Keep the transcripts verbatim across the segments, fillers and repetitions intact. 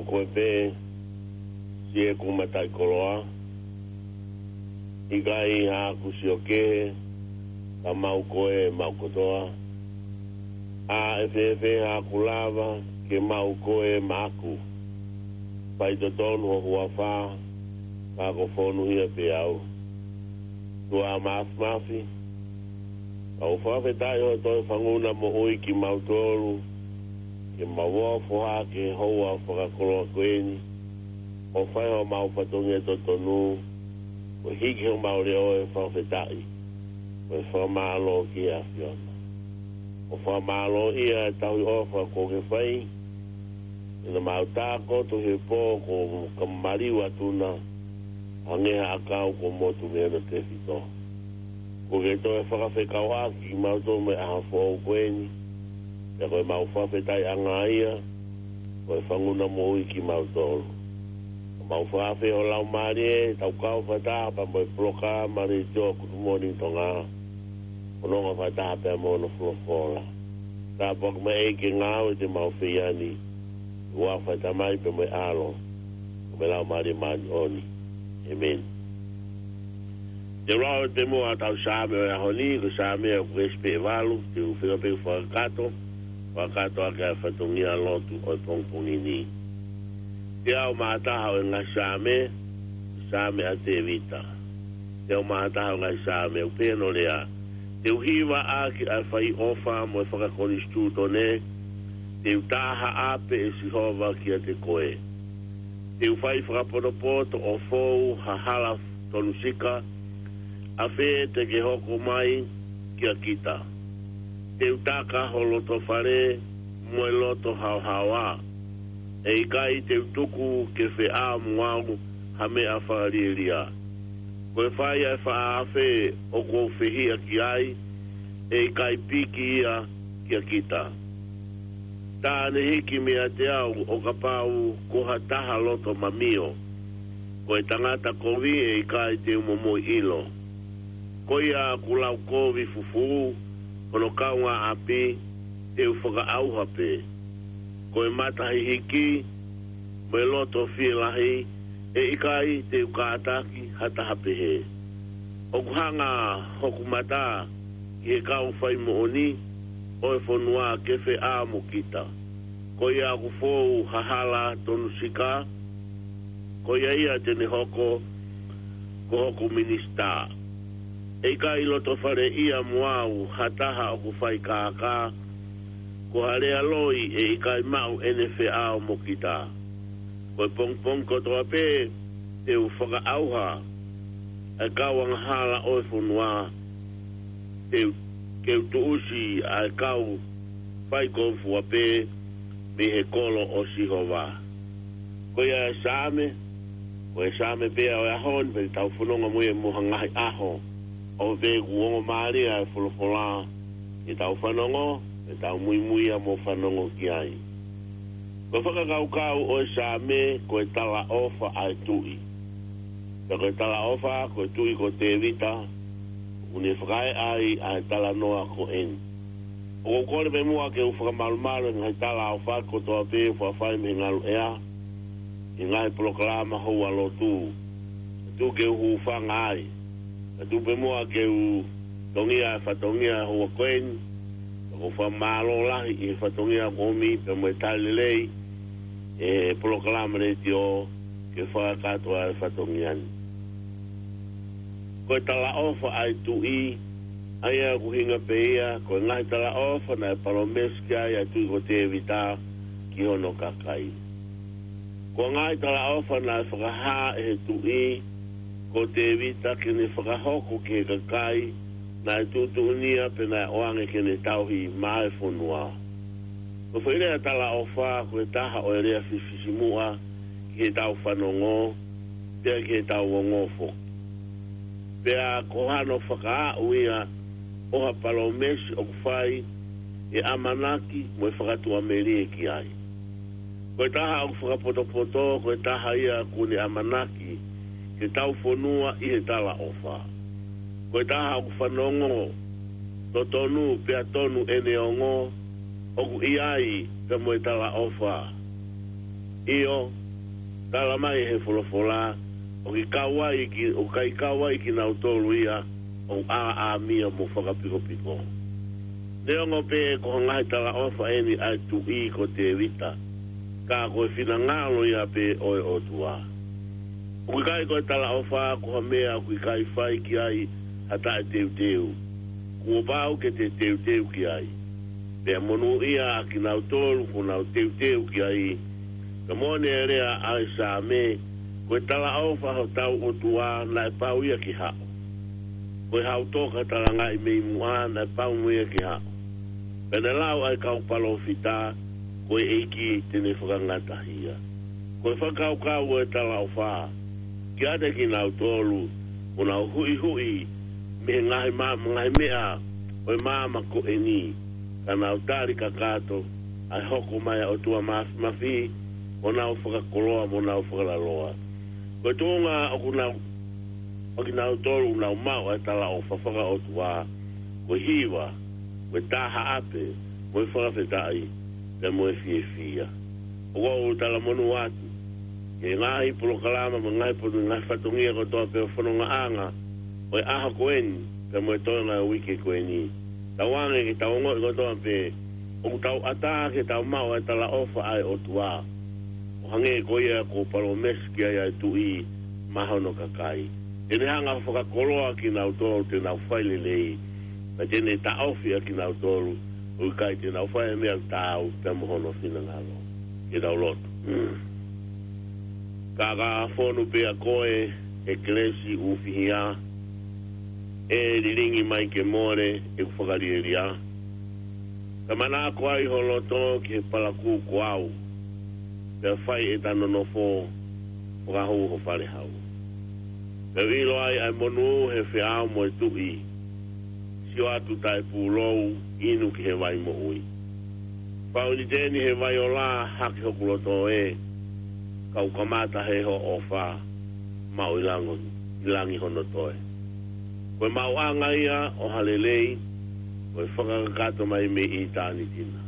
Ko e pē, siʻeku mataʻikoloa, ʻikai haʻaku sio kehe, ka mau koe maʻu kotoa. ʻA e fēfē haʻaku lava ke maʻu koe maʻaku? Faitotonu ho huafa, ka ko fonu hia pē au. ʻOtua Māfimafi, ʻoku fakafetaʻi hoʻo toe fanguna moʻui kimautolu, ke mau ofo hake he houa fakakoloa ko eni, ʻo fai homau fatongia totonu, ʻo hiki homau leʻo ʻo e fakafetaʻi, ʻo e fakamālō ki he ʻAfiona. ʻOku fakamālōʻia e tauhi ʻofa kuo ke fai, ʻi heʻemau tākoto he pō kuo ka maliu atu na, hangē ha ʻakau kuo motu mei hono tefito. Kuo ke toe fakafekauʻaki kimautolu mo e ʻaho foʻou ko eni, pea ko ʻemau fakafetaʻiʻanga ia, ko e fanguna moʻui kimautolu. Mau fakafeʻao Laumālie, tau kau fakataha pea mo e polokalama letiō Good Morning Tonga, ʻo nonga fakataha pea mo hono folofola. Tāpuaki mai ʻEiki e ngāue te mau fai ni, ʻi he huafa ʻo e Tamai pea mo e ʻAlo, pea mo e Laumālie Māʻoniʻoni. ʻĒmeni. Te u lau atu muʻa ʻetau Saame ʻo e ʻaho ni, ko e Saame ʻoku ʻi he veesi pē ʻe valu, te u feinga pē ke fakakakato, fakakakato ʻaki ʻa e fatongia lotu ʻo e pongipongi ni. Teau mā taha ʻo e ngaahi Saame, Saame ʻa Tēvita. Teau mā taha ʻo e ngaahi Saame, ʻoku pehē hono lea: Te u hiva ʻaki ʻa e fai ʻofa mo e fakakonisitūtone, te u tā ha ʻapi ʻe Sihova kiate koe. Te u fai fakapotopoto ʻo fou ha hala tonu sika, ʻa fē te ke hoko mai kia kita? Te u taka ho loto fale mo e loto haohaoa, ʻe ʻikai te u tuku ke feʻao mo au ha meʻa fakalielia. Ko e fai ʻa e faʻa afe ʻoku ou fehiʻa ki ai, ʻe ʻikai piki ia kia kita. Tā ne hiki meiate au ʻo kapau ko ha taha loto mamio, ko e tangata kovi ʻe ʻikai te u momoi ʻilo. Ko ia ʻoku lau kovi fufū hono kaungāʻapi, te u fakaʻauha pē. Ko e mata hihiki mo e loto fielahi, ʻe ʻikai te u kātaki ha taha pehē. ʻOku hanga hoku mata ki he kau fai moʻoni ʻo e fonua ke feʻao mo kita. Ko ia ʻoku fou ha hala tonu sika, ko ia ia te ne hoko ko hoku minisitā. ʻE ʻikai loto fale ia mo au ha taha ʻoku fai kākā, ko ha lea loi ʻe ʻikai maʻu ʻene feʻao mo kita. Ko e pongipongi kotoa pē te u fakaʻauha ʻa e kau angahala ʻo e fonua, te u, ke u tuʻusi ʻa e kau fai kovi fua pē mei he kolo ʻo Sihova. Ko ia e Saame, ko e Saame pē ʻo e ʻaho ni, pea tau fononga mo ia mo ha ngaahi ʻaho, ʻo pē kuo ongo mālie ʻa e folofola, ke tau fanongo, ke tau muimui ia mo fanongo ki ai. Ko e fakakaukau ʻo e Saame, ko e talaʻofa ʻa e tuʻi. Pea ko e talaʻofa, ko e tuʻi ko Tēvita, ʻoku ne fakaeʻa ai ʻa e talanoa ko eni. ʻOku ou kole pē muʻa ke u fakamalumalu e ngaahi talaʻofa kotoa pē ʻoku fai mei he ngaluʻea, ʻi he ngaahi polokalama houa lotu. Tuku ke u hūfanga ai. Ka tuku pē muʻa ke u tongia e fatongia houa ko eni. Ka ʻoku ou fakamālō lahi ʻi he fatongia kuo ʻomi pea mo e tali lelei e polokalama letiō ke fakakakato ʻa e fatongia ni. Ko e talaʻofa ʻa e tuʻi, ʻa ia ʻoku ʻuhinga pē ia, ko e ngaahi talaʻofa naʻe palōmesi ki ai ʻa e tuʻi ko Tēvita ki hono kakai. Ko e ngaahi talaʻofa naʻe fakahā ʻe he tuʻi ko Tēvita ke ne fakahoko ki he kakai naʻe tuʻutuʻunia pea naʻe ʻoange ke ne tauhi maʻa e fonua. Ko e foʻi lea talaʻofa ko e taha ʻo e lea fisifisimuʻa ki heʻetau fanongo, pea ki heʻetau ongo foki. Pea ko hano fakaaʻu ia ʻo ha palōmesi ʻoku fai e ʻamanaki mo e fakatuʻamelie ki ai. Ko e taha ʻoku fakapotopoto, ko e taha ia ʻoku ne ʻamanaki ke tau fonua ʻi he talaʻofa. Ko e taha ʻoku fanongo totonu pea tonu ʻene ongo, ʻoku ʻi ai pea mo e talaʻofa. ʻIo, tala mai ʻe he folofola, ʻoku ʻikai kau ai ki, ʻoku ʻikai kau ai kinautolu ia ʻoku ʻāʻāmia mo fakapikopiko. Neongo pē ko ha ngaahi talaʻofa ʻeni ʻa e tuʻi ko Tēvita, ka ko e finangalo ia pē ʻo e ʻOtua. ʻOku ʻikai ko e talaʻofa ko ha meʻa ʻoku ʻikai fai ki ai ha taʻeteuteu. Kuo pau ke te teuteu ki ai. Pea monūʻia ʻa kinautolu kuo nau teuteu ki ai. Pea moʻoni e lea ʻa e Saame, ko e talaʻofa hotau ʻOtua naʻe pau ia ke haʻu. Ko e hau toka talangaʻi mei muʻa naʻe pau mo ia ke haʻu. Pea ne lau ʻa e kau palōfita, ko e ʻEiki te ne fakangatahia. Ko e fakakaukau ʻo e talaʻofa, kiate kinautolu ʻoku nau huʻihuʻi mei he ngaahi ma-, ngaahi meʻa ʻo e māmani ko ʻeni, ka nau tali kakato ʻa e hoko mai ʻa e ʻOtua Māfimafi, ʻo nau fakakoloa, ʻo nau fakalaloa. Ko e tuʻunga ʻoku nau, ʻa kinautolu ʻoku nau maʻu ʻa e talaʻofa fakaʻotua, ko e hiva, ko e taha ʻape, mo e fakafetaʻi, pea mo e fiefia. ʻOku ou talamonū atu ki he ngaahi polokalama, mo e ngaahi polo-, ngaahi fatongia kotoa pē ʻo e fonongaʻanga ʻo e ʻaho ko ʻeni, pea mo e toenga ʻo e uike ko ʻeni. Tauange ke tau ongoʻi kotoa pē ʻoku tau ʻatā ke tau maʻu ʻa e talaʻofa ʻa e ʻOtua, ʻo hangē ko ia kuo palōmesi ki ai ʻa e tuʻi maʻa hono kakai. Te ne hanga ʻo fakakoloa kinautolu te nau fai lelei, pea te ne taʻofi ʻa kinautolu ʻoku ʻikai te nau fai ʻa e meʻa taau pea mo hono finangalo. Ke tau lotu. Ka ka fonu pē ʻa koe, ʻe Kelesi ʻUfihia, ʻe lilingi mai ke mole ʻeku fakalielia. Ka manako ai ho loto ki he palakū ko au, pea fai ʻeta nonofo fakahū ho fale hau. Pea u ʻilo ai ʻa e monū he feʻao mo e tuʻi, sio atu taʻepūlou, inu ki he vai moʻui. Fau ni teni he vai ola hake hoku loto ē, ka u kamata he hoʻo ʻofa, maʻu ʻi lango, ʻi langi hono toe. Ko e maʻuʻanga ia ʻo ha lelei, ko e fakakakato mai mei ʻitāniti na.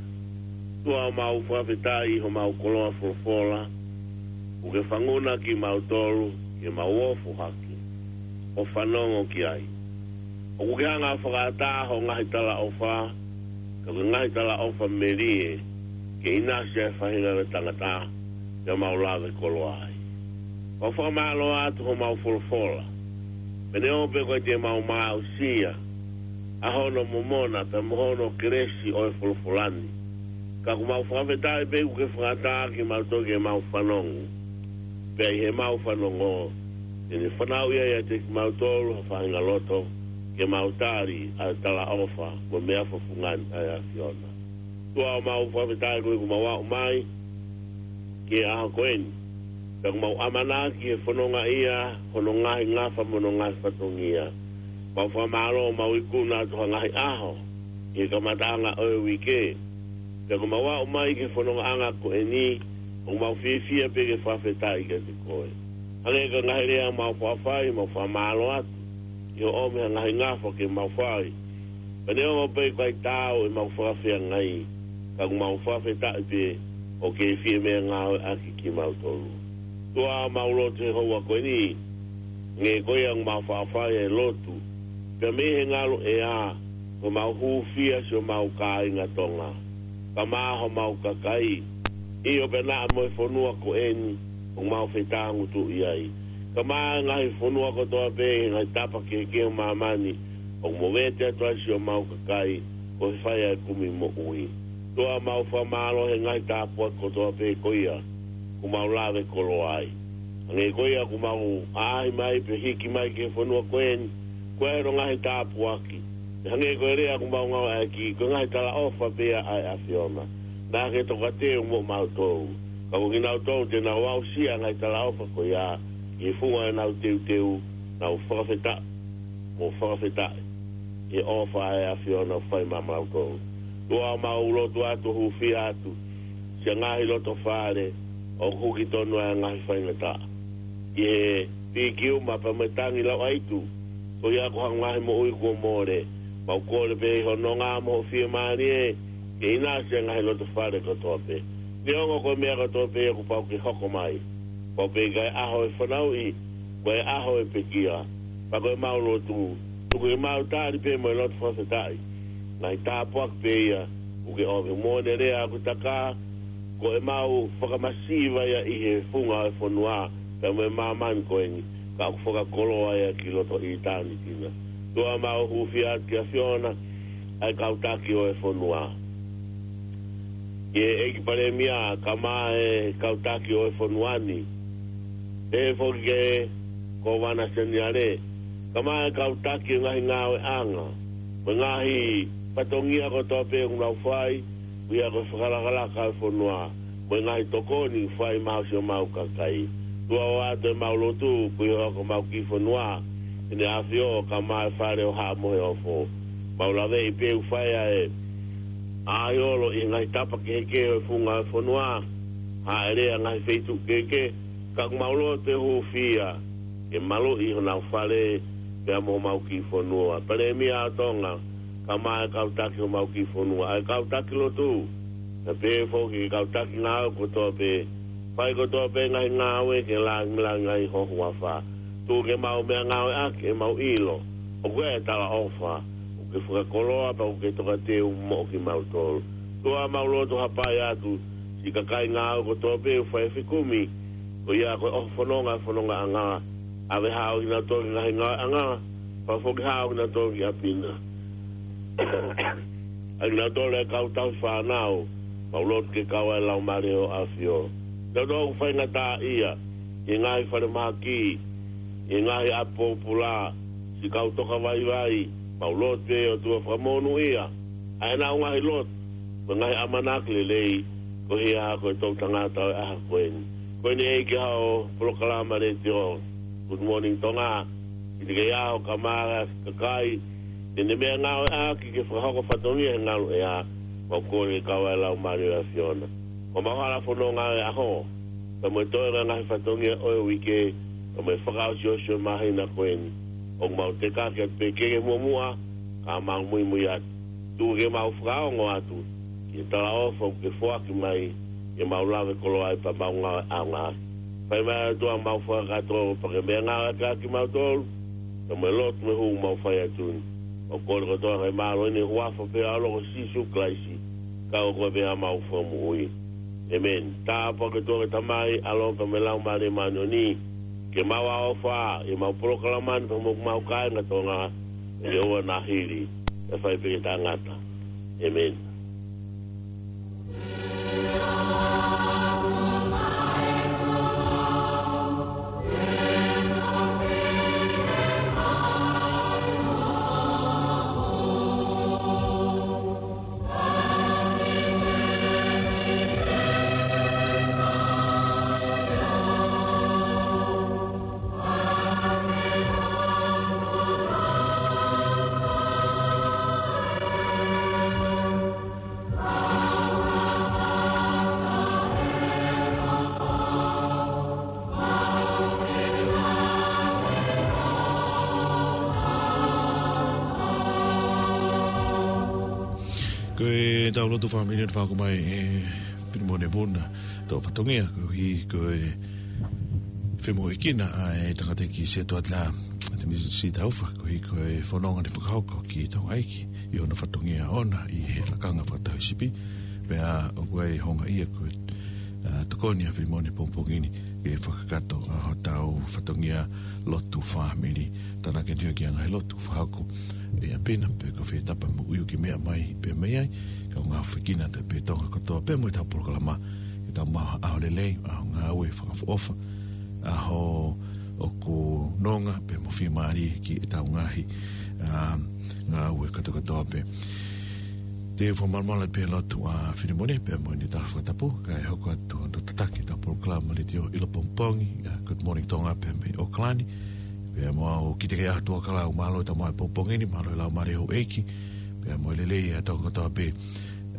ʻOtua, mau fakafetaʻi homau koloa folofola, ʻoku ke fanguna kimautolu, ke mau ofo hake, ʻo fanongo ki ai. ʻOku ke hanga ʻo fakaʻatā ho ngaahi talaʻofa, ka ko e ngaahi talaʻofa melie, ke ʻinasi ai e faʻahinga ʻo e tangata, pea mau lave koloa ai. Mau fakamālō atu homau folofola. Pea neongo pē ʻoku ʻikai te mau maʻusia ʻa hono momona pea mo hono kelesi ʻo e folofola ni, ka ʻoku mau fakafetaʻi pē ʻoku ke fakaʻatā kimautolu ke mau fanongo. Pea ʻi heʻemau fanongo, te ne fanauʻi ai ʻiate kimautolu ha faʻahinga loto, ke mau tali ʻa e talaʻofa mo e meʻa fafanga ʻa e ʻAfiona. ʻOtua, mau fakafetaʻi koeʻuhi kuo mau aʻu mai ki he ʻaho ko ʻeni. Pea ʻoku mau ʻamanaki he fononga ia, hono ngaahi ngafa mo hono ngaahi fatongia. Mau fakamālō, mau ikuna atu ha ngaahi ʻaho ʻi he kamataʻanga ʻo e uike. Pea ʻoku mau aʻu mai ki he fonongaʻanga ko ʻeni, ʻoku mau fiefia pē ke fakafetaʻi kiate koe. Hangē ko e ngaahi lea mau faʻa fai, mau fakamālō atu ʻi hoʻo ʻomi ha ngaahi ngafa ke mau fai. Pea neongo pē ʻoku ʻikai taau ʻemau fakafeangai, ka ʻoku mau fakafetaʻi pē ʻoku ke fie meʻangāueʻaki kimautolu. ʻOtua, mau lotu he houa ko ʻeni, hangē ko ia ʻoku mau faʻa fai e lotu, pea mei he ngaluʻea, ko ʻemau hūfia siʻomau kāinga Tonga, kae ʻumaʻā homau kakai, ʻio pea naʻa mo e fonua ko ʻeni ʻoku mau fetāngutuʻi ai, kae ʻumaʻā e ngaahi fonua kotoa pē ʻi he ngaahi tapa kehekehe ʻo māmani, ʻoku movete atu ai siʻomau kakai, ko e fai ʻa e kumi moʻui. ʻOtua, mau fakamālō he ngaahi tāpuaki kotoa pē ko ia ʻoku mau lave koloa ai. Hangē ko ia ʻoku mau ʻaʻahi mai pea hiki mai ki he fonua ko ʻeni, ko e ʻilo e ngaahi tāpuaki. Hangē ko e lea ʻoku mau ngāueʻaki, ko e ngaahi talaʻofa pē ia ʻa e ʻAfiona. Naʻa ke tokateu mo mautolu. Ka ko kinautolu te nau aʻusia e ngaahi talaʻofa ko ia, ʻi he funga ʻenau teuteu, nau fakafetaʻi mo fakafetaʻi ʻi he ʻofa ʻa e ʻAfiona ʻoku fai maʻa mautolu. ʻOtua, mau lotu atu, hūfia atu siʻa ngaahi loto fale ʻoku huki tonu ai e ngaahi faingataʻa ʻi he pīkiuma pea mo e tangi lauʻaitu, ko ia ko ha ngaahi moʻui kuo mole. Mau kole pē ʻi ho nonga mo ho fiemālie, ke ʻinasi e ngaahi loto fale kotoa pē. Neongo ko e meʻa kotoa pē ʻoku pau ke hoko mai, pau pē ke ʻi ai e ʻaho ʻo e fanauʻi, ko e ʻaho ʻo e pekia. Pea ko ʻemau lotu, tuku ke mau tali pē mo e lotu fakafetaʻi. Ngaahi tāpuaki pē ia ʻoku ke ʻomi. Moʻoni e lea ʻoku taka, ko ʻemau fakamasiva ia ʻi he funga ʻo e fonua, pea mo e māmani ko eni, ka ʻoku fakakoloa ia ki loto ʻitāniti na. ʻOtua, mau hūfia atu ki he ʻAfiona, ʻa e kau taki ʻo e fonua. ʻE ʻEiki Palēmia, kae ʻumaʻā e kau taki ʻo e fonua ni. Pehē foki ki he Kōvana Seniale, kae ʻumaʻā e kau taki ʻo e ngaahi ngāueʻanga, mo e ngaahi fatongia kotoa pē ʻoku nau fai, ʻi he fakalakalaka ʻo e fonua, mo e ngaahi tokoni ʻoku fai maʻa siʻomau kakai. ʻOtua, ʻoatu ʻemau lotu, koeʻuhi ko homau kiʻi fonua, ʻEne ʻAfio, kae ʻumaʻā e Fale ʻo Haʻa Moheofo. Mau laveʻi pē ʻoku fai ʻa e ʻaiolo ʻi he ngaahi tapa kehekehe ʻo e funga ʻo e fonua, hāʻele ʻa e ngaahi feituʻu kehekehe, ka ʻoku mau lotu ʻe hūfia, ke maluʻi honau fale, pea mo homau kiʻi fonua. Palēmia ʻo Tonga, kae ʻumaʻā e kau taki homau kiʻi fonua, ʻa e kau taki lotu, pea pehē foki ki he kau taki ngāue kotoa pē, fai kotoa pē ngaahi ngāue ke langilangiʻi ho huafa. Tuku ke mau meʻangāueʻaki ʻemau ʻilo, ʻoku ʻi ai e talaʻofa, ʻoku ke fakakoloa pea ʻoku ke tokateu moʻo kimautolu. ʻOtua, mau lotu hapai atu siʻi kakai ngāue kotoa pē ʻoku fai e fekumi, ko ia ko e ʻoho fononga, fonongaʻanga, ʻave haʻo ʻuhinga tō ki he ngaahi ngāueʻanga, pea foki haʻo ʻuhinga tō ki ʻapi na. ʻA kinautolu e kau tauhi fānau, mau lotu ke kau ai e Laumālie ʻo e ʻAfio. Kinautolu ʻoku faingataʻaʻia ʻi he ngaahi falemahaki, ʻi he ngaahi ʻapi pōpula, siʻi kau toka vaivai, mau lotu pē ʻOtua fakamonūʻia ʻa ʻenau ngaahi lotu, mo e ngaahi ʻamanaki lelei, koeʻuhi ko e toʻutangata ʻo e ʻaho ko eni. Ko eni ʻEiki, haʻo polokalama letiō, Good Morning Tonga, ʻi he kei ʻaho kae ʻumaʻā e kakai, ʻi heʻene meʻangāueʻaki ke fakahoko fatongia he ngaluʻea, mau kole ke kau ai e Laumālie ʻo e ʻAfiona. Ko ʻemau hala fononga ʻo e ʻaho, pea mo e toe ngaahi fatongia ʻo e uike, pea mo e fakaʻosiʻosi ʻo e māhina ko eni, ʻoku mau tekaki atu pē ke ke muʻomuʻa, ka mau muimui atu. Tuku ke mau fakaongo atu ki he talaʻofa ʻoku ke foaki mai, ke mau lave koloa ai pea mau ngāue ʻaonga. Fai mai ʻOtua ʻemau fakakakato pea ke meʻangāueʻaki kimautolu, pea mo e lotu mo e hū ʻoku mau fai atu ni. Mau kole kotoa ʻa e mālō ni ʻi he huafa pē ʻo ho ʻAlo ko Sīsū Kalaisi, ko koe pē ʻa homau Fakamoʻui. ʻĒmeni. Tāpuaki ʻOtua ko e Tamai, ʻAlo pea mo e Laumālie Māʻoniʻoni, ke maʻu ʻa e ʻofa ʻi heʻemau polokalama ni pea mo homau kāinga Tonga, ʻi he ʻaho ni mo e hili, ʻe fai pē ke taʻengata. ʻĒmeni. Ko ʻetau lotu fāmili ʻoku fakahoko mai ʻe Filimone Vuna, tō fatongia, koeʻuhi ko e femoʻuekina ʻa e tangataʻeiki Setuata, Temisi Taufa, koeʻuhi ko e fononga naʻe fakahoko ki Tonga ʻEiki, ʻi hono fatongia ʻoʻona ʻi he lakanga fakataha ʻo e sipi, pea ʻoku ʻi ai e houngaʻia ko e, ʻa, tokoni ʻa Filimone pongipongi ni ke fakakakato ʻa hotau fatongia lotu fāmili. Tānaki atu ki he ngaahi lotu fakahoko ʻi ʻapi na, pe ko fē tapa mo e ʻuhinga ke meʻa mai, pea mei ai, kaungā ʻofa ʻi he kau taki Tonga kotoa, pea mo ʻetau polokalama, ke tau maʻu ha ʻaho lelei, ʻaho ngāue fakaʻofoʻofa, ʻaho ʻoku nonga pea mo fiemālie ki heʻetau ngaahi, ʻa, ngāue kātoa kātoa pē. Te u fakamalumalu pē he lotu ʻa Filimone pea mo ʻene tala fakatapu, kae hoko atu hono tataki ʻetau polokalama letiō ʻi he pongipongi, ʻa, Good Morning Tonga pea mei ʻAokalani. Pea mo au, kiate koe ʻa e ʻOtua, mālō ʻetau maʻu e pongipongi ni, mālō e laumālie ʻo e ʻEiki, pea mo e lelei ʻa e Tonga kotoa pē,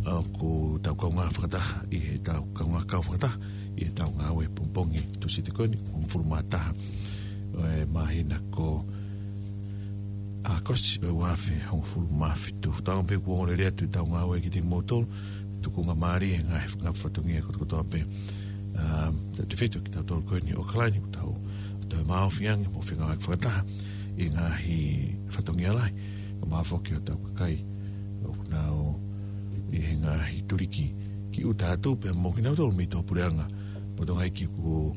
ʻoku tau kaungā fakataha, ʻi heʻetau kaungā kau fakataha ʻi heʻetau ngāue pongipongi Tūsite ko eni, hongofulu mā taha ʻo e māhina ko ʻAokosi ʻo e ua afe hongofulu mā fitu. Tau pē kuo lelei atu ʻetau ngāue kiate kimoutolu, tukunga mālie he ngaahi, ngaahi fatongia kotoa kotoa pē. ʻA, tautefito kitautolu ko eni ʻi ʻOkalani, ʻoku tau toe maʻofi ange mo fengāueʻaki fakataha ʻi he ngaahi fatongia lahi. Kae ʻumaʻā foki hotau kakai ʻoku nau ʻi he ngaahi tuliki ki ʻuta atu pea mo kinautolu mei tuʻapuleʻanga mo Tonga ʻi he ʻEiki ʻoku,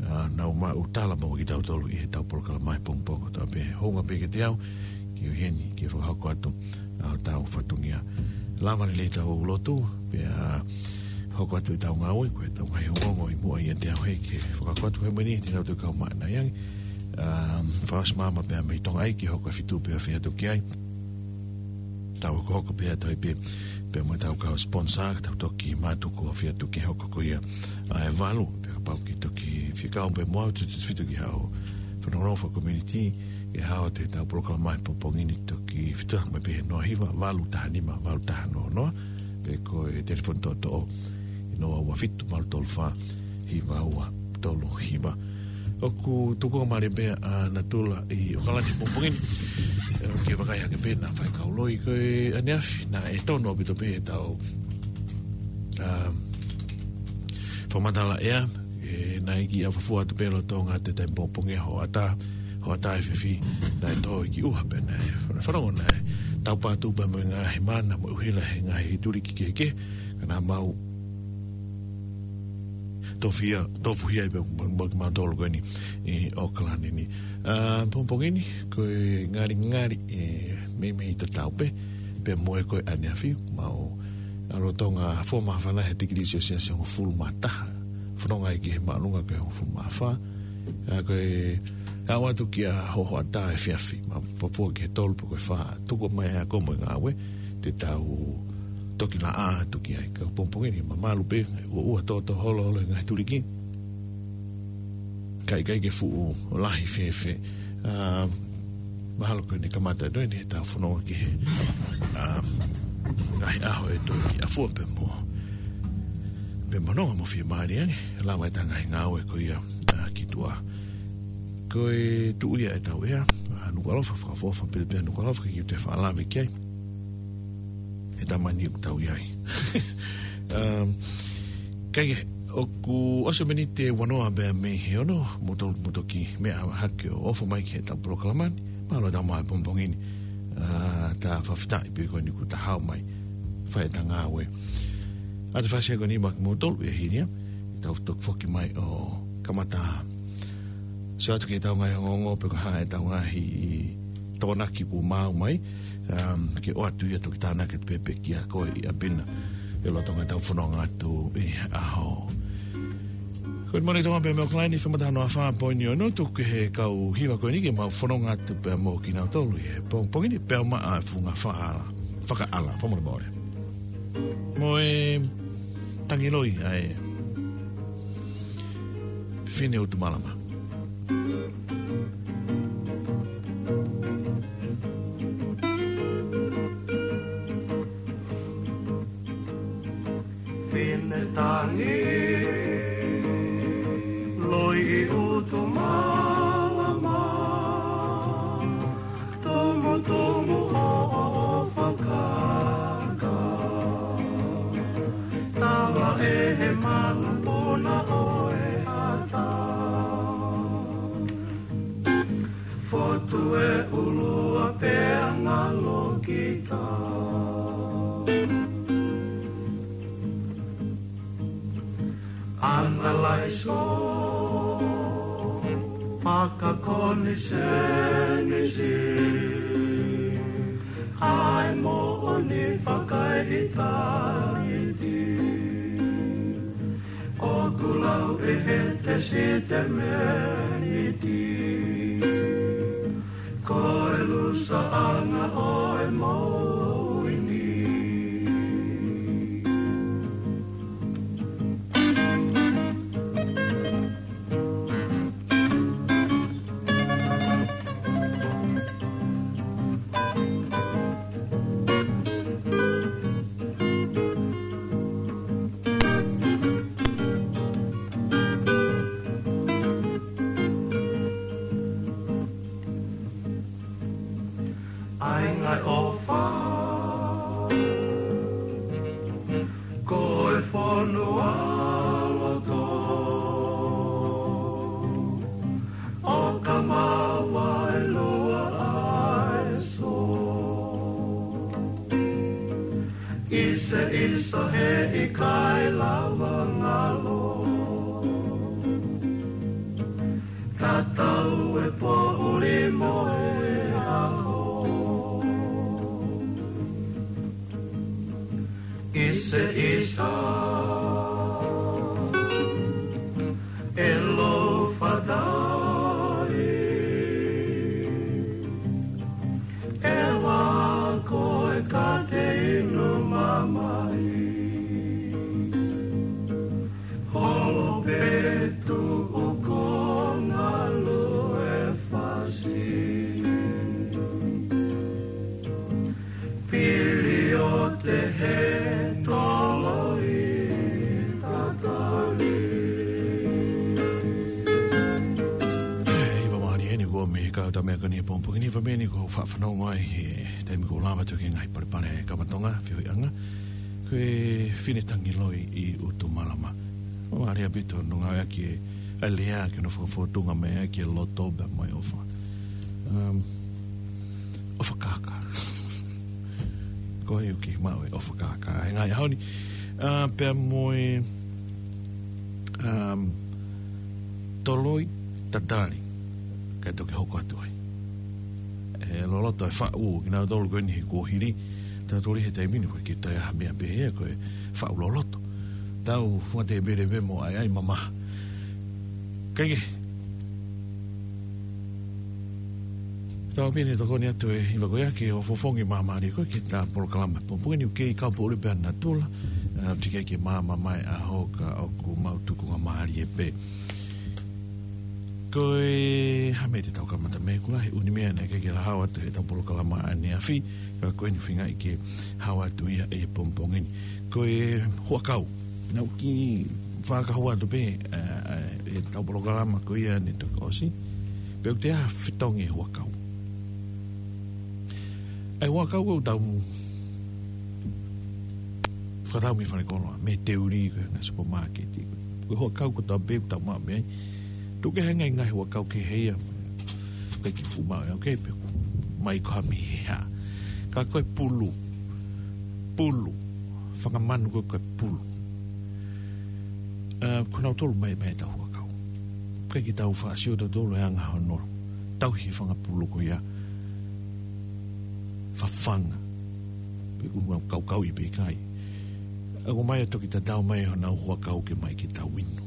ʻa, nau maʻu tala mo kitautolu ʻi heʻetau polokalama he pongipongi kotoa pē. Hounga pē kiate au ke u ʻi heni ke fakahoko atu ʻa hotau fatongia. Lava lelei ʻetau lotu pea hoko atu ʻetau ngāue, ko ʻetau ngaahi ongoongo ʻi muʻa ʻiate au heni ke fakahoko atu he meni, te nau toe kau maʻana ange. ʻA, fakaʻosi maama pea mei Tonga ʻi he hoko ʻa e fitu pea fai atu ki ai. Tau hokohoko pē ʻa e tohi pē, pea mo ʻetau kau sponsor, tau toki mātuku ʻo fai atu ki he hoko ko ia ʻa e valu, pea kapau ʻoku ke toki fie kau pē mo au, tautefito ki haʻo fanongonongo faka-community, ʻe hao atu heʻetau polokalama he pongipongi ni, toki fetuʻutaki mai pē he noa hiva, valu taha nima, valu taha noa noa, pe ko e telefoni toʻotoʻo ʻi he noa ua fitu, valu tolu fā, hiva ua tolu hiva. ʻOku tuku mālie pē ʻa Natula ʻi ʻOkalani he pongipongi ni. ʻE, ʻoku ke vakai hake pē naʻa faikau loi ko ē ʻaneafi, naʻe tonu ʻaupito pē ʻetau, ʻa, fakamatala ʻea, ʻe, naʻe ʻikai fafua atu pē lolotonga ʻa e taimi pongipongi, hoʻatā, hoʻatā efiafi, naʻe tō ki ʻuha pē naʻe, fanongo naʻe taupatu pē mo e ngaahi mana mo e ʻuhila he ngaahi tuliki kehekehe, ka naʻa mau tofuhia, tofuhia pē mo, mo kimautolu ko eni ʻi ʻOkalani ni. ʻA, pongipongi ni, ko e ngalingali, ʻe, meimei tatau pē, pea mo e ko ē ʻaneafi, mau ʻalu ʻo tonga fo māfana he tikilī selesiasi hongofulu mā taha. Fononga ʻi he māʻolunga ko e hongofulu mā fā. ʻA, ko e aʻu atu ki he hoʻatā efiafi, mei fafua ki he tolu pe ko e fā, tuku mai ʻa e ako mo e ngāue, te tau toki laʻā atu ki ai. Ka pongipongi ni mamalu pē, ʻuʻua tōtō holoholo e ngaahi tuliki. Ka ʻikai ke fuʻu lahi fēfē. ʻA, mahalo ko ʻene kamata ʻe toe ʻetau fononga ki he, ʻa, ngaahi ʻaho ʻe toe kiʻi ʻafua pē mo, pē mo nonga mo fiemālie ange, lava ʻetau ngaahi ngāue ko ia, ʻa, ki tuʻa. Ko e tuʻu ia ʻetau ʻea, ʻa, Nukuʻalofa, fakaʻofoʻofa pē pē Nukuʻalofa, ke kiʻi toe fakalave ki ai. ʻE tamani ʻoku tau ʻi ai. Um, kae kehe, ʻoku ʻosi e miniti ʻe uanoa pē mei he ono, mou to-, mou toki meʻa hake ʻo ʻofa mai ki heʻetau polokalama ni, mālō e tau mai pongipongi ni, ʻa, ta fakafetaʻi pē ko eni kuo ta hao mai, fai ʻeta ngāue. ʻA, te fasi ko eni maʻa kimoutolu ʻi he hili ia, tau toki foki mai ʻo kamata sio atu ki heʻetau ngaahi ongoongo pe ko e hā ʻetau ngaahi Tokonaki kuo maau mai, um, ke ʻoatu ia toki tānaki atu pē pē kiate koe ʻi ʻapi na ʻi loto ʻetau fononga atu ʻi he ʻaho. Ko e Moni Tonga pē mei ʻOkalani, FM taha noa fā poini ono, tuku ki he kau hiva ko eni ke mau fononga atu pē mo kinautolu ʻi he pongipongi ni pea maʻa e funga fakaʻala, fakaʻala, fakamolemole. Mo e tangi loi ʻa e fefine ʻUtumalama. Fine tangi loi ʻi ʻUtumalama, tumutumu ʻo ʻofa kaka, tala ʻe he malapuna ʻo e ata. Fotu e ʻulu ʻa pea ngalo kita. Analaiso, fakakonisenisi, ʻa e moʻoni fakaʻitāniti. ʻOku lau ʻe he tesitameniti, ko e lusaʻanga ʻo e moʻui ni. ʻAi ngaahi ʻofa. ʻIsa he ʻikai lava ngalo. Tatau e poʻuli mo e ʻaho. ʻIsa, ʻisa, ʻe lou fatai. ʻE vako e kate inu mamai. Holo petu o konga lue fasi. Pili o te he toloi tatali. Hiva mahali eni ko me kau ta mea kani pongipongi ni, hiva meni ko fafanau mai he taimi ko lava toki ngai palepale kamatonga, fio i anga. Ko e fine tangi loi i utu malama. Mamalia pito no ngau ake a lea ke no fakafotunga mai ake loto ba mai ofa. Um, ofa kaka. Ko e uki mau e ofa kaka. E ngai ahoni. Uh, pea mo e, um, toloi tatali. Kai toki hoko atu ai. E loloto e faʻu, kinautolu ko eni he kuo hili. Tatoli he taimi ni ko ke toi aha mea pehea ko e faʻu loloto. Tau fuate bere be mo ai ai mama. Kai ke. Tau pene tokoni atu e hiva ko ia ke o fofongi mamari ko ke ta polokalama. Pongipongi ni uke i kau pole pe ana tula. A, tike ke mama mai a hoka o ku mau tuku nga mari e pe. Ko e hame te tau kamata me kula he uni mea ne ke ke la hawa atu he tau polokalama ane afi. Ka ko e ni finga i ke hawa atu ia e pongipongi ni. Ko e huakau. Nau ki whakahawa atu pe, e, e, e tau polokalama ko ia ne toki osi. Pe u te a fitongi e huakau. E huakau ko tau mu. Whakatau mi whare koloa. Me te uri ko na supermarket. Ko e huakau ko tau pe tau ma me. Tu ke henga i ngai huakau ke heia. Ke ki fuma e, okay, pe. Mai ko ha mi he ha. Ka ko e pulu. Pulu. Whakamanu ko ko e pulu. A, ko nau tolu mai, mai tau huakau. Kai ki tau wha, sio tau tolu e anga hono. Tau hi whanga pulu ko ia. Whawhanga. Pe ku mau kau kau i pe kai. A ko mai a toki ta tau mai honau huakau ke mai ki tau inu.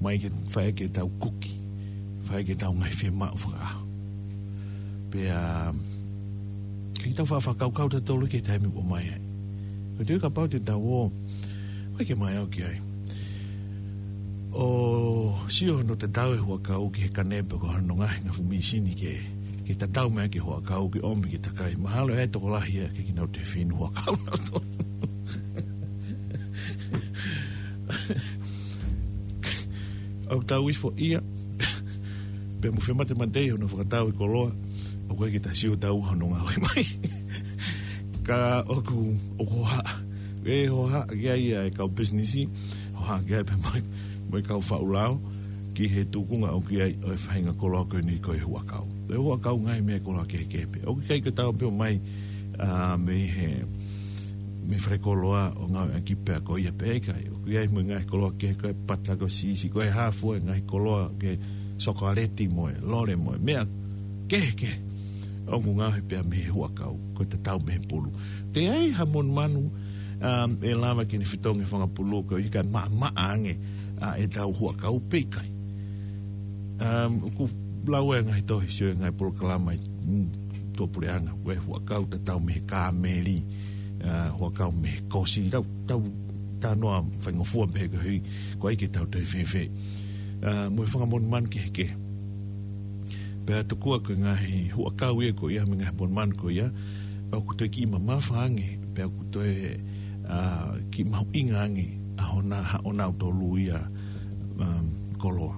Mai ke whae ke tau kuki. Whae ke tau ngai whema o whakaaho. Pea, kai ki tau wha, whakau kau ta tolu ke taimi ko mai ai. Ko te ka pau te tau o, kai ke mai au ki ai. O, sio no te tau e huakau ki he kane pe ko hano ngahi nga fu misini ke, ke ta tau mai ke huakau ke omi ke takai. Mahalo e tokolahi ia ke kinau te finu huakau na to. Au tau ifo ia. Pe mo fe mate mate i hono whakatau i koloa. Au kai ke ta sio tau hono ngau i mai. Ka oku, oku ha. E ho ha, ki ai e kau business i. Ho ha, ki ai pe mai, mai kau whaulao. Ki he tukunga au ki ai o e whainga koloa ko ni ko e huakau. E huakau ngai me koloa ke ke pe. Oku kai ke tau pe o mai, a, me he, me whare koloa o ngau e ki pea ko ia pe kai. Oku ai mo ngai koloa ke ko e pata ko sisi, ko e hafu e ngai koloa ke sokaleti mo e, lore mo e. Mea ke ke. Oku ngau he pea me he huakau. Ko te tau me he pulu. Te ai ha mon manu, um, e lava ki ni fitongi whanga pulu ko i kai ma, ma ange, a, e tau huakau pe kai. Um, ku lau e ngai tohi sio e ngai polokalama i, mm, tō pule anga, ko e huakau ta tau me he kāmeli, a, huakau me he kosi, tau, tau, ta noa whainga fua me he ko hui, ko ai ke tau toi fefe. A, mo e whanga mon manu ke he ke. Pea tokua ko e ngahi huakau ia ko ia, me ngahi mon manu ko ia, au ku toi ki mamafa ange, pea ku toi, a, ki mahu inga ange, a hona, ha ona au tolu ia, um, koloa.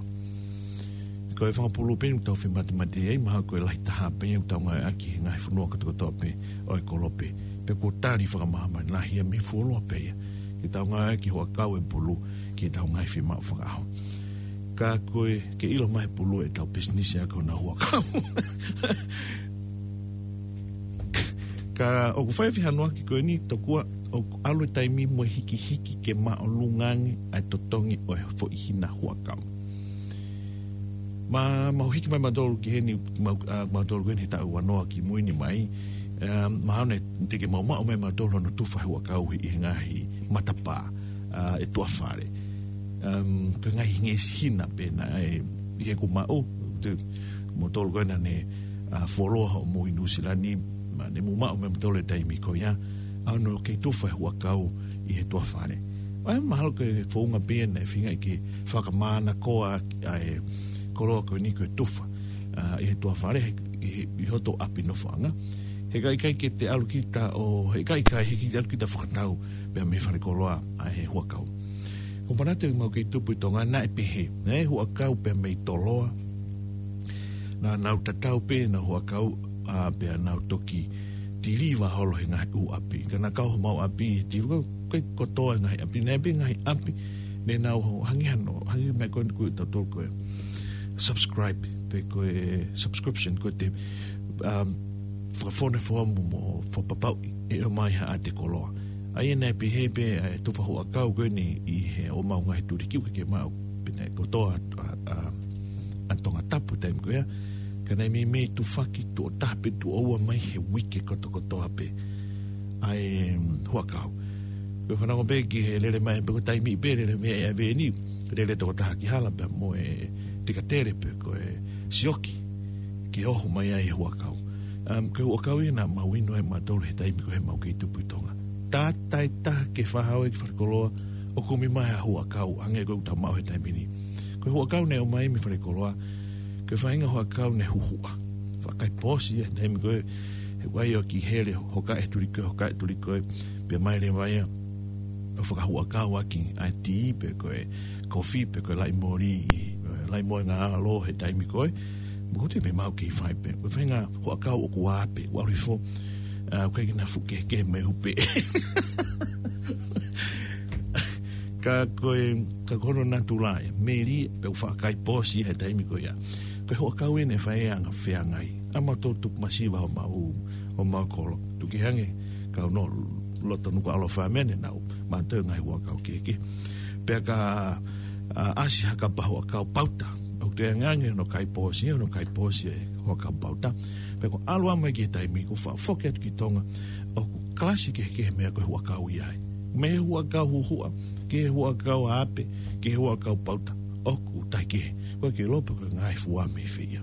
Ko e whanga pulu peni, tau whi mate mate ei, maha ko e lahi taha peni, tau ngai aki, he ngahi funua kotoa kotoa pe, o e kolope. Pe ko tali whakamahama, lahi ia me fuoloa pe ia. Ke tau ngai aki, huakau e pulu, ke tau ngai whi mau whakaaho. Ka ko e, ke ilo mai pulu e tau business a ko na huakau. Ka oku whai whi hanoaki ko eni, tokua, ʻoku ʻalu e taimi mo e hikihiki ke māʻolunga ange ʻa e totongi ʻo e foʻi hina huʻakau. Ma, mau hiki mai mautolu ki heni, mau, ʻa, mautolu ko eni he taʻu ua noa ki mui ni mai, ʻa, mahalo naʻe teʻeki ke mau maʻu mai mautolu hono tufa huʻakau ʻi he ngaahi matapā, ʻa, ʻi tuʻa fale. Um, ko e ngaahi ngeʻesi hina pē naʻe, ʻi heʻeku maʻu, te, mautolu ko ena ne, ʻa, fuoloa hoʻomou ʻi Nuʻusila ni, ma ne mou maʻu mai mautolu he taimi ko ia, ʻa hono kei tufa e huʻakau ʻi he tuʻa fale. ʻA e mahalo ko e founga pē ia naʻe feingaʻi ke fakamānakoa ʻa e koloa ko eni ko e tufa, ʻa, ʻi he tuʻa fale, he, he, ʻi hoto ʻapi nofoʻanga. He ʻikai ke te ʻalu kita ʻo, he ʻikai, ʻikai, he ʻikai te ʻalu kita ʻo fakatau pea mei falekoloa ʻa e huʻakau. Ko Panate mau kei tupu ʻi Tonga naʻe pehē, naʻe huʻakau pea mei Toloa. Naʻa nau tatau pē ʻenau huʻakau, ʻa, pea nau toki tiliva holo he ngaahi ʻū ʻapi. Ka naʻa kau homau ʻapi he tiliva, ʻikai kotoa e ngaahi ʻapi, naʻe pē ngaahi ʻapi, ne nau hangē hano, hangē meʻa ko eni ko e tautolu ko e subscribe, pe ko e subscription, ko e te, um, fakafonu e foamu mo fakapapauʻi ʻe ʻomai ha ʻātekoloa. ʻA ia naʻe pehē pē ʻa e tufa huʻakau ko eni ʻi he ʻomai ngaahi tuliki ʻoku ʻikai ke maʻu pē naʻe kotoa ʻa, ʻa, ʻa Tongatapu taimi ko ia. Ka naʻe meimei tufaki tuʻo taha pe tuʻo ua mai he uike kotokotoa pē ʻa e, um, huʻakau. Ko e fanongo pē ki he lele mai pe ko e taimi pē lele mai ʻa e veni, lele tokotaha ki hala pea mo e tikatele pe ko e sioki ke oho mai ai e huʻakau. Um, ko e huʻakau ia naʻa mau inu ai mautolu he taimi ko ē he mau kei tupu ʻi Tonga. Tātai taha ke fakahao ki falekoloa ʻo kumi mai ha huʻakau hangē ko ʻeku tau maʻu he taimi ni. Ko e huʻakau naʻe ʻomai mei falekoloa, ko e faʻahinga huʻakau naʻe huhuʻa. Faʻa kai pōsi ia he taimi ko ē, he ʻoku ʻai ʻo ki hele, hokaʻi e tuliki ko ē, hokaʻi e tuliki ko ē, pea mai leva ia ʻo fakahuʻakau ʻaki ʻa e tī pe ko e kofi pe ko e laʻi moli, ʻi, ʻe, laʻi moenga ʻalo he taimi ko ē. Mo ko te me mau kei fai pē. Ko e faʻahinga huʻakau ʻoku ʻā pē, ʻoku ʻalu hifo, ʻa, ʻoku ʻikai ke na fuʻu kehekehe mo e hupe. Ka ko e, ka ko hono natula ia, meli, pea ʻoku faʻa kai pōsi he taimi ko ia. Ko e huʻakau eni ʻe fai ʻa e anga feangai. ʻA mautolu tupu masiva ʻo mau, ʻo mau kolo. Tuku hangē, kau nō loto Nukuʻalofa mene nau, mautolu ngaahi huʻakau kehekehe. Pea ka, ʻa, ʻasi ha kapa huʻakau pauta. ʻOku toe angeange hono kai pōsi, hono kai pōsi e huʻakau pauta. Pea ko e ʻalu mai ki he taimi, ko e faʻa foki atu ki Tonga, ʻoku kalasi kehekehe meʻa ko e huʻakau ia ai. Mei he huʻakau huhuʻa, ki he huʻakau ʻape, ki he huʻakau pauta, ʻoku taʻekehe. Ko e ke lopa ko e ngaahi fua mei fē ia.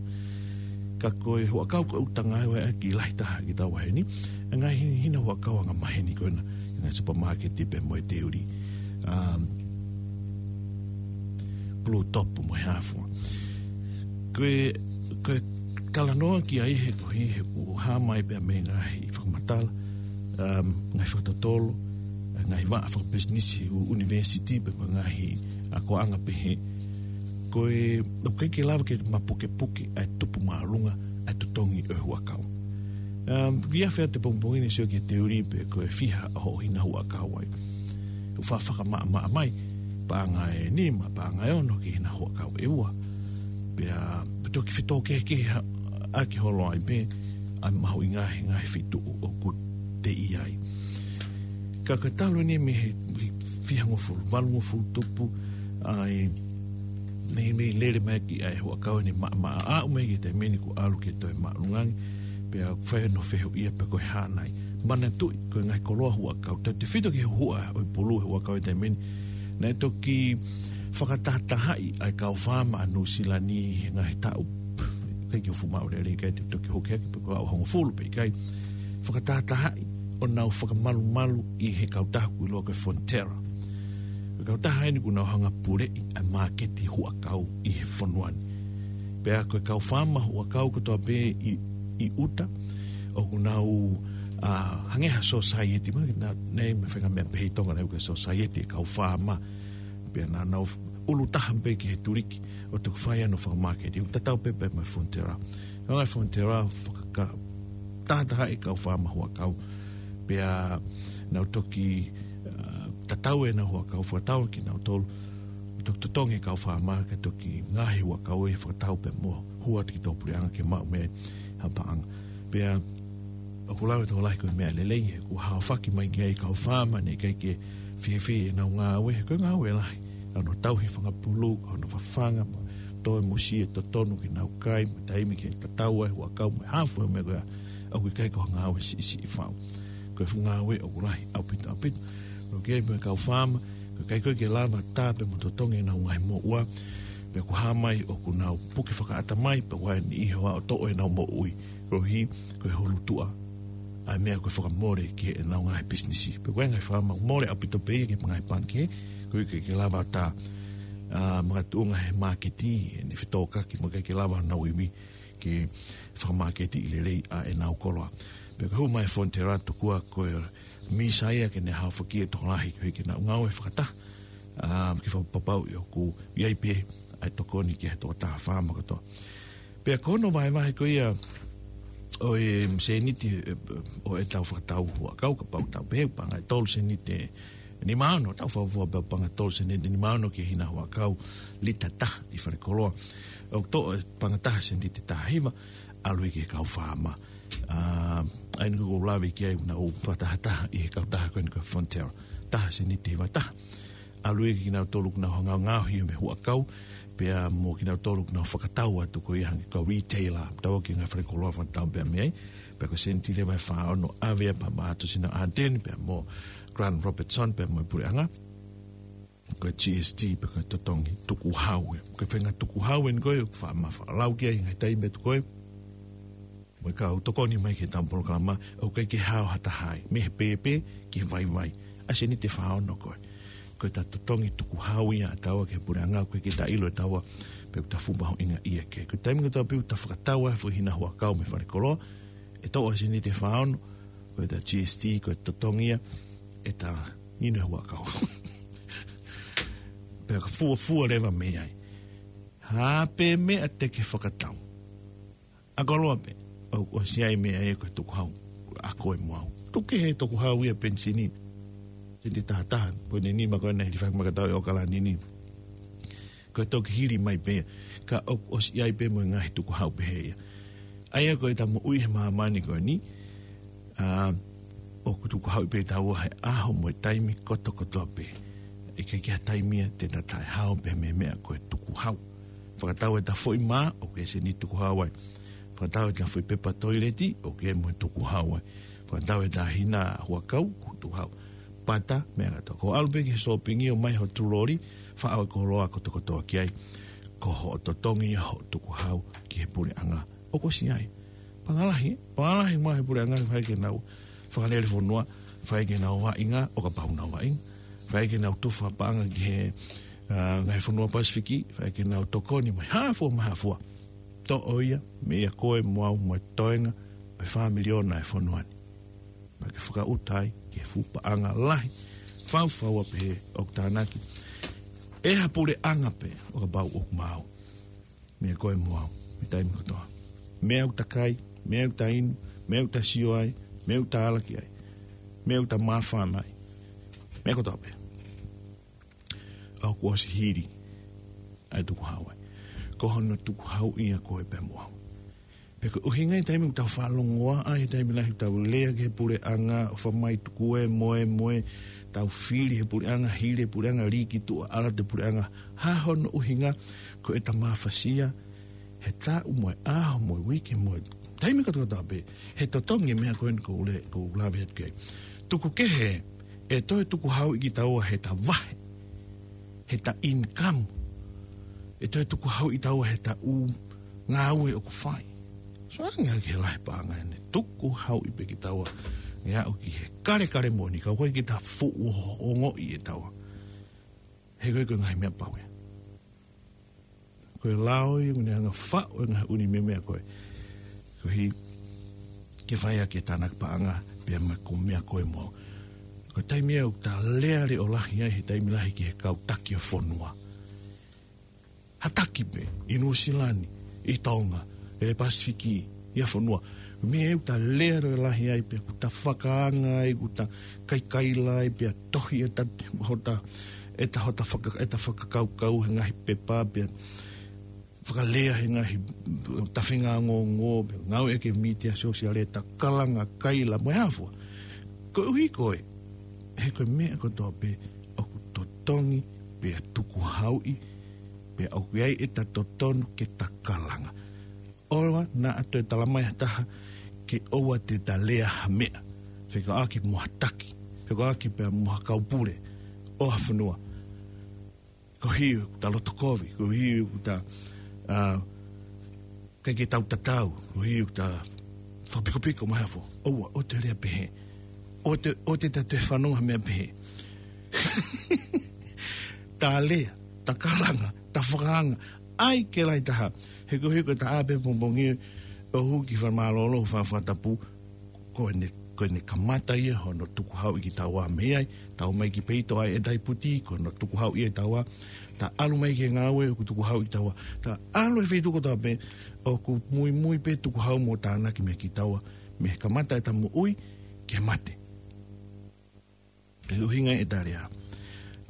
Ka ko e huʻakau ko e ʻuta ngaahi ʻoku ʻi ai ʻa e kiʻi lahi taha ki tau heni, ʻa e ngaahi hina huʻakau anga maheni ko ena, ʻi he ngaahi supermarket pea mo e teuli. Um, Blue Top mo e hā fua. Ko e, ko e talanoa ki ai he ko e, he ʻoku hā mai pea mei he ngaahi fakamatala, um, ngaahi fakatotolo, ngaahi vaʻa fakapisinisi ʻo e university pea mo e ngaahi akoʻanga pehē. Ko e, ʻoku ʻikai ke lava ke mapukepuke ʻa e tupu māʻolunga ʻa e totongi ʻo e huʻakau. Um, ʻi he ʻaho ʻo e pongipongi ni sio ki he teuli pe ko e fiha ʻa hoʻo hina huʻakau ai. ʻOku faʻa fakamaʻamaʻa mai, paʻanga ʻe nima, paʻanga ʻe ono ki he hina huʻakau ʻe ua. Pea, pea toki fetōkehekehe ʻaki holo ai pē, ʻa e mahuʻinga he ngaahi feituʻu ʻoku te ʻi ai. Ka ko e talu eni mei he, he fihangofulu, valungofulu tupu, ʻa e meimei lele mai ki ai e huʻakau eni maʻamaʻa, aʻu mai ki he taimi ni kuo ʻalu ke toe māʻolunga ange, pea ʻoku fai hono fehuʻia pe ko e hā nai. Manatuʻi, ko e ngaahi koloa huʻakau, tautefito ki he huhuʻa ʻo e pulu he huʻakau he taimi ni, naʻe toki fakatahatahaʻi ʻa e kau faama ʻa Nuʻusila ni he ngaahi taʻu, ʻikai ke u fuʻu maʻu lelei, ʻikai te u toki hoko hake pe ko e aʻu hongofulu pe ʻikai. Fakatahatahaʻi ʻo nau fakamalumalu ʻi he kautaha ʻoku ʻiloa ko e Fonterra. Ko e kautaha eni ʻoku nau hanga ʻo puleʻi ʻa e māketi huʻakau ʻi he fonua ni. Pea ko e kau faama huʻakau kotoa pē ʻi, ʻi ʻuta, ʻoku nau, ʻa, hangē ha society, ma, na, ne, me fenga mea pehē ʻi Tonga naʻe ʻikai ko e society e kau faama. Pea naʻa nau f-, ʻulu taha pē ki he tuliki, ʻo toki fai hono fakamāketi, ʻoku tatau pē pea mo e Fonterra. Ko e ngaahi Fonterra, fakaka-, tahatahaʻi e kau faama huʻakau. Pea nau toki, ʻa, tatau ʻenau huʻakau, fakatau kinautolu, toki totongi e kau faama, kae toki ngaahi huʻakau ʻe fakatau pea mo hū atu ki tō puleʻanga ke maʻu mei ai ha paʻanga. Pea ʻOku lau e tokolahi ko e meʻa lelei, he ʻoku haofaki mai ki ai e kau faama, naʻe ʻikai ke fiefia ʻenau ngāue, he ko e ngāue lahi. Hono tauhi e fanga pulu, hono fafanga, mo toe musie totonu ke nau kai, mo taimi ke tatau ai e huʻakau, mo e hā fua e meʻa ko ia, ʻoku ʻikai ko ha ngāue siʻisiʻi fau. Ko e fuʻu ngāue ʻoku lahi ʻaupito, ʻaupito. ʻOku ʻi ai mo e kau faama, ʻoku ʻikai ko ē ke lava tā pē mo totongi ʻenau ngaahi moʻua, pea ʻoku hā mai ʻoku nau puke fakaʻatamai, pea ʻoku ʻi ai e niʻihi ʻoku toʻo ʻenau moʻui. Koeʻuhi, ko e hulutuʻa ʻa e meʻa ko e fakamole ki heʻenau ngaahi pisinisi. Pea ʻoku ʻi ai e ngaahi faama ʻoku mole ʻaupito pē ia ki he ngaahi pangikē, koeʻuhi ʻikai ke lava tā, ʻa, makatuʻunga he māketi, ʻene fetōkaki, mo ʻikai ke lava ʻenau ivi ke fakamāketiʻi lelei ʻa ʻenau koloa. Pea ko e hū mai e Fonterra, tokua ko e misa ia ke ne haofaki e tokolahi, koeʻuhi ke nau ngāue fakataha, ʻa, ke fakapapauʻi ʻoku ʻi ai pē ʻa e tokoni ki he tokotaha faama kotoa. Pea ko hono vahevahe ko ia ʻo e sēniti, ē, ʻo ʻetau fakatau huʻakau, kapau te tau pehē ʻoku paʻanga ʻe tolu sēniti ʻe nima ono, tau fakafuofua pē ʻoku paʻanga ʻe tolu sēniti ʻe nima ono ki he hina huʻakau lita ʻe taha ʻi falekoloa. ʻOku toʻo e paʻanga ʻe taha sēniti ʻe taha hiva, ʻalu ia ki he kau faama. ʻA, ʻa ia ʻoku ou lave ki ai, naʻa ku fakatahataha ʻi he kautaha ko eni ko e Fonterra. Taha sēniti ʻe hiva ʻe taha. ʻAlu ia kia kinautolu ʻoku nau ngaohi mei he huʻakau, pea mo kinautolu ʻoku nau fakatau atu ko ia hangē ko e retailer, tau ki he ngaahi falekoloa fakatau pē mei ai, pea ko e sēniti leva ʻe fā ono ʻave ia pea maʻu atu ʻe Sina Ardern, pea mo Grant Robertson, pea mo e puleʻanga, ko e G S T, pea ko e totongi tukuhau ia. Ko e faʻahinga tukuhau eni ko ē, ʻoku faʻa ma faʻa lau ki ai he ngaahi taimi atu ko ē, mo e kau tokoni mai ki heʻetau polokalama, ʻoku ʻikai ke hao ha taha ai, mei he pēpē ki he vaivai. ʻA e sēniti ʻe fā ono ko ē. Ko ʻeta totongi tukuhau ia ʻa taua ki he puleʻanga, ʻoku ʻikai ke ta ʻilo ʻe taua pe ʻoku ta fuʻu mahuʻinga ia ki ai. Ko e taimi kotoa pē ʻoku ta fakatau ai e foʻi hina huʻakau mei falekoloa, ʻe toʻo ʻa e sēniti ʻe fā ono, ko ʻeta G S T, ko e totongi ia ʻeta hina huʻakau. Pea ka fuofua leva mei ai. Hā pē meʻa te ke fakatau, ʻa koloa pē, ʻoku ʻosi ʻi ai e meʻa ia ko e tukuhau ʻa koe mo au. Tuku kehe e tukuhau ia penisini, sēniti ʻe taha taha poini nima ko ena ʻi he fakamaʻa katau ʻi ʻAokalani ni. Ko e toki hili mai pē ia, ka ʻoku ʻosi ʻi ai pē mo e ngaahi tukuhau pehē ia. ʻA ia ko ʻeta moʻui he māmani ko eni, ʻa, ʻoku tukuhauʻi pē taua he ʻaho mo e taimi kotokotoa pē. ʻIkai ke ʻi ai ha taimi ia te ta taʻehao pē mei he meʻa ko e tukuhau. Fakatau ʻeta foʻi mā, ʻoku ʻi ai e sēniti tukuhau ai. Fakatau ʻeta foʻi pepa toileti, ʻoku ʻi ai mo e tukuhau ai. Fakatau ʻeta hina huʻakau, tukuhau. Pata, meʻa kātoa. Ko e ʻalu pē ki he sōpingi ʻo ʻomai ho tuloli, faʻo e koloa kotokotoa ki ai. Ko hoʻo totongi ia hoʻo tukuhau ki he puleʻanga, ʻoku ʻosi ʻi ai. Paʻanga lahi, paʻanga lahi mo e puleʻanga, fai ke nau fakalele fonua, fai ke nau vaʻinga, ʻo kapau ʻoku nau vaʻinga, fai ke nau tufa paʻanga ki he, ʻa, ngaahi fonua Pasifiki, fai ke nau tokoni mo e hā fua mo e hā fua. Toʻo ia meia koe mo au mo e toenga ʻo e fā miliona e fonua ni. Pea ke fakaʻuta ai ki he fuʻu paʻanga lahi, faufaua pehē ʻoku tānaki ʻe ha puleʻanga pē, ʻo kapau ʻoku maau. Meia koe mo au, mei he taimi kotoa. Meʻa ʻoku ta kai, meʻa ʻoku ta inu, meʻa ʻoku ta sio ai, meʻa ʻoku ta ala ki ai, meʻa ʻoku ta māfana ai. Meʻa kotoa pē, ʻoku ʻosi hili ʻa e tukuhau ai. Ko hono tukuhau ia koe pea mo au. Pea ko e ʻuhinga ia e taimi ʻoku tau fakalongoaʻa, he taimi lahi ʻoku tau lea ki he puleʻanga, ʻofa mai tuku e moemoe, tau fili he puleʻanga, hili he puleʻanga, lī ki tuʻa, ala atu e puleʻanga. Hā hono ʻuhinga? Ko ʻeta mafasia he taʻu mo e ʻaho mo e uike mo e taimi kotokotoa pē, he totongi e meʻa ko eni ʻoku ou le-, ʻoku ou lave atu ki ai. Tuku kehe ʻe toe tukuhauʻi kitaua heʻeta vahe, heʻeta income. ʻE toe tukuhauʻi taua heʻeta ʻū ngāue ʻoku fai. So ange ki he lahi paʻanga ʻe tukuhauʻi pē kitaua, ʻe aʻu ki he kalekale moʻoni, ka ʻoku ʻikai ke ta fuʻu ongoʻi ʻe taua. He ko e, ko e ngaahi meʻa pau ia. Ko e lao ia ʻoku ne hanga faʻo e ngaahi ʻū meʻa ko ē. Koeʻuhi ke fai ʻaki e tānaki paʻanga, pea mo e ko e meʻa ko ē mo. Ko e taimi ia ʻoku ta lea leʻo lahi ai he taimi lahi ki he kau taki ʻo e fonua. Ha taki pē, ʻi Nuʻu Sila ni, ʻi Tonga, ʻi Pasifiki, ʻi ha fonua. Meʻa ʻoku ta lea leʻo lahi ai pea ʻoku ta fakaanga ai, ʻoku ta kaikaila ai, pea tohi ʻeta, hota, ʻeta hota faka-, ʻeta fakakaukau he ngaahi pepa, pea fakalea he ngaahi tafenga ongoongo, pe ngāueʻaki e mītia sōsiale, takalanga, kaila, mo e hā fua. Koeʻuhi ko e, he ko e meʻa kotoa pē ʻoku totongi, pea tukuhauʻi, pea ʻoku ʻi ai ʻeta totonu ke takalanga. ʻOua naʻa toe talamai ha taha ke ʻoua te ta lea ha meʻa fekauʻaki mo ha taki, fekauʻaki pea mo ha kaupule ʻo ha fonua. Koeʻuhi ʻoku ta loto kovi, koeʻuhi ʻoku ta, ʻa, ʻikai ke tau tatau, koeʻuhi ʻoku ta fakapikopiko mo e hā fua. ʻOua, ʻoua te lea pehē. ʻOua te, ʻoua te ta toe fanongo ha meʻa pehē. Ta lea, takalanga, tafakaanga, ʻai ke lahi taha. He koeʻuhi ko e taha pē pongipongi ʻo hū ki falemālōlō, fakatapu, ko ʻene, ko ʻene kamata ia hono tukuhauʻi kitaua mei ai. Ta ō mai ki peito ʻa e daiputi, ko hono tukuhauʻi ia kitaua. Ta ʻalu mai ki he ngāue, ʻoku tukuhauʻi kitaua. Ta ʻalu he feituʻu kotoa pē, ʻoku muimui pē tukuhau mo tānaki mei kitaua, mei he kamata ʻeta moʻui ki he mate. Ko e ʻuhinga ia ʻeta lea.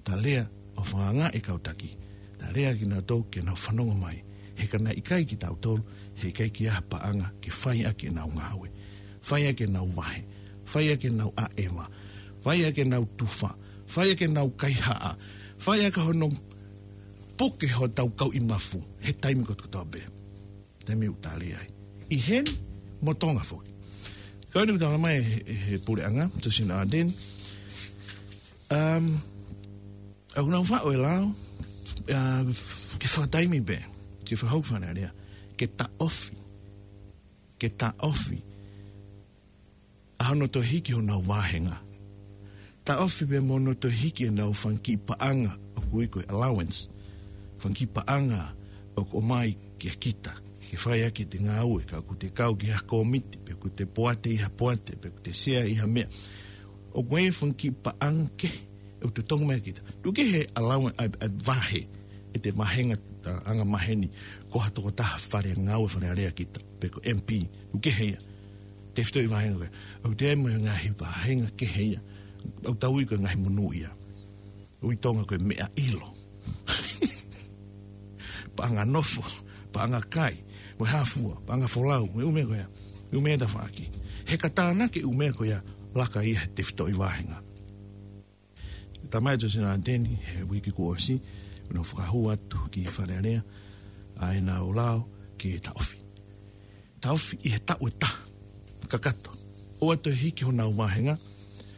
Ta lea ʻo fakaangaʻi e kau taki. Ta lea kinautolu ke nau fanongo mai. He ka naʻe ʻikai kitautolu, heʻikai ke ʻi ai ha paʻanga ke fai ʻaki ʻenau ngāue. Fai ʻaki ʻenau vahe. Fai ʻaki ʻenau ʻaʻeva. Fai ʻaki ʻenau tufa. Fai ʻaki ʻenau kaihaʻa. Fai ʻaki hono puke hotau kauʻi mafu he taimi kotoa pē. Taimi ʻoku ta lea ai. ʻI heni mo Tonga foki. Ko eni ʻoku talamai he, he, he puleʻanga, Jacinda Ardern. Um, ʻoku nau faʻo e lao, ʻa, ke fakataimi pē, ke fakahoko Fale Alea, ke taʻofi, ke taʻofi ʻa hono toe hiki honau vāhenga. Taʻofi pē mo hono toe hiki ʻenau fanga kiʻi paʻanga ʻoku ui ko e allowance. Fanga kiʻi paʻanga ʻoku ʻomai kia kita ke fai ʻaki ʻete ngāue, ka ʻoku te kau ki ha kōmiti, pe ʻoku te poate ʻi ha poate, pe ʻoku te sea ʻi ha meʻa. ʻOku ʻi ai e fanga kiʻi paʻanga kehe ʻoku totongi mai kia kita. Tuku kehe e allowance, ʻa e, ʻa e vahe, ʻete vāhenga, ʻa, anga maheni, ko ha tokotaha fale ngāue Fale Alea kita, pe ko e M P, tuku kehe ia. Tefitoʻi vāhenga ko ē. ʻOku ʻi ai mo e ngaahi vāhenga kehe ia ʻoku tau ui ko e ngaahi monūʻia. ʻOku ui ʻi Tonga ko e meʻa ʻilo. Paʻanga nofo, paʻanga kai, mo e hā fua, paʻanga folau, mo e ʻū meʻa ko ia. ʻŪ meʻa tafaʻaki. He ka tānaki e ʻū meʻa ko ia, laka ia he tefitoʻi vāhenga. Talamai ʻe Jacinda Ardern he uike kuo ʻosi, ʻoku nau fakahū atu ki Fale Alea ʻa ʻenau lao ke taʻofi. Taʻofi ʻi he taʻu ʻe taha kakato. ʻOua toe hiki honau vāhenga,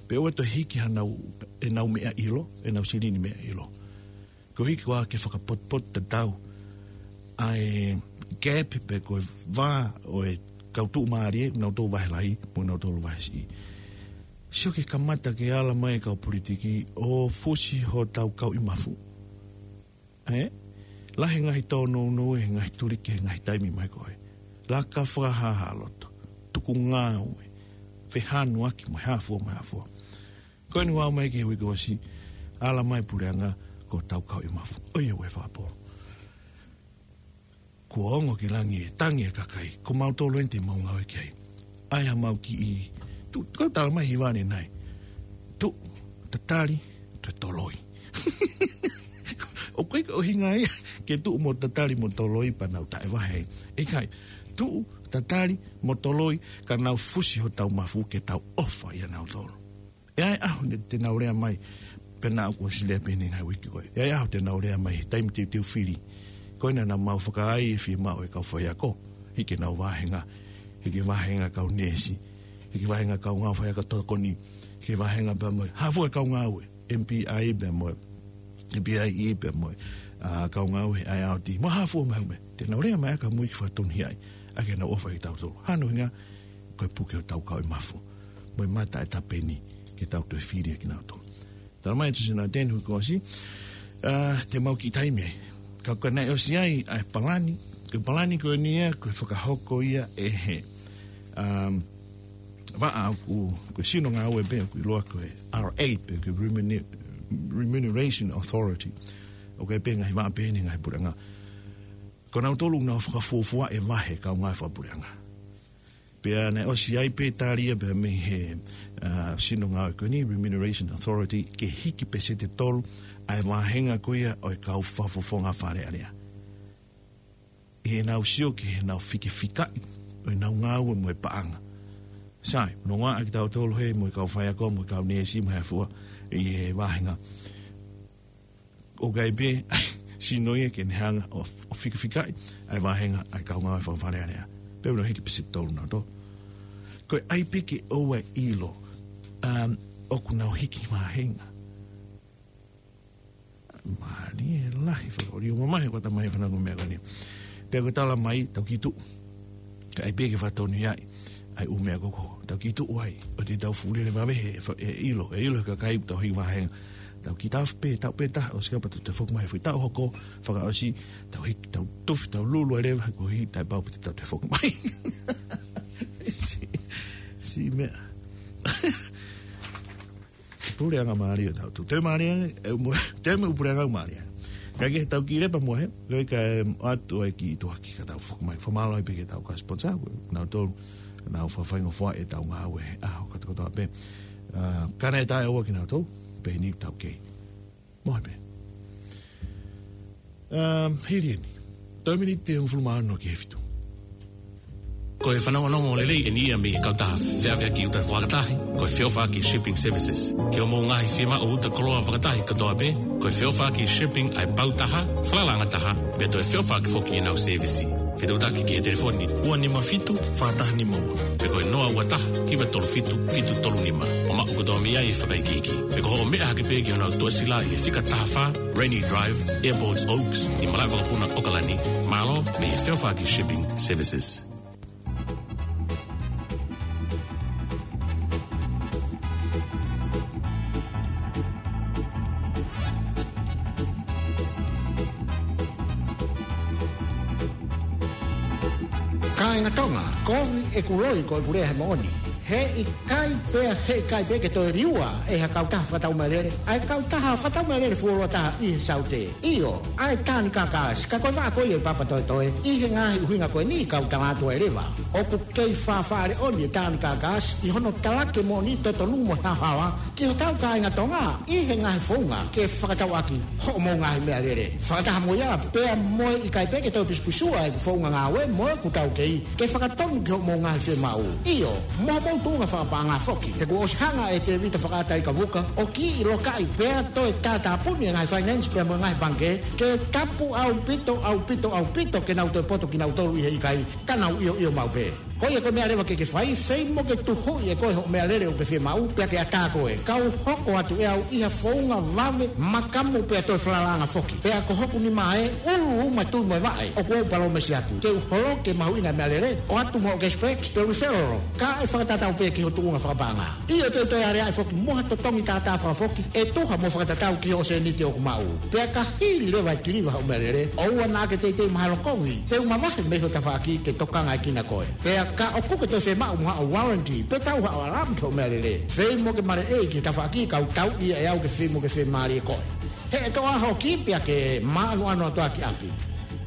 pe ʻoua toe hiki hanau, ʻenau meʻa ʻilo, ʻenau silini meʻa ʻilo. Ko e hiki ʻoku ke fakapotopoto tatau ʻa e gap pe ko e vā ʻo e kau tuʻumālie, nautolu vahe lahi, mo nautolu vahe siʻi. Sio ke kamata ke ala mai e kau politiki ʻo fusi hotau kauʻi mafu. ʻE? Lahi e ngaahi tōnounou, e ngaahi tuliki, e ngaahi taimi mai ko ē. Laka fakahāhā loto. Tuku ngāue. Fehanuaki mo e hā fua mo e hā fua. Ko eni ʻoku ʻomai ki he uike kuo ʻosi, ala mai puleʻanga ko hotau kauʻi mafu. ʻOiauē fakapō. Kuo ongo ki langi e tangi e kakai, ko mautolu eni te mau ngāue ki ai. ʻAi hamau kiʻi, tuʻu, ko e talamai hiva ʻanenai. Tuʻu, tatali, toe toloi. ʻOku ʻikai ko e ʻuhinga ia ke tuʻu mo tatali mo toloi pea nau taʻevahe. ʻIkai, tuʻu, tatali, mo toloi, ka nau fusi hotau mafu ke tau ʻofa ʻia nautolu. ʻE ʻi ai e ʻaho te nau lea mai, pea naʻa ku ʻosi lea pē ʻeni he ngaahi uike ko ē. ʻE ʻi ai e ʻaho te nau lea mai, he taimi teuteu fili. Ko ena naʻa mau fakaai e fiemaʻu e kau faiako. Hiki ʻenau vāhenga, hiki e vāhenga kau neesi, hiki e vāhenga kau ngāue faiako tokoni, hiki e vāhenga pea mo e hā fua e kau ngāue, M P I pea mo e, M P I E pea mo e, ʻa, kau ngāue I R D, mo e hā fua mai mei ai. Te nau lea mai ʻa ka mui ke fakatonuhiaʻi, ʻa ke nau ʻofa ʻia tautolu. Hā hono ʻuhinga, ko e puke hotau kauʻi mafu. Mo e mata e tapeni, ke tau toe fili ʻa kinautolu. Talamai ʻe Jacinda Ardern he uike kuo ʻosi, ʻa, te mau kiʻi taimi ai. Ka ko e naʻe ʻosi ai ʻa e palani, ko e palani ko eni ia, ko e fakahoko ia ʻe he, um, vaʻa ʻoku, ko e sino ngāue pē, ʻoku ʻiloa ko e R A pē, ko e remune-, Remuneration Authority. ʻOku ʻi ai pē ngaahi vaʻa pē ʻeni he ngaahi puleʻanga. Ko nautolu ʻoku nau fakafuofua e vahe kau ngāue fakapuleʻanga. Pea naʻe ʻosi ai pē tali ia pea mei he, ʻa, sino ngāue ko eni, Remuneration Authority, ke hiki pēseti ʻe tolu ʻa e vāhenga ko ia ʻo e kau fakafofonga Fale Alea. ʻi heʻenau sio ki heʻenau fikafikaʻi ʻo ʻenau ngāue mo e paʻanga. Sai, nonga ʻaki tautolu he mo e kau faiako mo e kau neesi mo e hā fua ʻi he vāhenga. ʻOku ʻi ai pē ʻa e sino ia ke ne hanga ʻo, ʻo fikafikaʻi ʻa e vāhenga ʻa e kau ngāue fakafalealea. Pea ʻoku nau hiki pē ʻe tolu nau tō. Ko e ʻai pē ke ʻoua ʻe ʻilo, um, ʻoku nau hiki vāhenga. Mālie lahi, fakaʻolio mamahi ko e tamaiki fanongo meʻa ko eni. Pea ko e tala mai, tau kiʻi tuʻu. Ka ʻai pē ke fakatonu ia ʻi ai ʻū meʻa ko ē ʻoku tau kiʻi tuʻu ai, ʻoua te tau fuʻu lele vave he, fa-, ʻe ʻilo, ʻe ʻilo he kakai ʻoku tau hiki vāhenga. Tau kiʻi taʻofi pē, taʻu pē taha, ʻosi kapau te tau toe foki mai he foʻi taʻu hoko, fakaʻosi, tau hiki, tau tufi, tau lulu ai leva, ko e hiki taʻepau pē te tau toe foki mai. Siʻi, siʻi meʻa. Puleʻanga mālie ʻa tautolu. Te mālie, ʻe, mo, te mo puleʻanga mālie. Ka ke tau kiʻi lepa mo he, ka ke, ʻoatu ai kiʻi tuʻu hake ka tau foki mai. Fakamālō ai pē ki he tau kau sponsor, ko nautolu, nau fakafaingofuaʻi ʻetau ngāue, ʻa, ʻo kātoa kotoa pē. ʻA, ka naʻe taʻeʻaonga kinautolu, pehē ni tau kei. Mo he pē. Um, hili eni. Toe miniti ʻe hongofulu mā ono ki he fitu. Ko e fanongonongo lelei eni ia mei he kautaha feʻaveʻaki uta fakatahi, ko e Feʻofaʻaki Shipping Services. Ki hoʻomou ngaahi fiemaʻu uta koloa fakatahi kotoa pē, ko e Feʻofaʻaki Shipping ʻa e pau taha, falalaʻanga taha, pea toe feʻofaʻaki foki ʻenau sēvisi. Fetuʻutaki ki he telefoni ua nima fitu, fā taha nima ua. Pe ko e noa ua taha, hiva tolu fitu, fitu tolu nima. ʻO maʻu kotoa mei ai e fakaikiiki. Pe ko hoʻo meʻa hake pē ki honau tuʻasila ʻi he fika taha fā, Rainy Drive, Airport Oaks, ʻi Malaʻevakapuna, ʻOkalani, mālō mei he Feʻofaʻaki Shipping Services. Kāinga Tonga, kovi ʻeku loi ko ʻeku lea he moʻoni. He ʻikai pē, he ʻikai pē ke toe liua ʻe ha kautaha fakatau mālele ʻa e kautaha fakatau mālele fuoloa taha ʻi he Saute. ʻIo, ʻa e Tanganyika Gas, ka ko e vaʻa ko ia ʻi Papatoetoe, ʻi he ngaahi ʻuhinga ko eni kau tala atu ai leva. ʻOku kei fāfā leʻoni e Tanganyika Gas ʻi hono talaki moʻoni totonu mo haohaoa ki hotau kāinga Tonga ʻi he ngaahi founga ke fakatau ʻaki hoʻomou ngaahi meʻalele. Fakataha mo ia, pea mo e ʻikai pē ke toe pisupisua ʻeku founga ngāue mo ʻeku taukei ke fakatonu ki hoʻomou ngaahi fiemaʻu. ʻIo, mo hoʻomou tuʻunga fakapaʻanga foki. He kuo ʻosi hanga ʻe Tēvita Fakaʻataikavuka ʻo kiʻi lokaʻi pea toe tātāpuni e ngaahi finance pea mo e ngaahi pangikē, ke tapu ʻaupito, ʻaupito, ʻaupito ke nau toe poto kinautolu ʻi he ʻikai, ka nau ʻioʻio maʻu pē. Ko ia ko e meʻa leva ke ke fai, fei mo ke tuhuʻi ʻe koe hoʻo meʻalele ʻoku ke fiemaʻu, pea ke ʻatā koe. Kau hoko atu ʻe au ʻi ha founga vave, makamu pea toe falalaʻanga foki. Pea ko hoku nima ē, ʻulu uma tui mo e vaʻe, ʻoku ou palōmesi atu. Te u holoki e mahuʻinga e meʻalele, ʻoatu mo hoʻo cashback, pe referral, kae fakatatau pē ki ho tuʻunga fakapaʻanga. ʻIo, te u toe aleaʻi foki mo ha totongi tātā fakafoki, ʻe tuha mo fakatatau ki hoʻo sēniti ʻoku maʻu. Pea ka hili leva e kiliva hoʻo meʻalele, ʻoua naʻa ke teitei mahalo kovi, te u mavahe mei ho tafaʻaki ke tokangaekina koe. Pea ka ʻoku ke toe fiemaʻu mo haʻo warranty, pe tau haʻo alarm ki hoʻo meʻalele, fei mo ke maleʻei ki he tafaʻaki, kau tauʻi ia ʻe au ke fei mo ke fiemālie koe. He ʻe toʻo ʻaho ki pea ke māʻanoʻano atu ʻaki ʻapi.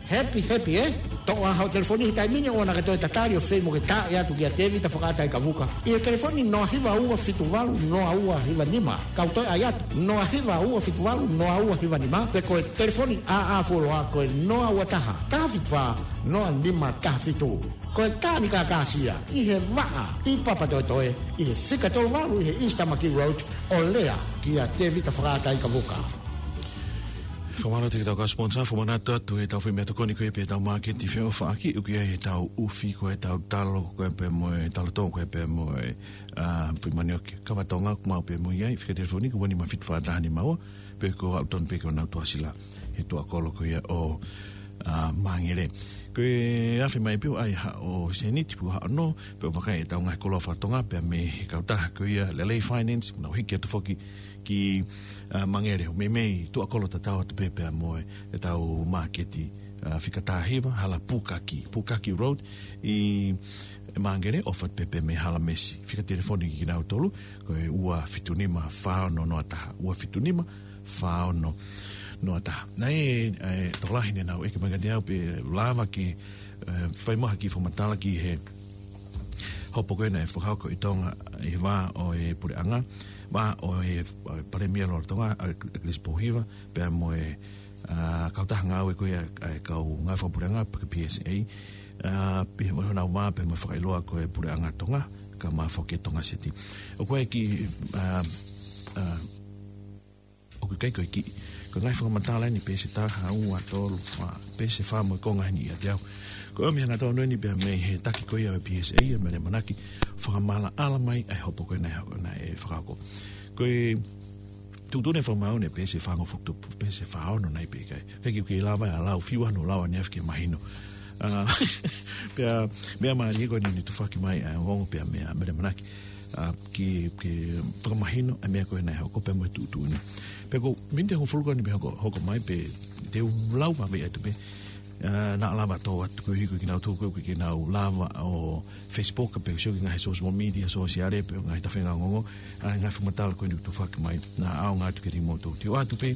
Happy, happy, ē? Toʻo ā hoʻo telefoni he taimi ni ʻoua naʻa ke toe tatali ʻo fei mo ke taaʻi atu kia Tēvita Fakaʻataikavuka ʻi he telefoni noa hiva ua fitu valu noa ua hiva nima. Kau toe ʻai atu, noa hiva ua fitu valu noa ua hiva nima, pe ko e telefoni ʻāʻā fuoloa ko e noa ua taha, taha fitu fā, noa nima taha fitu. Ko e Tanganyika Gas ia, ʻi he vaʻa, ʻi Papatoetoe, ʻi he fika tolu valu ʻi he East Tamaki Road, ʻo lea kia Tēvita Fakaʻataikavuka. Fakamālō atu ki heʻetau kau sponsor, fakamanatu atu ʻetau foʻi meʻatokoni ko ia pē ʻetau māketi feʻofaʻaki, ʻoku ʻi ai ʻetau ʻufi, ko ʻetau talo, ko ia pē mo e talo tō, ko ia pē mo e, ʻa, foʻi manioke kava Tonga, ʻoku maʻu pē mo ia ʻi he fika telefoni ko e ua nima fitu fā taha nima ua, pe ko e aʻu tonu pē ki honau tuʻasila he tuʻakolo ko ia ʻo, ʻa, Māngele. Ko e afe mai pē ʻo ʻai haʻo sēniti pe ko haʻo nō, pea ʻoku vakai ʻetau ngaahi koloa faka-Tonga pea mei he kautaha ko ia Lelei Finance, nau hiki atu foki ki, ʻa, Māngele, ʻo meimei tuʻakolo tatau atu pē pea mo e, ʻetau māketi, ʻa, fika taha hiva, hala Pukaki, Pukaki Road, ʻi Māngele, ʻofa pē pea mei hala Mesi. Fika telefoni kinautolu, ko e ua fitu nima fā ono noa taha, ua fitu nima fā ono noa taha. Naʻe, ʻe, tokolahi ne nau ʻeke mai kiate au pe lava ke, ʻe, fai mai ha kiʻi fakamatala ki he hopo ko ē naʻe fakahoko ʻi Tonga ʻi he vā ʻo e puleʻanga, vā ʻo e, ʻo e Palēmia Lolotonga, ʻa, ʻa Chris Pōhiva, pea mo e ʻa, kautaha ngāue ko ia ʻa e kau ngāue fakapuleʻanga pe ko e P S A, ʻa, pea mo honau vā pea mo e fakailoa ko e Puleʻanga Tonga, kae ʻumaʻā foki e Tonga Seti. ʻOku ʻi ai e kiʻi, ʻa, ʻa, ʻoku ʻikai ko e kiʻi, ko e ngaahi fakamatala eni, peesi ʻe taha, ua, tolu, fā, peesi ʻe fā mo e konga eni ʻiate au. Ko e ʻomi hangatonu eni pea mei he taki ko ia ʻo e P S A, ʻa Mele ʻAmanaki, fakamaʻalaʻala mai ʻa e hopo ko ē naʻe, naʻe fakahoko. Ko e tuʻutuʻuni fakamaau eni peesi ʻe fāngofulu tupu, peesi ʻe fāono nai pē ʻikai. ʻIkai ke u kei lava ʻo lau, fiu ʻaneafi ke mahino. ʻA, pea, meʻa mālie ko eni naʻe tufaki mai ʻa e ongoongo pea mei a Mele ʻAmanaki. ʻA, ke, ke fakamahino ʻa e meʻa ko ē naʻe hoko pea mo e tuʻutuʻuni. Pea ko e miniti ʻe hongofulu ko eni pē hoko, hoko mai pē te u lau vave atu pē. ʻA, naʻa lava tō atu koeʻuhi ko kinautolu ko ē ʻoku ʻikai ke nau lava ʻo Facebook pe ʻo sio ki he ngaahi social media, sōsiale pe ngaahi tafenga ongoongo, ʻa e ngaahi fakamatala ko eni ʻoku tufaki mai, naʻa ʻaonga atu kiate kimoutolu. Te u ʻoatu pē,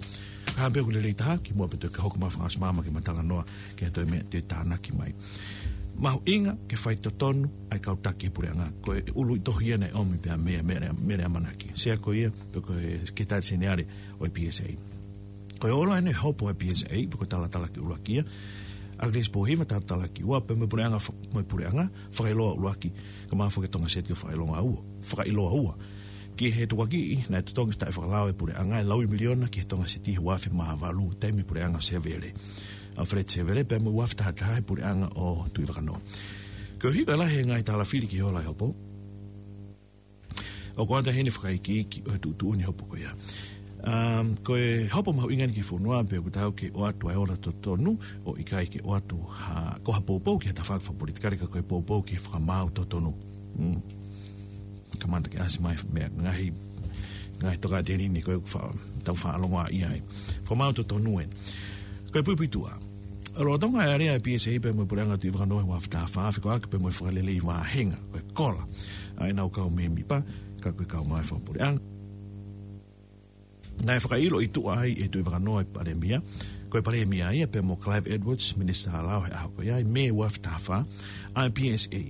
ka ʻi ai pē ʻoku lelei taha, kimuʻa pea toki hoko mai e fakaʻosi māmani ke ma talanoa ki he toe meʻa te tānaki mai. Mahuʻinga ke faitotonu ʻa e kau taki puleʻanga, ko e ʻuluʻi tohi ia naʻe ʻomi pea mei a Mele, Mele ʻAmanaki. Sea ko ia, pe ko e Sekelitali Seniale ʻo e P S A. Ko e ola eni e hopo ʻa e P S A, pe ko e talatalaaki ʻuluaki ia, ʻAkilisi Pōhiva, talatalaaki ua, pea mo e Puleʻanga fa-, mo e Puleʻanga Fakailoa ʻUluaki, kae ʻumaʻā foki e Tonga Seti ʻo Fakailoa Ua, Fakailoa Ua. Ki he tukuakiʻi naʻe totongi taʻefakalao ʻe he Puleʻanga e laui miliona ki he Tonga Seti he ua afe mā valu, taimi Puleʻanga Sevele, Alfred Sevele, pea mo e ua afe taha taha he Puleʻanga ʻo Tuʻivakanō. Koeʻuhi ko e lahi e ngaahi tālafili ki he ola e hopo, ʻoku ʻoatu heni e fakaikiiki ʻo e tuʻutuʻuni hopo ko ia. Um, ko e hopo mahuʻinga eni ki he fonua, pea ʻoku tau ke ʻoatu ʻa e ola totonu, ʻo ʻikai ke ʻoatu ha, ko ha poupou ki ha tafaʻaki fakapolitikale ka ko e poupou ki he fakamaau totonu. Mm. Kamata ke ʻasi mai meʻa ngaahi, ngaahi tokāteline ko ē ʻoku fa-, tau faʻa longoaʻa ai. Fakamaau totonu eni. Ko e puipuituʻa. ʻA, lolotonga e alea ʻa e P S A pea mo e Puleʻanga Tuʻivakanō he ua afe taha fā, fekauʻaki pea mo e fakalelei vāhenga, ko e kola ʻa ʻenau kau mēmipa, ka ko e kau ngāue fakapuleʻanga. Naʻe fakaʻilo ʻi tuʻa ai ʻe Tuʻivakanō ʻa e Palēmia, ko e Palēmia ia pea mo Clive Edwards, Minisitā Lao he ʻaho ko ia, ʻi Mē ua afe taha fā, ʻa e P S A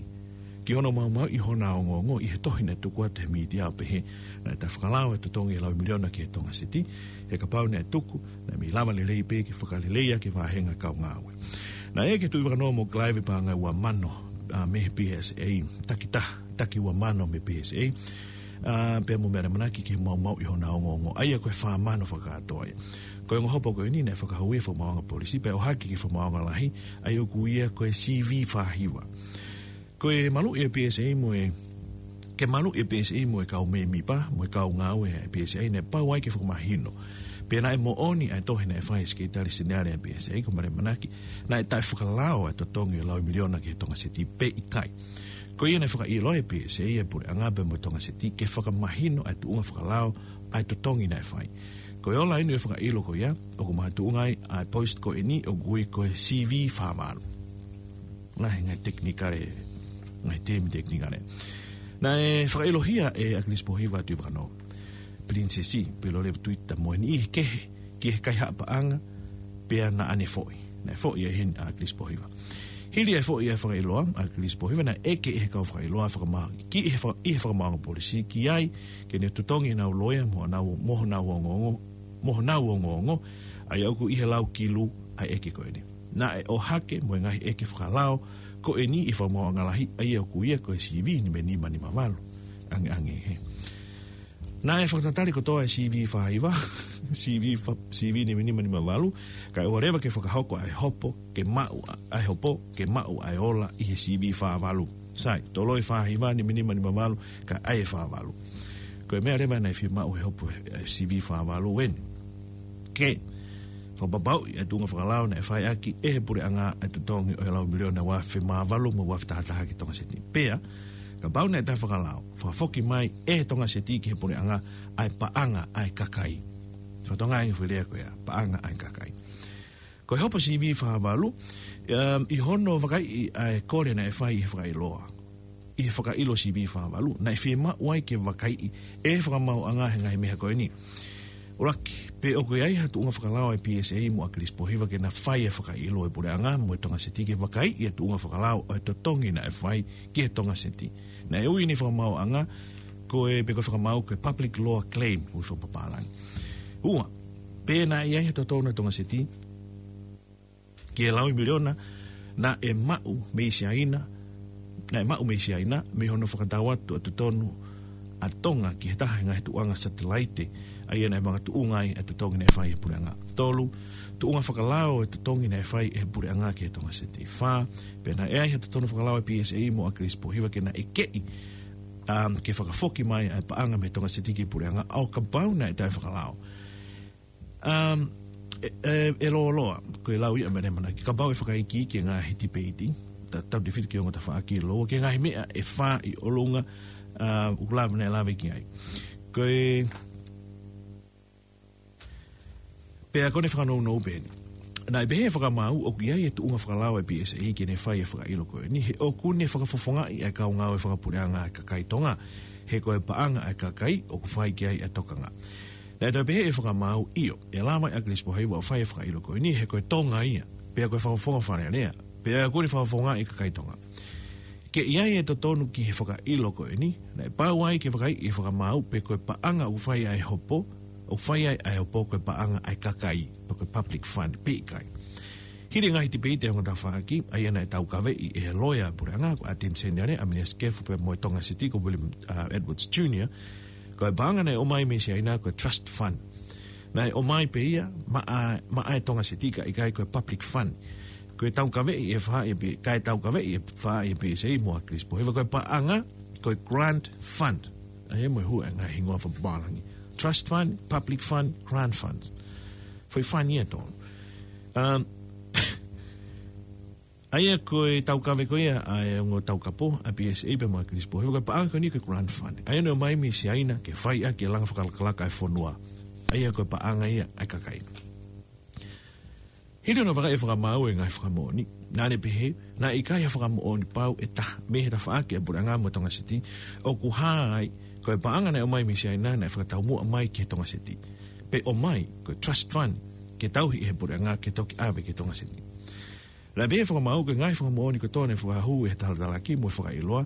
ki hono maumauʻi hona ongoongo ʻi he tohi naʻe tuku atu he mītia ʻo pehē naʻe taʻefakalao e totongi e laui miliona ki he Tonga Seti, he kapau naʻe tuku, naʻe mei lava lelei pē ke fakalelei ʻaki e vāhenga kau ngāue. Naʻe ʻeke ʻe Tuʻivakanō mo Clive e paʻanga ʻe ua mano, ʻa, mei he P S A, taki taha, taki ua mano mei he P S A, ʻa, pea mo Mele ʻAmanaki ke maumauʻi hona ongoongo. ʻA ia ko e fā mano fakakātoa ia. Ko e ongo hopo ko eni naʻe fakahū ia ʻe he Fakamaauʻanga Polisi, pea ʻohake ki he Fakamaauʻanga Lahi, ʻa ia ʻoku ui ia ko e C V fā hiva. Ko e maluʻi e P S A mo e, ke maluʻi e P S A mo e kau mēmipa, mo e kau ngāue ʻa e P S A, naʻe pau ai ke fakamahino. Pea naʻe moʻoni ʻa e tohi naʻe fai ʻe he Sekelitali Seniale ʻa e P S A, ko Mele ʻAmanaki, naʻe taʻefakalao ʻa e totongi e laui miliona ki he Tonga Seti pe ʻikai. Ko ia naʻe fakaʻilo ai ʻe he P S A ʻa e Puleʻanga pea mo e Tonga Seti ke fakamahino ʻa e tuʻunga fakalao ʻa e totongi naʻe fai. Ko e ola eni e fakaʻilo ko ia, ʻoku makatuʻunga ai ʻa e post ko eni ʻoku ui ko e C V fā valu. Ngaahi, ngaahi tekinikale, ngaahi teemi tekinikale. Naʻe fakaʻilohia ʻe ʻAkilisi Pōhiva ʻa Tuʻivakanō, Pilinisesi, Pilolevu Tuita mo e niʻihi kehe ki he kaihaʻa paʻanga, pea naʻa ne foʻi. Naʻe foʻi ai heni ʻa ʻAkilisi Pōhiva. Hili e foʻi ʻa e fakaʻiloa ʻa ʻAkilisi Pōhiva, naʻe ʻeke ʻe he kau fakaʻiloa fakama-, ki he fa-, ʻi he Fakamaauʻanga Polisi ki ai ke ne totongi ʻenau loea mo honau, mo honau ongoongo, mo honau ongoongo, ʻa ia ʻoku ʻi he lau kilu ʻa e ʻeke ko eni. Naʻe ʻohake mo e ngaahi ʻeke fakalao ko eni ʻi he Fakamaauʻanga Lahi, ʻa ia ʻoku ui ko e C V nimanima nima valu. Ange, ange, he. Naʻe fakatatali kotoa e C V fā hiva, C V fa-, C V nimanima nima valu, kae ʻoua leva ke fakahoko ʻa e hopo ke maʻu ʻa, ʻa e hopo ke maʻu ʻa e ola ʻi he C V fā valu. Sai, toloi fā hiva, nimanima nima valu, kae ʻai e fā valu. Ko e meʻa leva naʻe fiemaʻu ʻe he hopo ʻa e C V fā valu eni, ke fakapapauʻi ʻa e tuʻunga fakalao naʻe fai ʻaki ʻe he Puleʻanga ʻa e totongi ʻo e laui miliona ua afe mā valu mo e ua afe taha taha ki he Tonga Seti. Pea, kapau naʻe taʻefakalao, fakafoki mai ʻe he Tonga Seti ki he Puleʻanga ʻa e paʻanga ʻa e kakai. Fakatonga ange foʻi lea ko ia, paʻanga ʻa e kakai. Ko e hopo C V fā valu, um, ʻi hono vakaiʻi ʻa e kole naʻe fai ʻe he fakaʻiloa, ʻi he fakaʻilo C V fā valu, naʻe fiemaʻu ai ke vakaiʻi ʻe he Fakamaauʻanga ʻa e ngaahi meʻa ko eni. ʻUluaki, pe ʻoku ʻi ai ha tuʻunga fakalao ʻa e P S A mo ʻAkilisi Pōhiva ke na fai e fakaʻilo ʻa e Puleʻanga mo e Tonga Seti ke vakaiʻi e tuʻunga fakalao ʻo e totongi naʻe fai ki he Tonga Seti. Naʻe ui ʻe he Fakamaauʻanga ko e, pe ko e fakamaau ko e public law claim, ʻoku fakapapālangi. Ua, pe naʻe ʻi ai ha totonu ʻa e Tonga Seti Ki he laui miliona naʻe maʻu mei Siaina, naʻe maʻu mei Siaina, mei hono fakatau atu ʻa e totonu ʻa Tonga ki he taha e ngaahi tuʻunga satelaite, ʻa ia naʻe makatuʻunga ai ʻa e totongi naʻe fai ʻe he puleʻanga. Tolu, tuʻunga fakalao ʻa e totongi naʻe fai ʻe he puleʻanga ki he Tonga Seti. Fā, pea naʻe ʻi ai ha totonu fakalao ʻa e P S A mo ʻAkilisi Pōhiva ke na ʻekeʻi, um, ke fakafoki mai ʻa e paʻanga mei Tonga Seti ki he puleʻanga, ʻo kapau naʻe taʻefakalao. Um, ʻe, ʻe, ʻe lōloa, ko e lau ia mei Lēmana, ke kapau ʻe fakaikiiki e ngaahi tipeiti, ta-, tautefito ki he ongo tafaʻaki ʻe lōloa, ki he ngaahi meʻa ʻe fā ʻi ʻolunga, uh, ʻoku lava naʻe lave ki ai. Ko e, pea ko ʻene fakanounou pē eni. Naʻe pehē ʻe he fakamaau ʻoku ʻi ai e tuʻunga fakalao ʻa e P S A ke ne fai e fakaʻilo ko eni, he ʻoku ne fakafofongaʻi ʻa e kau ngāue fakapuleʻanga ʻa e kakai Tonga, he ko e paʻanga ʻa e kakai ʻoku fai ki ai ʻa e tokanga. Naʻe toe pehē ʻe he fakamaau ʻio, ʻe lava ʻe ʻAkilisi Pōhiva ʻo fai e fakaʻilo ko eni, he ko e Tonga ia, pea ko e fakafofonga Fale Alea, pea ʻoku ne fakafofongaʻi e kakai Tonga. Ke ʻi ai e totonu ki he fakaʻilo ko eni, naʻe pau ai ke fakaiʻi ʻe he fakamaau pe ko e paʻanga ʻoku fai ʻa e hopo, ʻoku fai ai ʻa e hopo ko e paʻanga ʻa e kakai, pe ko e public fund, pe ʻikai. Hili e ngaahi tipeiti ʻa e ongo tafaʻaki, ʻa ia naʻe taukaveʻi ʻe he loea ʻa e puleʻanga, ko ʻAteni Seniale, ʻAmeliasi Kefu pea mo e Tonga Seti ko William, uh, Edwards Junior, ko e paʻanga naʻe ʻomai mei Siaina ko e trust fund. Naʻe ʻomai pē ia maʻa, maʻa e Tonga Seti kae ʻikai ko e public fund. Ko e taukaveʻi ʻe he faʻahi ʻe P-, kae taukaveʻi ʻe he faʻahi ʻe P S A mo ʻAkilisi Pōhiva, ko e paʻanga, ko e grant fund. ʻA ia mo e hū e ngaahi hingoa fakapapālangi. Trust fund, public fund, grant fund. Foʻi fund ia tonu. Um, ʻa ia ko e taukave ko ia ʻa e ongo taukapo ʻa e P S A pea mo ʻAkilisi Pōhiva, ko e paʻanga ko eni ko e grant fund. ʻA ia naʻe ʻomai mei Siaina ke fai ʻaki e langa fakalakalaka ʻa e fonua. ʻA ia ko e paʻanga ia ʻa e kakai. Hili hono vakai ʻe he fakamaau e ngaahi fakamoʻoni, naʻa ne pehē, naʻe ʻikai ha fakamoʻoni pau ʻe taha mei he tafaʻaki ʻa e puleʻanga mo Tonga Seti, ʻoku hā ai, ko e paʻanga naʻe ʻomai mei Siaina naʻe fakataumuʻa mai ki he Tonga Seti. Pe ʻomai, ko e trust fund, ke tauhi ʻe he puleʻanga ke toki ʻave ki he Tonga Seti. Naʻe pehē ʻe he fakamaau ko e ngaahi fakamoʻoni kotoa naʻe fakahū ʻe he talatalaki mo e fakaʻiloa,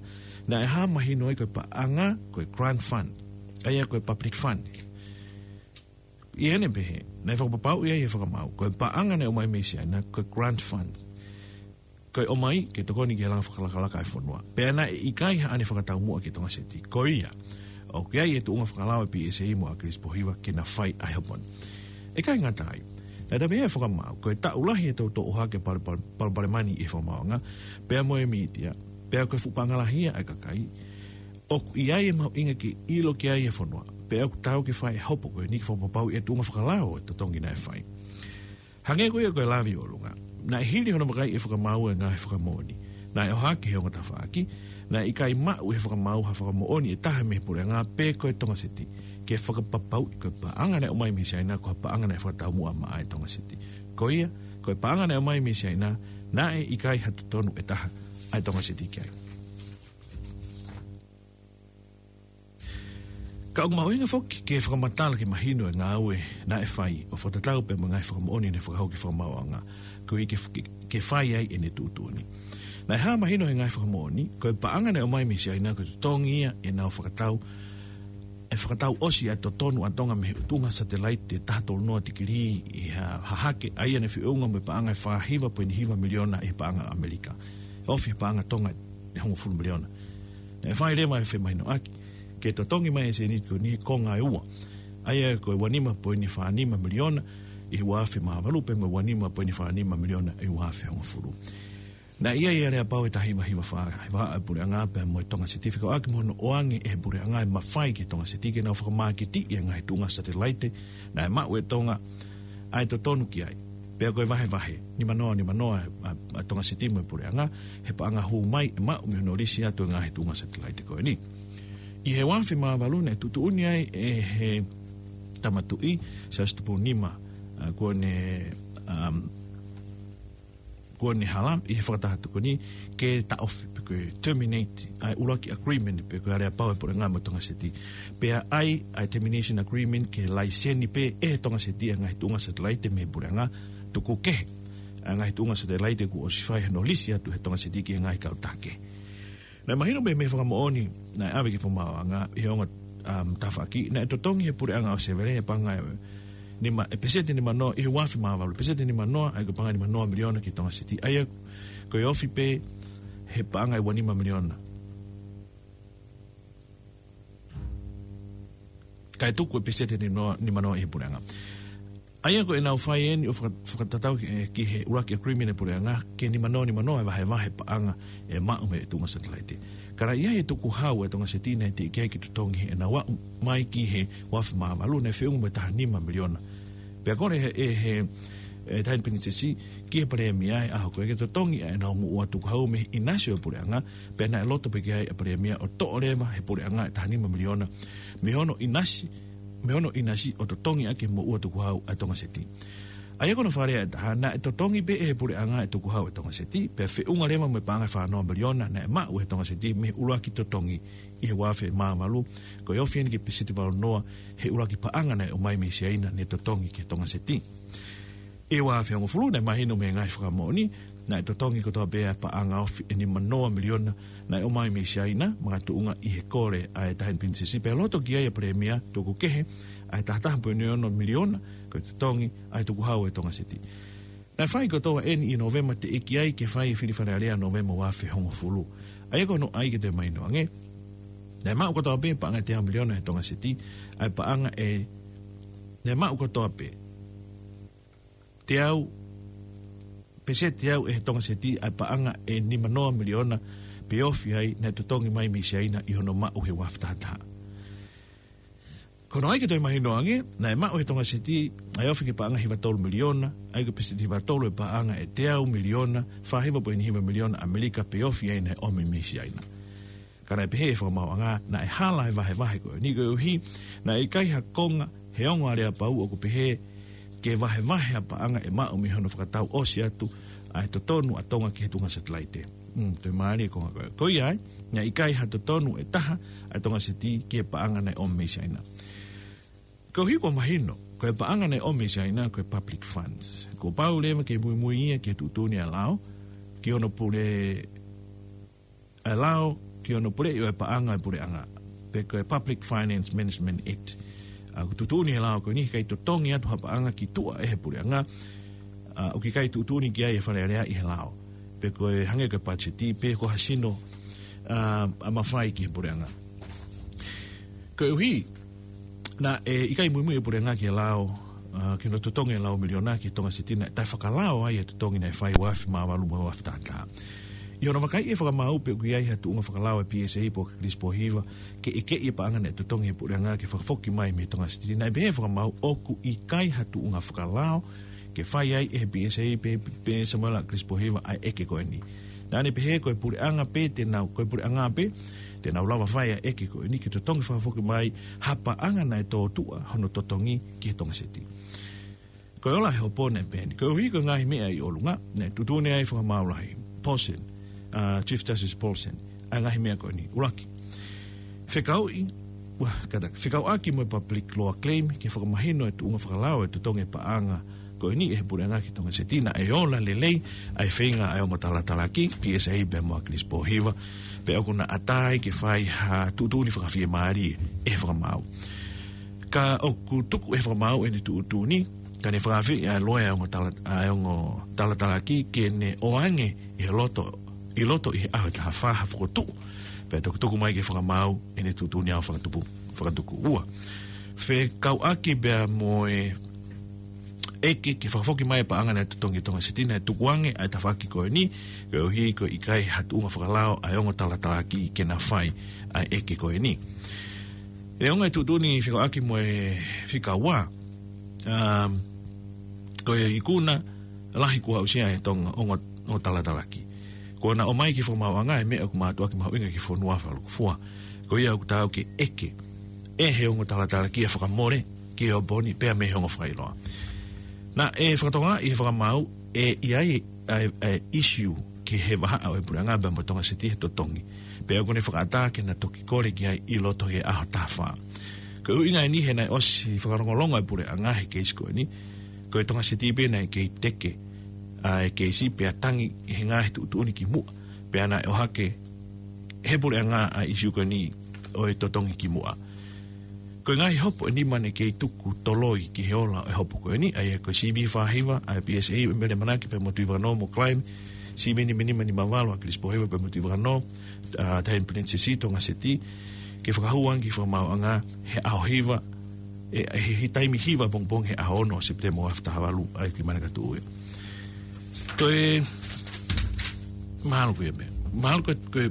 naʻe hā mahino ai ko e paʻanga, ko e grant fund, ʻa ia ko e public fund. ʻI heʻene pehē, naʻe fakapapauʻi ai ʻe he fakamaau, ko e paʻanga naʻe ʻomai mei Siaina, ko e grant fund. Ko e ʻomai, ke tokoni ki he langa fakalakalaka ʻa e fonua. Pea naʻe ʻikai haʻane fakataumuʻa ki he Tonga Seti. Ko ia, ʻoku ʻi ai e tuʻunga fakalao ʻa e P S A mo ʻAkilisi Pōhiva ke na fai ʻa e hopo ni. ʻIkai ngata ai, naʻe toe pehē ʻe he fakamaau, ko e taʻu lahi e toutou ʻohake pal-, pal-, palopalema ni ʻi he fakamaauʻanga, pea mo e mītia, pea ko e fuʻu paʻanga lahi ia ʻa e kakai, ʻoku ʻi ai e mahuʻinga ke ʻilo ki ai e fonua, pea ʻoku taau ke fai e hopo ko eni ke fakapapauʻi e tuʻunga fakalao e totongi naʻe fai. Hangē ko ia ko e lave ʻi ʻolunga, naʻe hili hono vakai ʻe he fakamaau e ngaahi fakamoʻoni naʻe ʻohake ʻe he ongo tafaʻaki, naʻe ʻikai maʻu ʻe he fakamaau ha fakamoʻoni ʻe taha mei he puleʻanga pe ko e Tonga Seti, ke fakapapauʻi ko e paʻanga naʻe ʻomai mei Siaina ko e paʻanga naʻe fakataumuʻa maʻa e Tonga Seti. Ko ia, ko e paʻanga naʻe ʻomai mei Siaina, naʻe ʻikai ha totonu ʻe taha ʻa e Tonga Seti ki ai. Ka ʻoku mahuʻinga foki ke fakamatala ke mahino e ngāue naʻe fai ʻo fakatatau pea mo e ngaahi fakamoʻoni naʻe fakahoko ʻe he fakamaauʻanga, koeʻuhi ke, ke, ke fai ai ʻene tuʻutuʻuni. Naʻe hā mahino ʻe he ngaahi fakamoʻoni, ko e paʻanga naʻe ʻomai mei Siaina ko e totongi ia ʻenau fakatau, ʻe fakatau ʻosi ʻa e totonu ʻa Tonga mei he tuʻunga satelaite ʻe taha tolu noa tikilī ʻi ha, hahake, ʻa ia naʻe feʻunga mo e paʻanga ʻe fā hiva poini hiva miliona ʻi he paʻanga ʻAmelika. Ofi he paʻanga Tonga ʻe hongofulu miliona. Naʻe fai leva e femahinoʻaki ke totongi mai e sēniti ko eni he konga ʻe ua. ʻA ia ko e ua nima poini fā nima miliona ʻi he ua afe mā valu pea mo e ua nima poini fā nima miliona ʻi he ua afe hongofulu. Naʻe ʻi ai e aleapau ʻe taha hiva hiva fā, he vahaʻa e puleʻanga pea mo e Tonga Seti, fekauʻaki mo hono ʻoange ʻe he puleʻanga e mafai ki he Tonga Seti ke nau fakamāketiʻi e ngaahi tuʻunga satelaite naʻe maʻu ʻe Tonga ʻa e totonu ki ai. Pea ko e vahevahe, nima noa, nima noa ʻa, ʻa Tonga Seti mo e puleʻanga, he paʻanga hū mai ʻe maʻu mei hono lisi atu e ngaahi tuʻunga satelaite ko eni. ʻI he ua afe mā valu naʻe tuʻutuʻuni ai ʻe he Tama Tuʻi, Siaosi Tupou Nima, ʻa, Kuini, um, Kuini Hala, ʻi he Fakataha Tokoni, ke taʻofi, pe ko e terminate, ʻa e ʻuluaki agreement, pe ko e aleapau e puleʻanga mo Tonga Seti. Pea ʻai, ʻa e termination agreement, ke laiseni pē ʻe he Tonga Seti ʻa e ngaahi tuʻunga satelaite mei he puleʻanga, tuku kehe ʻa e ngaahi tuʻunga satelaite kuo ʻosi fai hono lisi atu ʻe he Tonga Seti ki he ngaahi kautaha kehe. Naʻe mahino mei, mei he fakamoʻoni naʻe ʻave ki he fakamaauʻanga ʻi he ongo, um, tafaʻaki, naʻe totongi ʻe he puleʻanga ʻo Sevele e paʻanga ʻe Nima, ʻe peseti nima noa, ʻi he uafe mā valu, peseti nima noa, ʻa ia ko e paʻanga nima noa miliona ki he Tonga Seti. ʻA ia ko e ofi pē he paʻanga ʻe ua nima miliona. Kae tuku e peseti nima noa, nima noa ʻi he puleʻanga. ʻA ia ko ʻenau fai eni ʻo faka-, fakatatau ki, ki he ʻuluaki agreement ʻa e puleʻanga, ke nima noa, nima noa e vahevahe paʻanga ʻe maʻu mei he tuʻunga satelaite. Ka naʻe ʻi ai e tukuhau ʻa e Tonga Seti naʻe teʻeki ai ke totongi heʻenau aʻu mai ki he uafe mā valu, naʻe feʻunga mo e taha nima miliona. Pea kole ʻe he, ʻe he, ʻe Taʻahine Pilinisesi ki he Palēmia he ʻaho ko ē ke totongi ʻa ʻenau moʻua tukuhau mei he ʻinasi ʻo e puleʻanga, pea naʻe loto pē ki ai ʻa e Palēmia ʻo toʻo leva he puleʻanga e taha nima miliona mei hono ʻinasi, mei hono ʻinasi ʻo totongi ʻaki e moʻua tukuhau ʻa e Tonga Seti. ʻA ia ko hono fakalea ʻe taha, naʻe totongi pē ʻe he puleʻanga e tukuhau ʻa e Tonga Seti, pea feʻunga leva mo e paʻanga ʻe fā noa miliona naʻe maʻu ʻe he Tonga Seti mei he ʻuluaki totongi ʻi he uafe mā valu, ko e ofi eni ki he peseti valu noa he ʻuluaki paʻanga naʻe ʻomai mei Siaina ne totongi ki he Tonga Seti. ʻI he uafe hongofulu naʻe mahino mei he ngaahi fakamoʻoni, naʻe totongi kotoa pē ʻa e paʻanga ofi ʻe nima noa miliona naʻe ʻomai mei Siaina, makatuʻunga ʻi he kole ʻa e Taʻahine Pilinisesi, pea loto ki ai ʻa e Palēmia, tuku kehe ʻa e taha taha poini ono miliona ko e totongi ʻa e tukuhau ʻa e Tonga Seti. Naʻe fai kotoa eni ʻi Nōvema, teʻeki ai ke fai e fili Fale Alea Nōvema uafe hongofulu. ʻA ia ko hono ʻai ke toe mahino ange, naʻe maʻu kotoa pē paʻanga ʻe teau miliona ʻe he Tonga Seti, ʻa e paʻanga ʻe, naʻe maʻu kotoa pē teau, peseti teau ʻe he Tonga Seti ʻa e paʻanga ʻe nima noa miliona pe ofi ai naʻe totongi mai mei Siaina ʻi hono maʻu he uafe taha taha. Ko hono ʻai ke toe mahino ange, naʻe maʻu ʻe he Tonga Seti ʻa e ofi ki he paʻanga hiva tolu miliona, ʻa ia ko e peseti hiva tolu e paʻanga ʻe teau miliona, fā hiva poini hiva miliona ʻAmelika pe ofi ai naʻe ʻomi mei Siaina. Ka naʻe pehē ʻe he fakamaauʻanga, naʻe hala e vahevahe ko eni koeʻuhi naʻe ʻikai ha konga he ongo aleapau ʻoku pehē ke vahevahe ʻa e paʻanga ʻe maʻu mei hono fakatau ʻosi atu ʻa e totonu ʻa Tonga ki he tuʻunga satelaite. Mm, toe mālie e konga ko ē. Ko ia ai, naʻe ʻikai ha totonu ʻe taha ʻa e Tonga Seti ki he paʻanga naʻe ʻomi mei Siaina. Koeʻuhi kuo mahino, ko e paʻanga naʻe ʻomi mei Siaina ko e public funds. Kuo pau leva ke muimui ia ki he tuʻutuʻuni ʻa e lao, ki hono pule ʻa e lao ki hono puleʻi ʻo e paʻanga ʻa e puleʻanga, pe ko e Public Finance Management Act. ʻA, ʻoku tuʻutuʻuni ʻe he lao ko eni he ʻikai totongi atu ha paʻanga ki tuʻa ʻe he puleʻanga, ʻa, ʻoku ʻikai tuʻutuʻuni ki ai e Fale Alea ʻi he lao, pe ko e hangē ko e patiseti, pe ko ha sino, ʻa, ʻa mafai ki he puleʻanga. Koeʻuhi naʻe ʻikai muimui e puleʻanga ki he lao, ʻa, ki hono totongi e lau miliona ki he Tonga Seti, naʻe taʻefakalao ai e totongi naʻe fai uafe mā valu mo e uafe taha taha. ʻI hono vakaiʻi ʻe he fakamaau pe ʻoku ʻi ai ha tuʻunga fakalao ʻa e P S A pe ko Kilisi Pōhiva ke ʻekeʻi e paʻanga naʻe totongi ʻe he puleʻanga ke fakafoki mai mei he Tonga Seti, naʻe pehē ʻe he fakamaau ʻoku ʻikai ha tuʻunga fakalao ke fai ai ʻe he P S A pe, pe Samuela Kilisi Pōhiva ʻa e ʻeke ko eni. Naʻa ne pehē ko e puleʻanga pē te nau, ko e puleʻanga pē te nau lava fai ʻa e ʻeke ko eni ke totongi fakafoki mai ha paʻanga naʻe tōtuʻa hono totongi ki he Tonga Seti. Ko e ola ʻa e hopo naʻe peheni. Koeʻuhi ko e ngaahi meʻa ʻi ʻolunga, naʻe tuʻutuʻuni ai ʻe he fakamaau lahi, Paulsen, ʻa, Chief Justice Paulsen, ʻa e ngaahi meʻa ko eni. ʻUluaki, fekauʻi, ua, kātaki, fekauʻaki mo e public law claim ke fakamahino e tuʻunga fakalao e totongi e paʻanga ko eni ʻe he puleʻanga ki he Tonga Seti, naʻe ola lelei ʻa e feinga ʻa e ongo talatalaki, P S A pea mo Kilisi Pōhiva, pea ʻoku na ʻatā ai ke fai ha tuʻutuʻuni fakafiemālie ʻe he fakamaau. Ka ʻoku tuku ʻe he fakamaau ʻene tuʻutuʻuni, ka ne fakaafeʻi ʻa e loea ʻa e ongo tala-, ʻa e ongo talatalaki ke ne ʻoange ʻi he loto, ʻi loto ʻi he ʻaho ʻe taha fā ha fokotuʻu, pea toki tuku mai ki he fakamaau ʻene tuʻutuʻuni ʻo fakatupu, fakatuku. Ua, fekauʻaki pea mo e ʻeke ke fakafoki mai e paʻanga naʻe totongi ʻe he Tonga Seti, naʻe tukuange ʻa e tafaʻaki ko eni, koeʻuhi ko e ʻikai ha tuʻunga fakalao ʻa e ongo talatalaki ke na fai ʻa e ʻeke ko eni. Neongo e tuʻutuʻuni fekauʻaki mo e fika ua, um, ko e ikuna lahi kuo aʻusia ʻe he Tonga ongo, ongo talatalaki. Kuo na ʻomai ki he fakamaauʻanga e meʻa ʻoku mātuʻaki mahuʻinga ki he fonua fakalūkufua. Ko ia ʻoku taau ke ʻeke ʻe he ongo talatalaki ʻa e fakamole ki he ʻaho ni pea mei he ongo fakailoa. Naʻe fakatokangaʻi ʻe he fakamaau ʻe ʻi ai ʻa e, ʻa e issue ki he vahaʻa ʻo e puleʻanga pea mo Tonga Seti he totongi. Pea ʻoku ne fakaʻatā ke na toki kole ki ai ʻi loto ʻi he ʻaho taha fā. Ko e ʻuhinga eni he naʻe ʻosi fakalongolongo e puleʻanga he keisi ko eni, ko e Tonga Seti pē naʻe kei teke ʻa e keisi pea tangi he ngaahi tuʻutuʻuni ki muʻa, pea naʻe ʻohake ʻe he puleʻanga ʻa e issue ko eni ʻo e totongi ki muʻa. Ko e ngaahi hopo ʻe nima naʻe kei tuku toloi ki he ola ʻo e hopo ko eni, ʻa ia ko e C V fā hiva ʻa e P S A ʻa Mele Manaki pea mo Tuʻivakanō mo Klein, C V nima nima nima valu ʻa Kilisi Pōhiva pea mo Tuʻivakanō, ʻa Taʻahine Pilinisesi Tonga Seti, ke fakahū ange ki he fakamaauʻanga he ʻaho hiva, ʻe, he, he taimi hiva pongipongi he ʻaho ono ʻo Sepitema ua afe taha valu, ʻa ia ki Manakatuʻu ia. Ko e, mahalo ko ia pē. Mahalo ko e, ko e,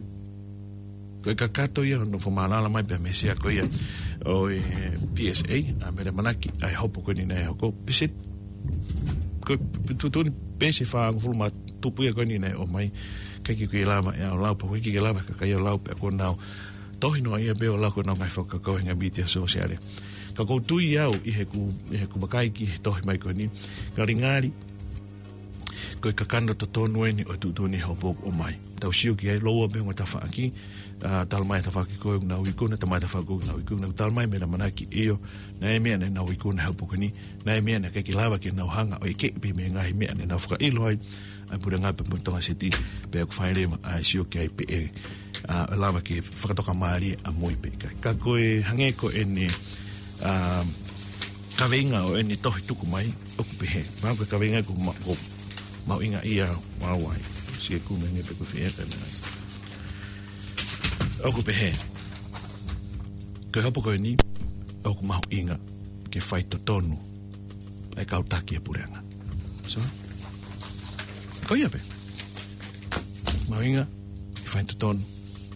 ko e kakato ia hono fakamālala mai pea mei he sea ko ia ʻo e P S A ʻa Mele Manaki, ʻa e hopo ko eni naʻe hoko. Pea se, ko e tuʻutuʻuni pē se fāngofulu mā tupu ia ko eni naʻe ʻomai. ʻIkai ke u lava ʻe au ʻo lau, pea ʻikai ke lava ʻe he kakai ʻo lau, pea ko ʻenau tohi noa ia pē ʻo lau ko ʻenau ngaahi fakakaukau he ngaahi mītia sōsiale. Ka ʻoku ou tui au ʻi heʻeku, ʻi heʻeku vakai ki he tohi mai ko eni, ngalingali ko e kakano totonu eni ʻo e tuʻutuʻuni hopo ʻoku ʻomai. Tau sio ki ai, lōua pē ongo tafaʻaki, ʻa, talamai ʻe he tafaʻaki ko ē ʻoku nau ikuna, talamai ʻe he tafaʻaki ko ē ʻoku nau ikuna, talamai ʻe Mele Manaki ʻio, naʻe ʻi ai e meʻa naʻa nau ikuna he hopo ko eni, naʻe ʻi ai e meʻa naʻe ʻikai ke lava ke nau hanga ʻo ʻeke pē mei he ngaahi meʻa naʻa nau fakaʻilo ai ʻa e puleʻanga pea mo Tonga Seti, pea ʻoku fai leva ʻa e sio ki ai pe ʻe, ʻa, lava ke fakatokamālie ʻamui pe ʻikai. Ka ko e hangē ko eni, ʻa, kaveinga ʻo eni tohi tuku mai, ʻoku pehē. Mahalo ko e kaveinga ʻoku ma-, ʻoku mahuʻinga ia ʻaupito. Sio ki he kumi ange pe ko e fē pē meʻa. ʻOku pehē. Ko e hopo ko eni, ʻoku mahuʻinga ke fai totonu ʻa e kau taki ʻa e puleʻanga. So, ko ia pē. Mahuʻinga ke fai totonu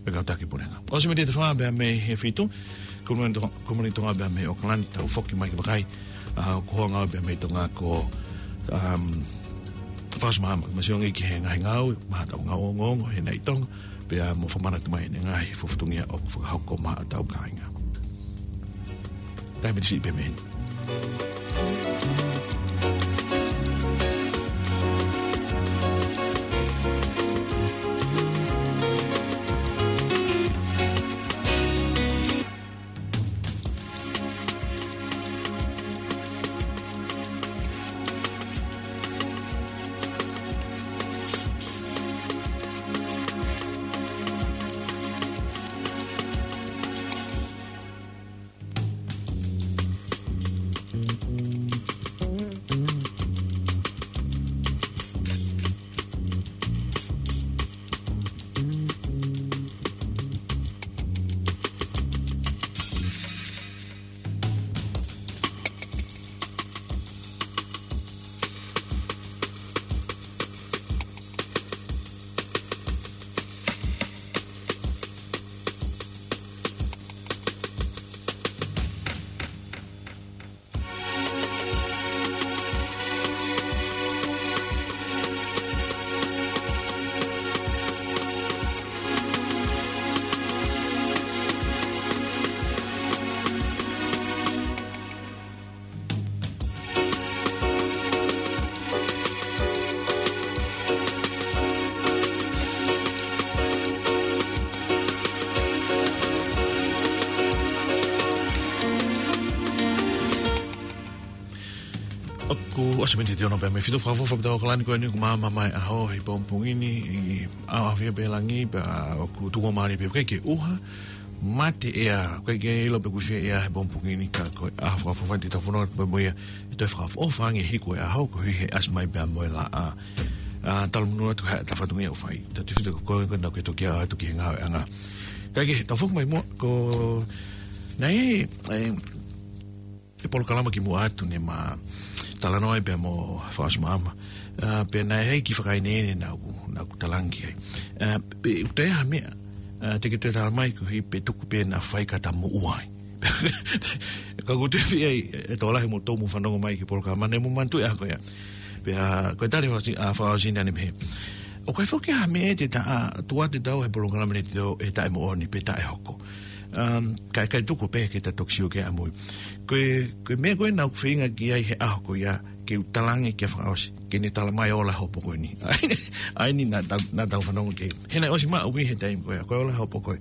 ʻa e kau taki ʻa e puleʻanga. ʻOsi mei he fā pea mei he fitu, ko e moni to-, ko e moni Tonga pea mei ʻAokalani, tau foki mai ki he vakai, ʻa, ko e hounga pea mei Tonga ko, um, Fakaʻosi Maama, ma sio ange ki he ngaahi ngāue, maʻa ʻetau ngāue ongoongo, he naʻe ʻi Tonga, pea mo fakamanatu mai ʻene ngaahi fatongia ʻoku fakahoko maʻa ʻetau kāinga. Kae miti siʻi pē mei heni. ʻOku ʻosi mei he ono pea mei he fitu, fakaʻofoʻofa ʻetau ʻAokalani ko eni, ʻoku maama mai ʻa e ʻaho he pongipongi ni, ʻi ʻaoʻaofia pē langi, pea ʻoku tuku mālie pē, ʻikai ke ʻuha, mate ʻea, ʻikai ke ʻilo pe ʻoku fē ʻea he pongipongi ni, ka ko e ʻaho fakaʻofoʻofa te tau fononga pē mo ia, ʻe toe fakaʻofoʻofa ange hiko e ʻaho, koeʻuhi he ʻasi mai pea mo e laʻā. ʻA, talamonū atu he ʻa e fatongia ʻoku fai. Tautefito ko e, ko e, ko e, naʻa ke toki ʻalu atu ki he ngāueʻanga. Kae kehe, tau foki mai muʻa, ko, naʻe, ʻe, ʻe polokalama kimuʻa atu ne ma talanoa ai pea mo Fakaʻosi Maama. ʻA, pea naʻe ʻi ai e kiʻi fakaeneene naʻa ku, naʻa ku talaange ai. ʻA, pea ʻoku toe ʻi ai ha meʻa, ʻa, te ke toe talamai koeʻuhi pe tuku pē naʻa fai ka ta moʻua ai. Ka ʻoku ou tui pē ʻe, ʻe tokolahi mo tō mo fanongo mai ki he polokalama naʻa mo manatuʻi ʻa e ʻaho ko ia. Pea, ko e tali Fakaʻosi, ʻa, Fakaʻosi naʻa ne pehē. ʻOku ʻi ai foki ha meʻa te ta, ʻa, tuʻu atu ʻetau he polokalama ni te tau ʻe taʻemoʻoni pe taʻehoko. Um, kae, kae tuku pē ke ta toki sio ki ai ʻamui. Ko e, ko e meʻa ko ē naʻa ku feinga ki ai he ʻaho ko ia, ke u talaange kia Fakaʻosi, ke ne talamai ʻo ola e hopo ko eni. ʻA eni, ʻa eni naʻa tau, naʻa tau fanongo ki ai. He naʻe ʻosi maʻu ia he taimi ko ia, ko e ola e hopo ko ē.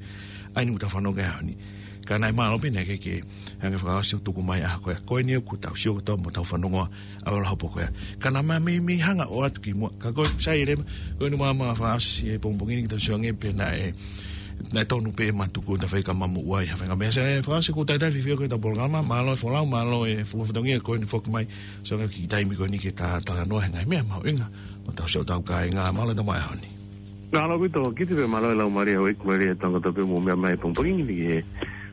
ʻA eni ʻoku tau fanongo ki ai he ʻaho ni. Ka naʻe mālō pē naʻe ʻikai ke hanga ʻe Fakaʻosi ʻo tuku mai e ʻaho ko ia. Ko eni ʻoku tau sio kotoa mo tau fanongo ʻa e ola e hopo ko ia. Ka naʻa ma mei, mei hanga ʻo ʻoatu kimuʻa. Ka ko e sai leva, ko eni maama Fakaʻosi he pongipongi ni ke tau sio ange pe naʻe Naʻe tonu pē ʻema tuku ʻo tau fai ka mamu uai ha fenga mea. Sai, fakaʻosi ʻoku talitali fiefia ko ʻeta polokalama, mālō e folau, mālō e fuafua tongia ko eni foki mai. So, ngā kiʻi taimi ko eni ke ta talanoa he ngaahi meʻa mahuʻinga ʻo tau sio tau kāinga, mālō e tama e honi. Mālō ʻaupito, kiʻi pē mālō e lau mālie, ʻoku mālie e tangata pē mo meʻa mai pongipongi ni he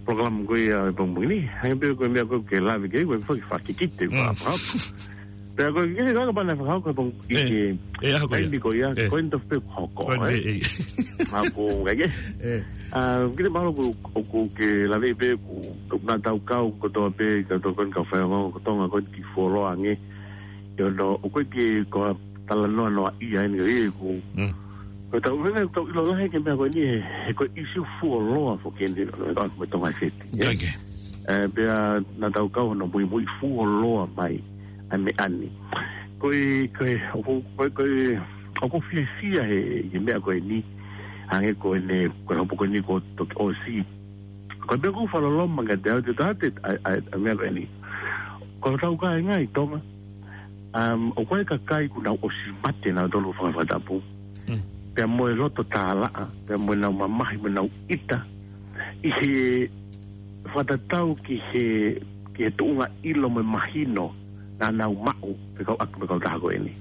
polokalama ko ia e pongipongi ni. Hangē pē ko e meʻa ko ē ke lave ki ai, ko e foki fakikite, Mm. fa-, fa-, Pea ko e kiʻi kaka pana fakahoko he pongipongi ʻe, ʻe, ʻaho ko ia. Taimi ko ia, ʻe. Ko eni tofu pē hoko, Ko eni, ʻe? ʻe, ʻe. Hapo, ngai ke? ʻE. Ah, kiʻi mālō ko, ʻoku ke lave pē ko, ko naʻa tau kau kotoa pē, ka tau ko eni kau faiongoongo ko Tonga ko eni ki fuoloa ange. ʻIo, no, ʻoku ʻikai ke ko ha talanoa noa ia eni, ʻe, ko. Mm. Ko tau, mena tau ʻilo lahi ki he meʻa ko eni, he, he ko e ʻīsiu fuoloa foki eni, ʻo, ʻo, mo Tonga Seti, ʻe? Ngai ke. Eh, pea naʻa tau kau hono muimui fuoloa mai ʻa e meʻa ni. Ko e, ko e, ʻoku, ko e, ko e, ʻoku fiefia he, he meʻa ko eni, hangē ko eni, ko e hopo ko eni ko toki ʻosi. Ko e meʻa ʻoku fakaloloma kiate au, te tau te, ʻa, ʻa, ʻa e meʻa ko eni. Ko hotau kāinga ʻi Tonga, um, ʻoku ʻi ai e kakai kuo nau ʻosi mate nautolu fanga fakatapu. Mm. Pea mo e loto tālaʻa, pea mo ʻenau mamahi, mo ʻenau ʻita. ʻI he fakatatau ki he, ki he tuʻunga ʻilo mo e mahino naʻa nau maʻu, pe kau ʻaki, pe kautaha ko eni.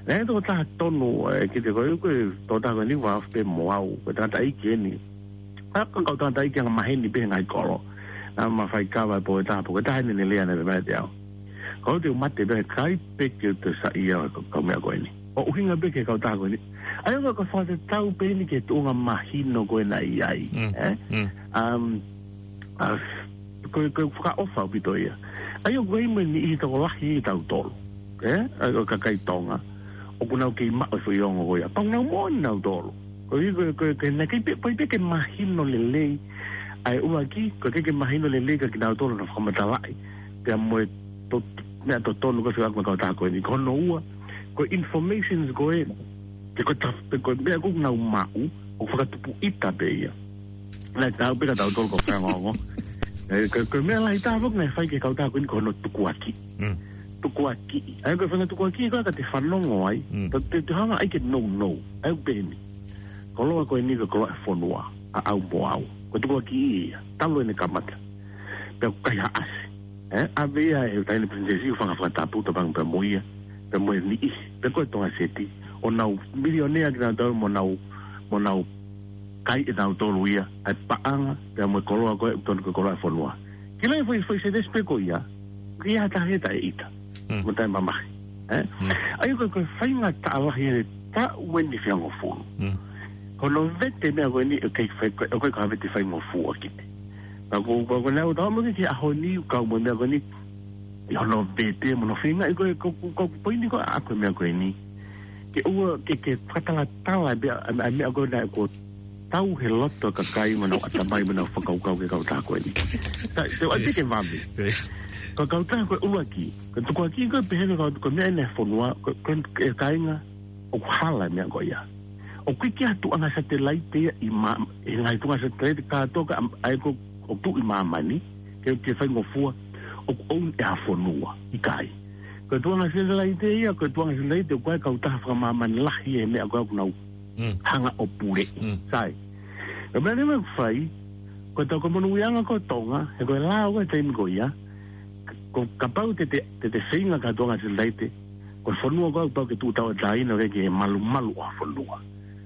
Naʻe tokotaha tonu, eh, kiate koe, ko e tokotaha ko eni, ʻoku ou afe pē mo au, ko e tangataʻeiki eni. Ka, ka, kau tangataʻeiki angamaheni pē he ngaahi kolo. Naʻa ma faikava e pō ʻe taha, pō ʻe taha eni ne lea naʻe pehē mai kiate au. Ko au te u mate pē, ʻikai pē ke u toe saiʻia kau, kau meʻa ko eni. ʻO ʻuhinga pē ki he kautaha ko eni. ʻA ia ko e fakatatau pē eni ki he tuʻunga mahino ko ē naʻe ʻi ai, Mm. ʻe? Mm. Um, ah, ko, ko e fakaʻofa ʻaupito ia. ʻA ia ʻoku ʻi ai mo e niʻihi tokolahi ʻi tautolu, ʻe? ʻA ia ko e kakai Tonga ʻoku nau kei maʻu e foʻi ongo ko ia. Pau nau moʻoni nautolu. Ko ia, ko, ko, ko e naʻe ʻikai pē, ʻikai pē ke mahino lelei. ʻA e ʻuluaki, ko e ʻikai ke mahino lelei kia kinautolu naʻa fakamatalaʻi. Pea mo e to-, meʻa totonu ko e fekauʻaki mo e kautaha ko eni. Ko hono ua, ko e informations ko ē, ke ko e taf-, pe ko e meʻa ʻoku nau maʻu, ʻoku fakatupu ʻita pē ia. Naʻe tau pē kia tautolu kau faiongoongo. ʻE, ko, ko e meʻa lahi taha foki naʻe fai ki he kautaha ko eni ko hono tukuakiʻi. Mm. Tukuakiʻi. ʻA ia ko e fanga tukuakiʻi ko ē ka te fanongo ai, Mm. te, te, te hanga ai ke nounou. ʻA ia ʻoku pehē ni. Koloa ko eni ko e koloa e fonua, ʻaʻau mo au. Ko e tukuakiʻi ia, talu ʻene kamata. Pea ʻoku kaihaʻasi. ʻE, ʻave ia ʻe he taʻahine Pilinisesi ʻo fanga fakatapu, Topanga pea mo ia, pea mo e niʻihi, pea ko e Tonga Seti, ʻo nau milionea kinautolu mo nau, mo nau kai ʻe nautolu ia, ʻa e paʻanga, pea mo e koloa ko ē, ʻoku tonu ko e koloa e fonua. Ki he foʻi, foʻi sētesi pē ko ia, ki ha taha ia taʻeʻita. Mm. Mo taʻemamahi. ʻE? Mm. ʻA ia ko e, ko e faingataʻa lahi ʻeni taʻu ʻeni fia ngofulu. Mm. Ko hono vete meʻa ko eni, ʻikai fai, ko, ko e ka vete faingofua kiʻi. Ka ko, ko, ko e ʻaho tau mo ke, ki he ʻaho ni, kau mo e meʻa ko eni, ʻi hono vete, mo hono feinga, ʻi ko e, ko, ko, ko e poini ko ē ʻaku e meʻa ko eni. Ke ʻoua, ke, ke fakatalatala, meʻa, ʻa, ʻa meʻa ko ē naʻe ko tau he loto kakai mo nau ʻatamai mo nau fakakaukau ki he kautaha ko eni. Ka, te ʻoua te ke vave. Ko e kautaha ko ē ʻuluaki, ko e tukuakiʻi ko ē pehē ko e kau-, ko e meʻa ʻeni e fonua, ko, ko e kāinga, ʻoku hala e meʻa ko ia. ʻOku ʻikai ke ʻi ai ha tuʻunga satelaite ia ʻi mā-, ʻi he ngaahi tuʻunga satelaite kātoa ka am-, ʻa ia ko, ʻoku tuʻu ʻi māmani, ke, ke faingofua, ʻoku own ʻe ha fonua, ʻikai. Ko e tuʻunga satelaite ia, ko e tuʻunga satelaite, ʻoku ʻi ai e kautaha fakamāmani lahi ʻi he meʻa ko ē ʻoku nau Mm. hanga ʻo puleʻi. Mm. Sai. Ko e meʻa leva ʻoku fai, ko e tau ko e monūʻiaʻanga ko Tonga, he ko e lao ko ē taimi ko ia, ko, kapau te te, te te feinga ki ha tuʻunga satelaite, ko e fonua ko ē ʻoku pau ke tuʻu tauʻatāina ʻo ʻikai ke malumalu ʻa e fonua.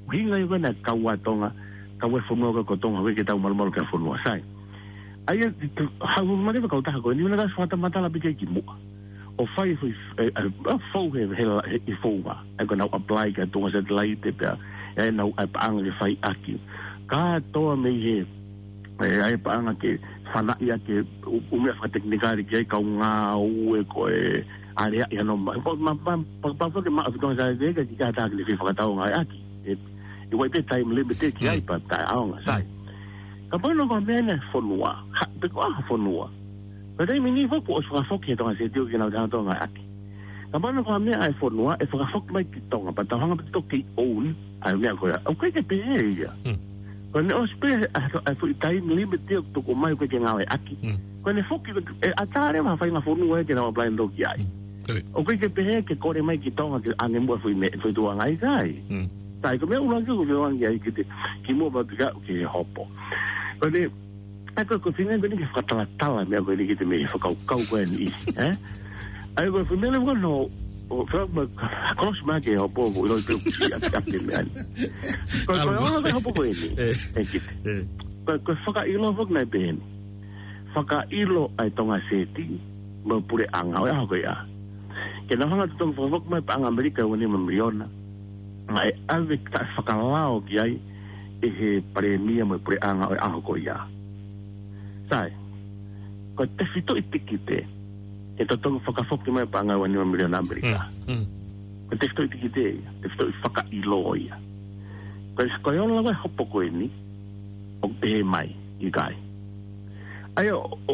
ʻUhinga ia ko ē naʻe kau ai Tonga, kau ai e fonua ko ē ko Tonga, ʻo ʻikai ke tau malumalu ki ha fonua. Sai. ʻA ia, te, te, hau mare pa kautaha ko eni, naʻa ka fakamatala pē ki ai kimuʻa. ʻO fai e foʻi, e, e, e, fou he, he, he, he founga. ʻA ia ko ʻenau apply ki ha tuʻunga satelaite pea, ʻe nau ʻai paʻanga ke fai ʻaki. Kātoa mei he, ʻe, ʻai paʻanga ke fanaʻi ʻaki ʻū, ʻū meʻa fakatekinikale ki ai kau ngāue ko e aleaʻi hano ma-, ma-, ma-, ma-, pa, pa, pa, ke maʻu e tuʻunga satelaite ka ʻikai ke ʻi ai ha taha ke ne fie fakatau ngāue ʻaki. ʻE, ʻe ʻi ai pē time limit ki ai Mm. pea taʻeʻaonga, sai. Mm. Kapau naʻe ko ha meʻa ʻeni e fonua, ha, pe ko ha fonua. Ko e taimi ni foki ʻoku fakafoki he Tonga Seti ʻoku nau taha Tonga ʻaki. Kapau naʻe ko ha meʻa e fonua, ʻe fakafoki mai ki Tonga, pea tau hanga pē ʻo toki own ʻa e meʻa ko ia. ʻOku ʻikai ke pehē ia. Mm. Ko ʻene ʻosi pē, ʻa, ʻa e foʻi time limit ia ʻoku tuku mai ʻoku ʻikai ke ngāueʻaki. Mm. Ko ʻene foki, ʻe ʻatā leva ha faʻahinga fonua ia ke nau apply ʻo toki ai. Mm. Correct. ʻOku ʻikai ke pehē ke kole mai ki Tonga ke ʻange muʻa e foʻi meʻa, foʻi tuʻunga ʻikai. Mm. Sai, ko e meʻa ʻuluaki ʻoku ou fie ʻoange ai ki he, kimuʻa pea u pika ki he hopo. Ko eni, ʻa ia ko e, ko e feinga ko eni ke fakatalatala e meʻa ko eni ki he meʻa fakakaukau ko eni, ē? ʻA ia ko e feinga leva ko eni, ʻo, ʻo, feinga ma, kolosi mai ki he hopo, ʻo ʻilo pē ʻoku ʻi ai, ʻi ai e meʻa ni. Ko, ko e ʻalu. Ola ko e hopo ko eni, ē. Ē, ki he. Ē. Ko, ko e fakaʻilo foki naʻe pehē ni. Fakaʻilo ʻa e Tonga Seti, mo e puleʻanga, ʻo e ʻaho ko ia. Ke nau hanga ʻo totongi fakafoki mai e paʻanga ʻAmelika ʻe ua nima miliona. Naʻe ʻave taʻefakalao ki ai ʻe he palēmia mo e puleʻanga ʻo e ʻaho ko ia. Sai, ko e tefitoʻi tikite, ke totongi fakafoki mai e paʻanga ʻe ua nima miliona ʻAmelika. Mm, mm. Ko e tefitoʻi tikite ia, tefitoʻi fakaʻilo ia. Ko e, ko e ola ko e hopo ko eni, ʻoku pehē mai, ʻikai. ʻA ia, ʻo, ʻo,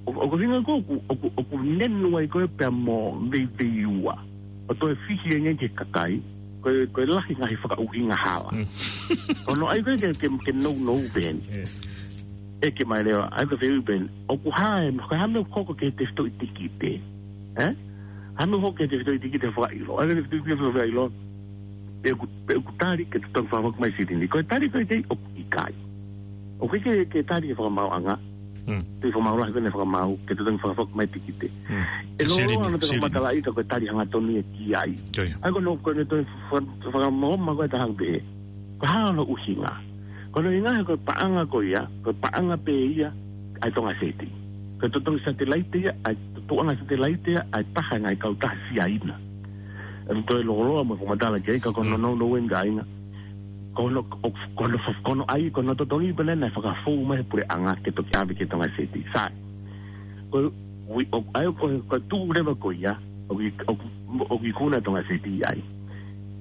ʻo, ʻoku ʻuhinga ko ē ʻoku, ʻoku, ʻoku nenu ai ko ē pea mo veiveiua. ʻO toe fihi ange ki he kakai, ko e, ko e lahi ngaahi fakaʻuhinga hala. Mm. Ko hono ʻai ko ē ke, ke, ke nounou pē eni. Yeah. ʻEke mai leva, ʻa ia ko e fehuʻi pē eni. ʻOku hā e, ko e hā e meʻa ʻoku hoko ki he tefitoʻi tikite. Ē? Hā e meʻa ʻoku hoko ki he tefitoʻi tikite fakaʻilo. ʻA ia ko e tefitoʻi tikite fakaʻilo. Pe ʻoku, pe ʻoku tali ke totongi fakafoki mai e silini. Ko e tali ko ē ki ai ʻoku ʻikai. ʻOku ʻikai ke, ke tali ʻe he fakamaauʻanga. Hmm. Tui fakamaau lahi ko eni ʻa e fakamaau, ke totongi fakafoki mai e tikite. Hmm. ʻE loloa. Silini, ana te silini. Ka matalaʻi ka ko e tali hangatonu ia ki ai. Ko ia. ʻA ia ko hono, ko hono toe fa-, fakamaau ko ē ʻa e taha pē. Ko e hā hono ʻuhinga? Ko hono ʻuhinga he ko e paʻanga ko ia, ko e paʻanga pē ia ʻa e Tonga Seti. Ko e totongi satelaite ia, ʻa e tuʻunga satelaite ia, ʻa e taha e ngaahi kautaha Siaina. ʻE toe loloa mo fakamatala ki ai, ka ko hono, hmm, nounou eni kāinga. Ko hono, ʻo, ko hono fa-, ko hono ʻai, ko hono totongi pē ena naʻe fakafou mai he puleʻanga ke toki ʻave ki he Tonga Seti. Sai. Ko e, ui, ʻo, ʻa ia ko, ko e tuʻu leva ko ia, ʻoku i-, ʻoku, ʻoku ikuna e Tonga Seti ai.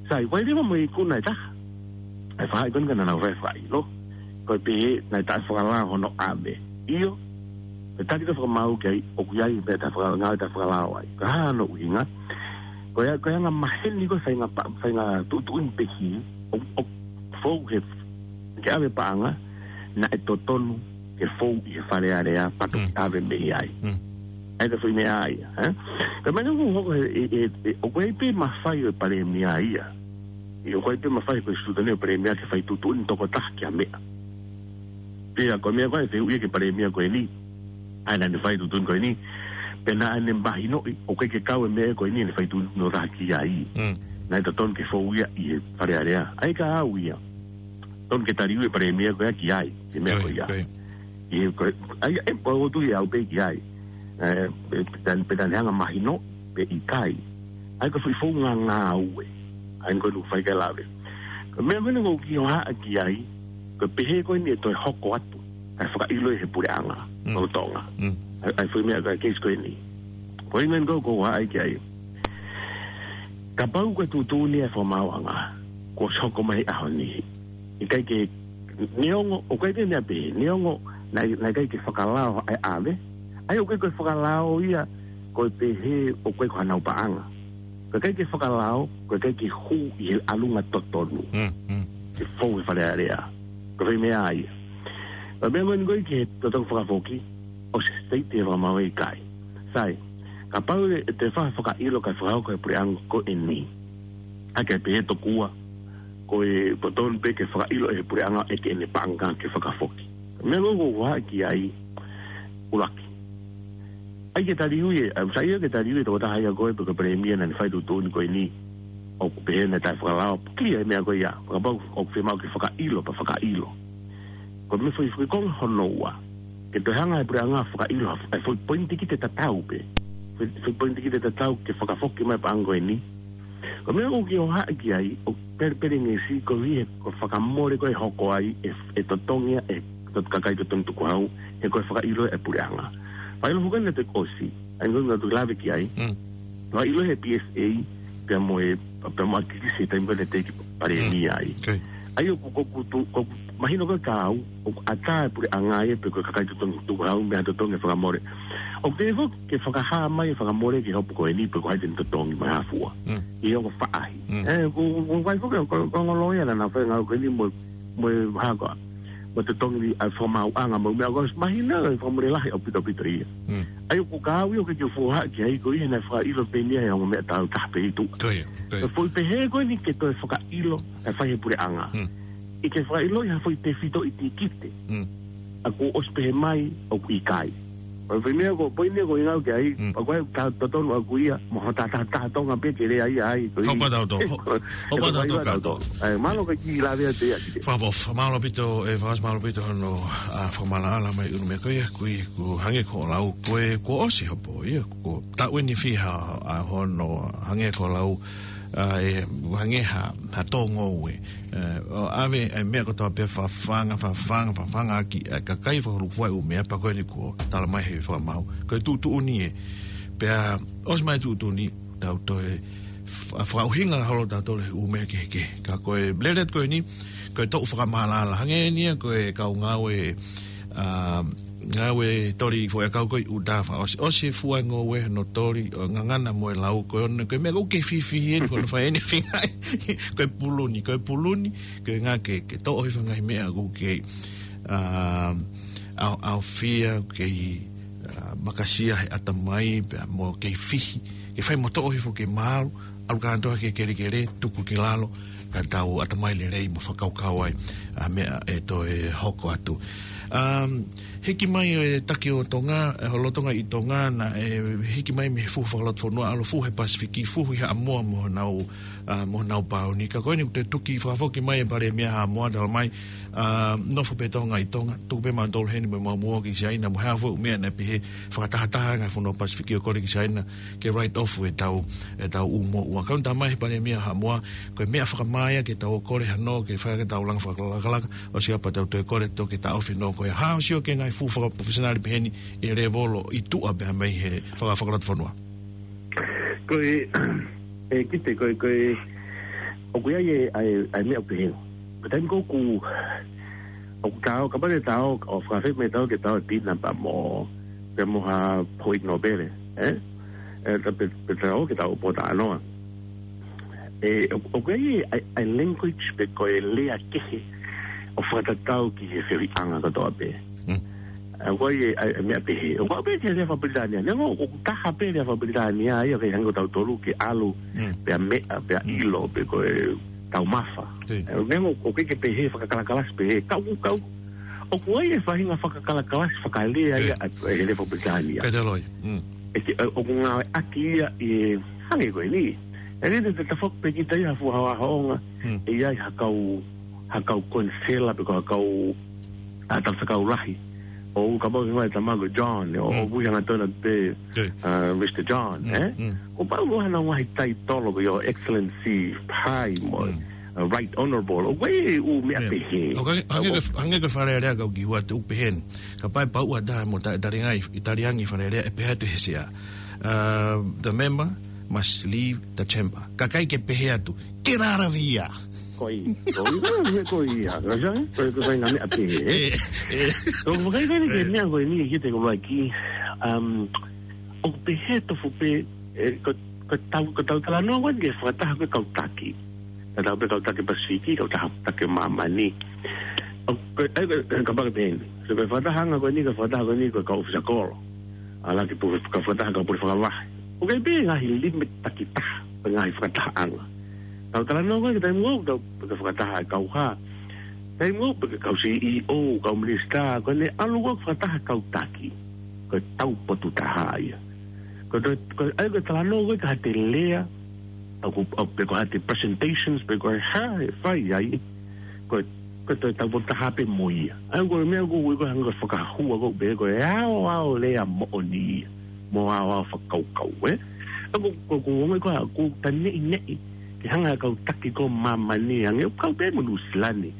Sai, ʻoku ʻi ai leva mo e ikuna ʻe taha. ʻA e faʻahi ko eni ka naʻa nau fai e fakaʻilo. Ko e pehē naʻe taʻefakalao hono ʻave. ʻIo, ko e tali ko ē ʻa e fakamaau ki ai, ʻoku ʻi ai e meʻa taʻefaka-, ngāue taʻefakalao ai. Ko e hā hono ʻuhinga? Ko e, ko e anga maheni ko ē faʻahinga pa-, faʻahinga tuʻutuʻuni pehi, ʻo, ʻo fou he, ke ʻave e paʻanga, naʻe totonu ke fou ʻi he Fale Alea, pea toki, mm, ʻave mei ai. Mm. ʻA ia ko e foʻi meʻa ia, ē? Ko e meʻa ʻoku hoko he, e, e, e, ʻoku ʻi ai pē mafai ʻo e palēmia ia. ʻIo, ʻoku ʻi ai pē mafai ko e siutani ʻo e palēmia ke fai tuʻutuʻuni tokotaha ki ha meʻa. Pea ko e meʻa ko ē ʻe fehuʻi ia ki he palēmia ko eni. ʻA ia naʻa ne fai e tuʻutuʻuni ko eni. Pea naʻa ne mahinoʻi, ʻoku ʻikai ke kau e meʻa ko eni ʻene fai tuʻutuʻuni tokotaha ki ai. Mm. Naʻe totonu ke fou ia ʻi he Fale Alea. ʻA ia ka au ia. Totonu ke taliui e palēmia ko ia ki ai, e meʻa ko ia. Ko ia, ko ia. ʻI he ko, ʻa ia, ʻe, ʻoku ou tui au pē ki ai. Ē, pe, pe naʻa ne, pe naʻa ne hanga mahino, pe ʻikai. ʻA ia ko e foʻi founga ngāue. ʻA ia ko e ʻuhinga ʻoku fai ki ai e lave. Ko e meʻa ko eni ʻoku ou kiʻi hohaʻa ki ai, ko e pehē ko eni ʻe toe hoko atu. Kae fakaʻilo ʻe he puleʻanga, mm, ʻo Tonga. Mm. ʻA ia, ʻa ia foʻi meʻa ko e case ko eni. Ko e ʻuhinga eni ʻoku ou kiʻi hohaʻa ki ai. Kapau ko e tuʻutuʻuni ʻa e fakamaauʻanga, kuo ʻosi hoko mai he ʻaho ni. ʻIkai ke, neongo, ʻoku ʻi ai pē meʻa pehē, neongo, naʻe, naʻe ʻikai ke fakalao ʻa e ʻave. ʻA ia ʻoku ʻikai ko e fakalao ia, ko e pehē ʻoku ʻikai ko hanau paʻanga. Ko e ʻikai ke fakalao, ko e ʻikai ke hū ʻi he ʻalunga totonu. Mm, mm. Ke fou he Fale Alea. Ko e foʻi meʻa ia. Ko e meʻa ko eni ko ē ki he totongi fakafoki, ʻosi state ʻe fakamaau ʻikai. Sai, kapau ʻe, ʻe toe fai e fakaʻilo kae fakahoko ʻe he puleʻanga ko eni. ʻA ia ke pehē tokua, ko e totonu pē ke fakaʻilo ʻe he puleʻanga ʻe ʻikai ke ne paʻanga ke fakafoki. Meʻa ʻoku ou hohaʻa ki ai, ʻuluaki. ʻAi ke taliui ē, ʻa, sai ia ke taliui ʻe he tokotaha ia ko ē pe ko e palēmia naʻa ne fai e tuʻutuʻuni ko eni. ʻOku pehē naʻe taʻefakalao, clear e meʻa ko ia. Kapau ʻoku fiemaʻu ke fakaʻilo, pea fakaʻilo. Ko e meʻa foʻi, foʻi konga hono ua. Ke toe hanga ʻe he puleʻanga ʻo fakaʻilo ha, ʻa e foʻi poini tikite tatau pē. Foʻi, foʻi poini tikite tatau ke fakafoki mai e paʻanga ko eni. Ko e meʻa ʻoku ou kiʻi hohaʻa ki ai, ʻoku pelepelengesi koeʻuhi he ko e fakamole ko ē ʻe hoko ai, ʻe, ʻe totongi ia ʻe he kakai totongi tukuhau, he ko e fakaʻilo ʻe he puleʻanga. Fakaʻilo foki eni naʻe toki ʻosi, ʻa ia ko e ʻuhinga ʻoku ou lave ki ai. Mm. Fakaʻilo ʻe he P S A, pea mo e, pea mo ʻAkilisi he taimi ko ē naʻe teʻeki palēmia ai. Mm. Okay. ʻA ia ʻoku, ʻoku, ʻoku, ʻoku mahino ko ē kiate au, ʻoku ʻatā e puleʻanga ia pe ko e kakai totongi tukuhau, meʻa totongi e fakamole. ʻOku teʻeki foki ke fakahā mai e fakamole ki he hopo ko eni pe ko hai te ne totongi mai ha fua. Mm. ʻI he ongo faʻahi. Mm. Ē, ʻoku, ʻoku, ʻoku ʻi ai foki, ko, ko e ongo loea naʻa nau fai e ngāue ko eni mo, mo e hā ko ā. mo e totongi ʻa e fakamaauʻanga mo e meʻa, ʻoku ʻosi mahino ʻa e fakamole lahi ʻaupito ʻaupito ia. ʻA ia ʻoku kau ia ʻoku ke fuha ki ai ko ia naʻe fakaʻilo pē ʻe ia ʻa e ongo meʻa taʻu taha pē ʻi tuʻa. Ko ia, ko ia. Ko e foʻi pehē ko eni ke toe fakaʻilo ʻa e fai he puleʻanga. ʻI ke fakaʻilo ʻi ha foʻi tefito ʻi tikite. ʻA kuo ʻosi pehē mai ʻoku ʻikai. Ko e foʻi meʻa ko e poini ko e ngau ke ai, ʻa ko e ka totonu ʻaku ia, mo ho taha taha Tonga pē ke lea ia ai, ko Hopa tau tō, ho-, hopa tau tō ka tō. Ai, mālō ka ki lave atu ia ki te. Fakaʻofoʻofa, mālō ʻaupito, ē, Fakaʻofoʻofa mālō ʻaupito hono, ʻa, fakamaʻalaʻala mai ʻunu meʻa ko ia, kui, ku hangē ko lau, ko e, kuo ʻosi hopo ia, ko taʻu eni fiha, ʻa, hono hangē ko lau, ʻa, ē, hangē ha, ha tō ngoue. Ē, ʻo ʻave, ē, meʻa kotoa pē fafanga, fafanga, fafanga ki, ē, kakai fakalukufua ʻū meʻa pea ko eni kuo tala mai he fakamaau. Ko e tuʻutuʻuni ē. Pea, ʻosi mai tuʻutuʻuni, tau toe, fa-, fakaʻuhinga holo tautolu he ʻū meʻa kehekehe. Ka ko e lele atu ko eni, ko e toʻu fakamaʻalaʻala. Hangē eni ia ko e kau ngāue, ʻa, ngāue toli foʻi ʻakau ko e ʻuta fakaʻosi. ʻOsi fua ngoue no toli, ʻo ngangana mo e lau ko e ono, ko e meʻa ʻoku ke fifihi eni, ko hono fai eni fingai. Ko e puluni, ko e puluni, ko e ngā ke, ke toʻo hifo ngaahi meʻa ʻoku ke, ʻa, ʻa, ʻaofia, ke, ʻa, makasia he ʻatamai, pea mo ke fihi, ke fai mo toʻo hifo ke malu, ʻalu kātoa ke kelekele, tuku ki lalo, ka tau ʻatamai lelei mo fakakaukau ai, ʻa, meʻa ʻe toe hoko atu. Um, hiki mai e taki ʻo Tonga, e holo Tonga ʻi Tonga, naʻe hiki mai mei he fuhu fakalotofonua, ʻalu fuhu he Pasifiki, fuhu ʻi Haʻamoa mo honau, ʻa, mo honau pāuni. Ka ko eni ʻoku toe tuki fakafoki mai e Palēmia Haʻamoa, tala mai, ʻa, nofo pē Tonga ʻi Tonga, tuku pē mautolu heni mo mau muo ki Siaina, mo e hā fua ʻū meʻa naʻe pehē fakatahataha ngaahi fonua Pasifiki ʻo kole ki Siaina, ke write off e tau, e tau ʻū moʻua. Ka ʻoku tala mai he Palēmia Haʻamoa, ko e meʻa fakamā ia ke tau kole hano, ke fai ke tau langa fakalakalaka, ʻosi ia pea tau toe kole toki taʻofi no ko ia. Hā ʻosi ʻo ke ngaahi fuhu fakaprofessional pehē ni ʻi he lēvolo ʻi tuʻa pea mei he faka-, fakalotofonua. Ko e, e kite, ko e, ko e, ʻoku ʻi ai e, ʻa e, ʻa e meʻa pehē. Ko e taimi ko ē ʻoku, ʻoku tau, kapau te tau, ʻo fakafeʻao mai tau ke tau e pina pea mo, pea mo ha poʻi nōpele, ē? Ē, ta pe, pe tau ke tau pōtalanoa. Ē, ʻo, ʻoku ʻi ai e, ʻa e, ʻa e language pe ko e lea kehe ʻo fakatatau ki he feohiʻanga kotoa pē. Ē, ʻoku ʻi ai e, ʻa e, ʻa e meʻa pehē. ʻOku ʻi ai pē ke lea fakapilitānia. Neongo, ʻoku taha pē lea fakapilitānia ia, ʻikai hangē ko tautolu ke ʻalu, pea meʻa, pea ʻilo, pe ko e taumafa. Ē, neongo, ʻoku ʻikai ke pehē fakakalakalasi pehē. Kau, kau, ʻoku ʻi ai e faʻahinga fakakalakalasi fakalea ia ʻa e, ʻa e lea fakapilitānia. Kataloi. ʻE te, ʻoku ngāueʻaki ia ʻi he hangē ko eni. ʻE lele te tafoki pē kita ia ha fuʻu haohaoʻanga. ʻE ʻi ai ha kau, ha kau konisela pe ko ha kau, ʻa, tala fakakaukau lahi. ʻO kapau ke fai tama ko John, ʻo, ʻo ui hangatonu pē, ʻa, Mister John, ē? ʻO pau ʻo hana ngaahi taitolo ko Your Excellency, High, mo, ʻa, Right Honorable. ʻOku ʻi ai e ʻū meʻa pehē. ʻO hangē, hangē ko e, hangē ko e Fale Alea kau ki hua te u pehē ni. Kapau ʻe pau ʻa taha mo ta-, Taliangi, Taliangi Fale Alea ʻe pehē atu he sea. Uh, the member must leave the chamber. Kakai ke pehē atu, ke lalavi ia. Ko ia, ko ia, ko ia, ko ia. Ko ia, ko ia, ko ia, ngā meʻa pehē, ē? Ē, ē. Ko e vakai ko eni ki he meʻa ko eni, ki te ko vakai, um, ʻoku pehē tofu pē, ē, ko, ko tau, ko tau talanoa ko eni ke fakataha ko e kau taki. Ka tau pē kau taki Pasifiki, kau taha taki māmani. ʻO, ko, ē, ko, ko, kapau ko e pehē ni. So, ko e fakatahaʻanga ko eni, ko e fakataha ko eni, ko e kau ʻōfisa kolo. ʻAlu ki pule, kau fakataha, kau pule fakavahe. ʻOku ʻi ai pē ngaahi limit takitaha, pe ngaahi fakatahaʻanga. Tau talanoa ko ē, ki taimi ʻoku tau, pē kau fakataha e kau hā. Taimi ʻoku pē kau C E O, kau minisitā, ko ʻene ʻalu ko ē fakataha kau taki. Ko e tau potu taha ia. Ko e, ko e, ʻa ia ko e talanoa ko ē ka ha te lea, ʻa ko, ʻa pe ko ha te presentations, pe ko e hā ʻe fai ai. Ko e, ko e tau potu taha pē mo ia. ʻA ia ko e meʻa ko ē, ko e hanga fakahua ko ē pē ko e aoao lea moʻoni ia. Mo aoao fakakaukau, ē? ʻA ko, ko, ko, ko, ko, ko ta neʻineʻi, ke hanga kau taki ko māmani, hangē kau pē mo Nuʻusila ni.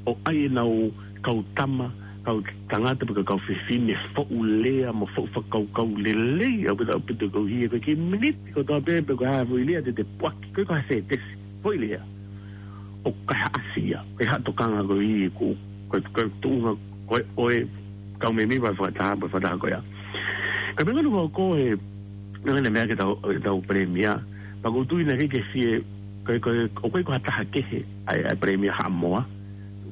ʻO ʻai ʻenau kau tama, kau tangata pe ko e kau fefine, foʻu lea, mo foʻu fakakaukau lelei, ʻaupito, ʻaupito kau hia, ko e kiʻi miniti kotoa pē, pe ko e hā foʻi lea te te puaki, ko e ko ha sētesi, foʻi lea. ʻO ka ha ʻasi ia, ko e ha tokanga ko ē, ko, ko, ko e tuʻunga, ko e, ko e, kau mēmipa fakataha, pe fakataha ko ia. Ka me nganu ko ko e, ngana meʻa ke tau, ke tau palēmia, pea ʻoku ou tui naʻe ʻikai ke fie, ko e, ko e, ʻoku ʻikai ko ha taha kehe, ʻa e, ʻa e palēmia Haʻamoa,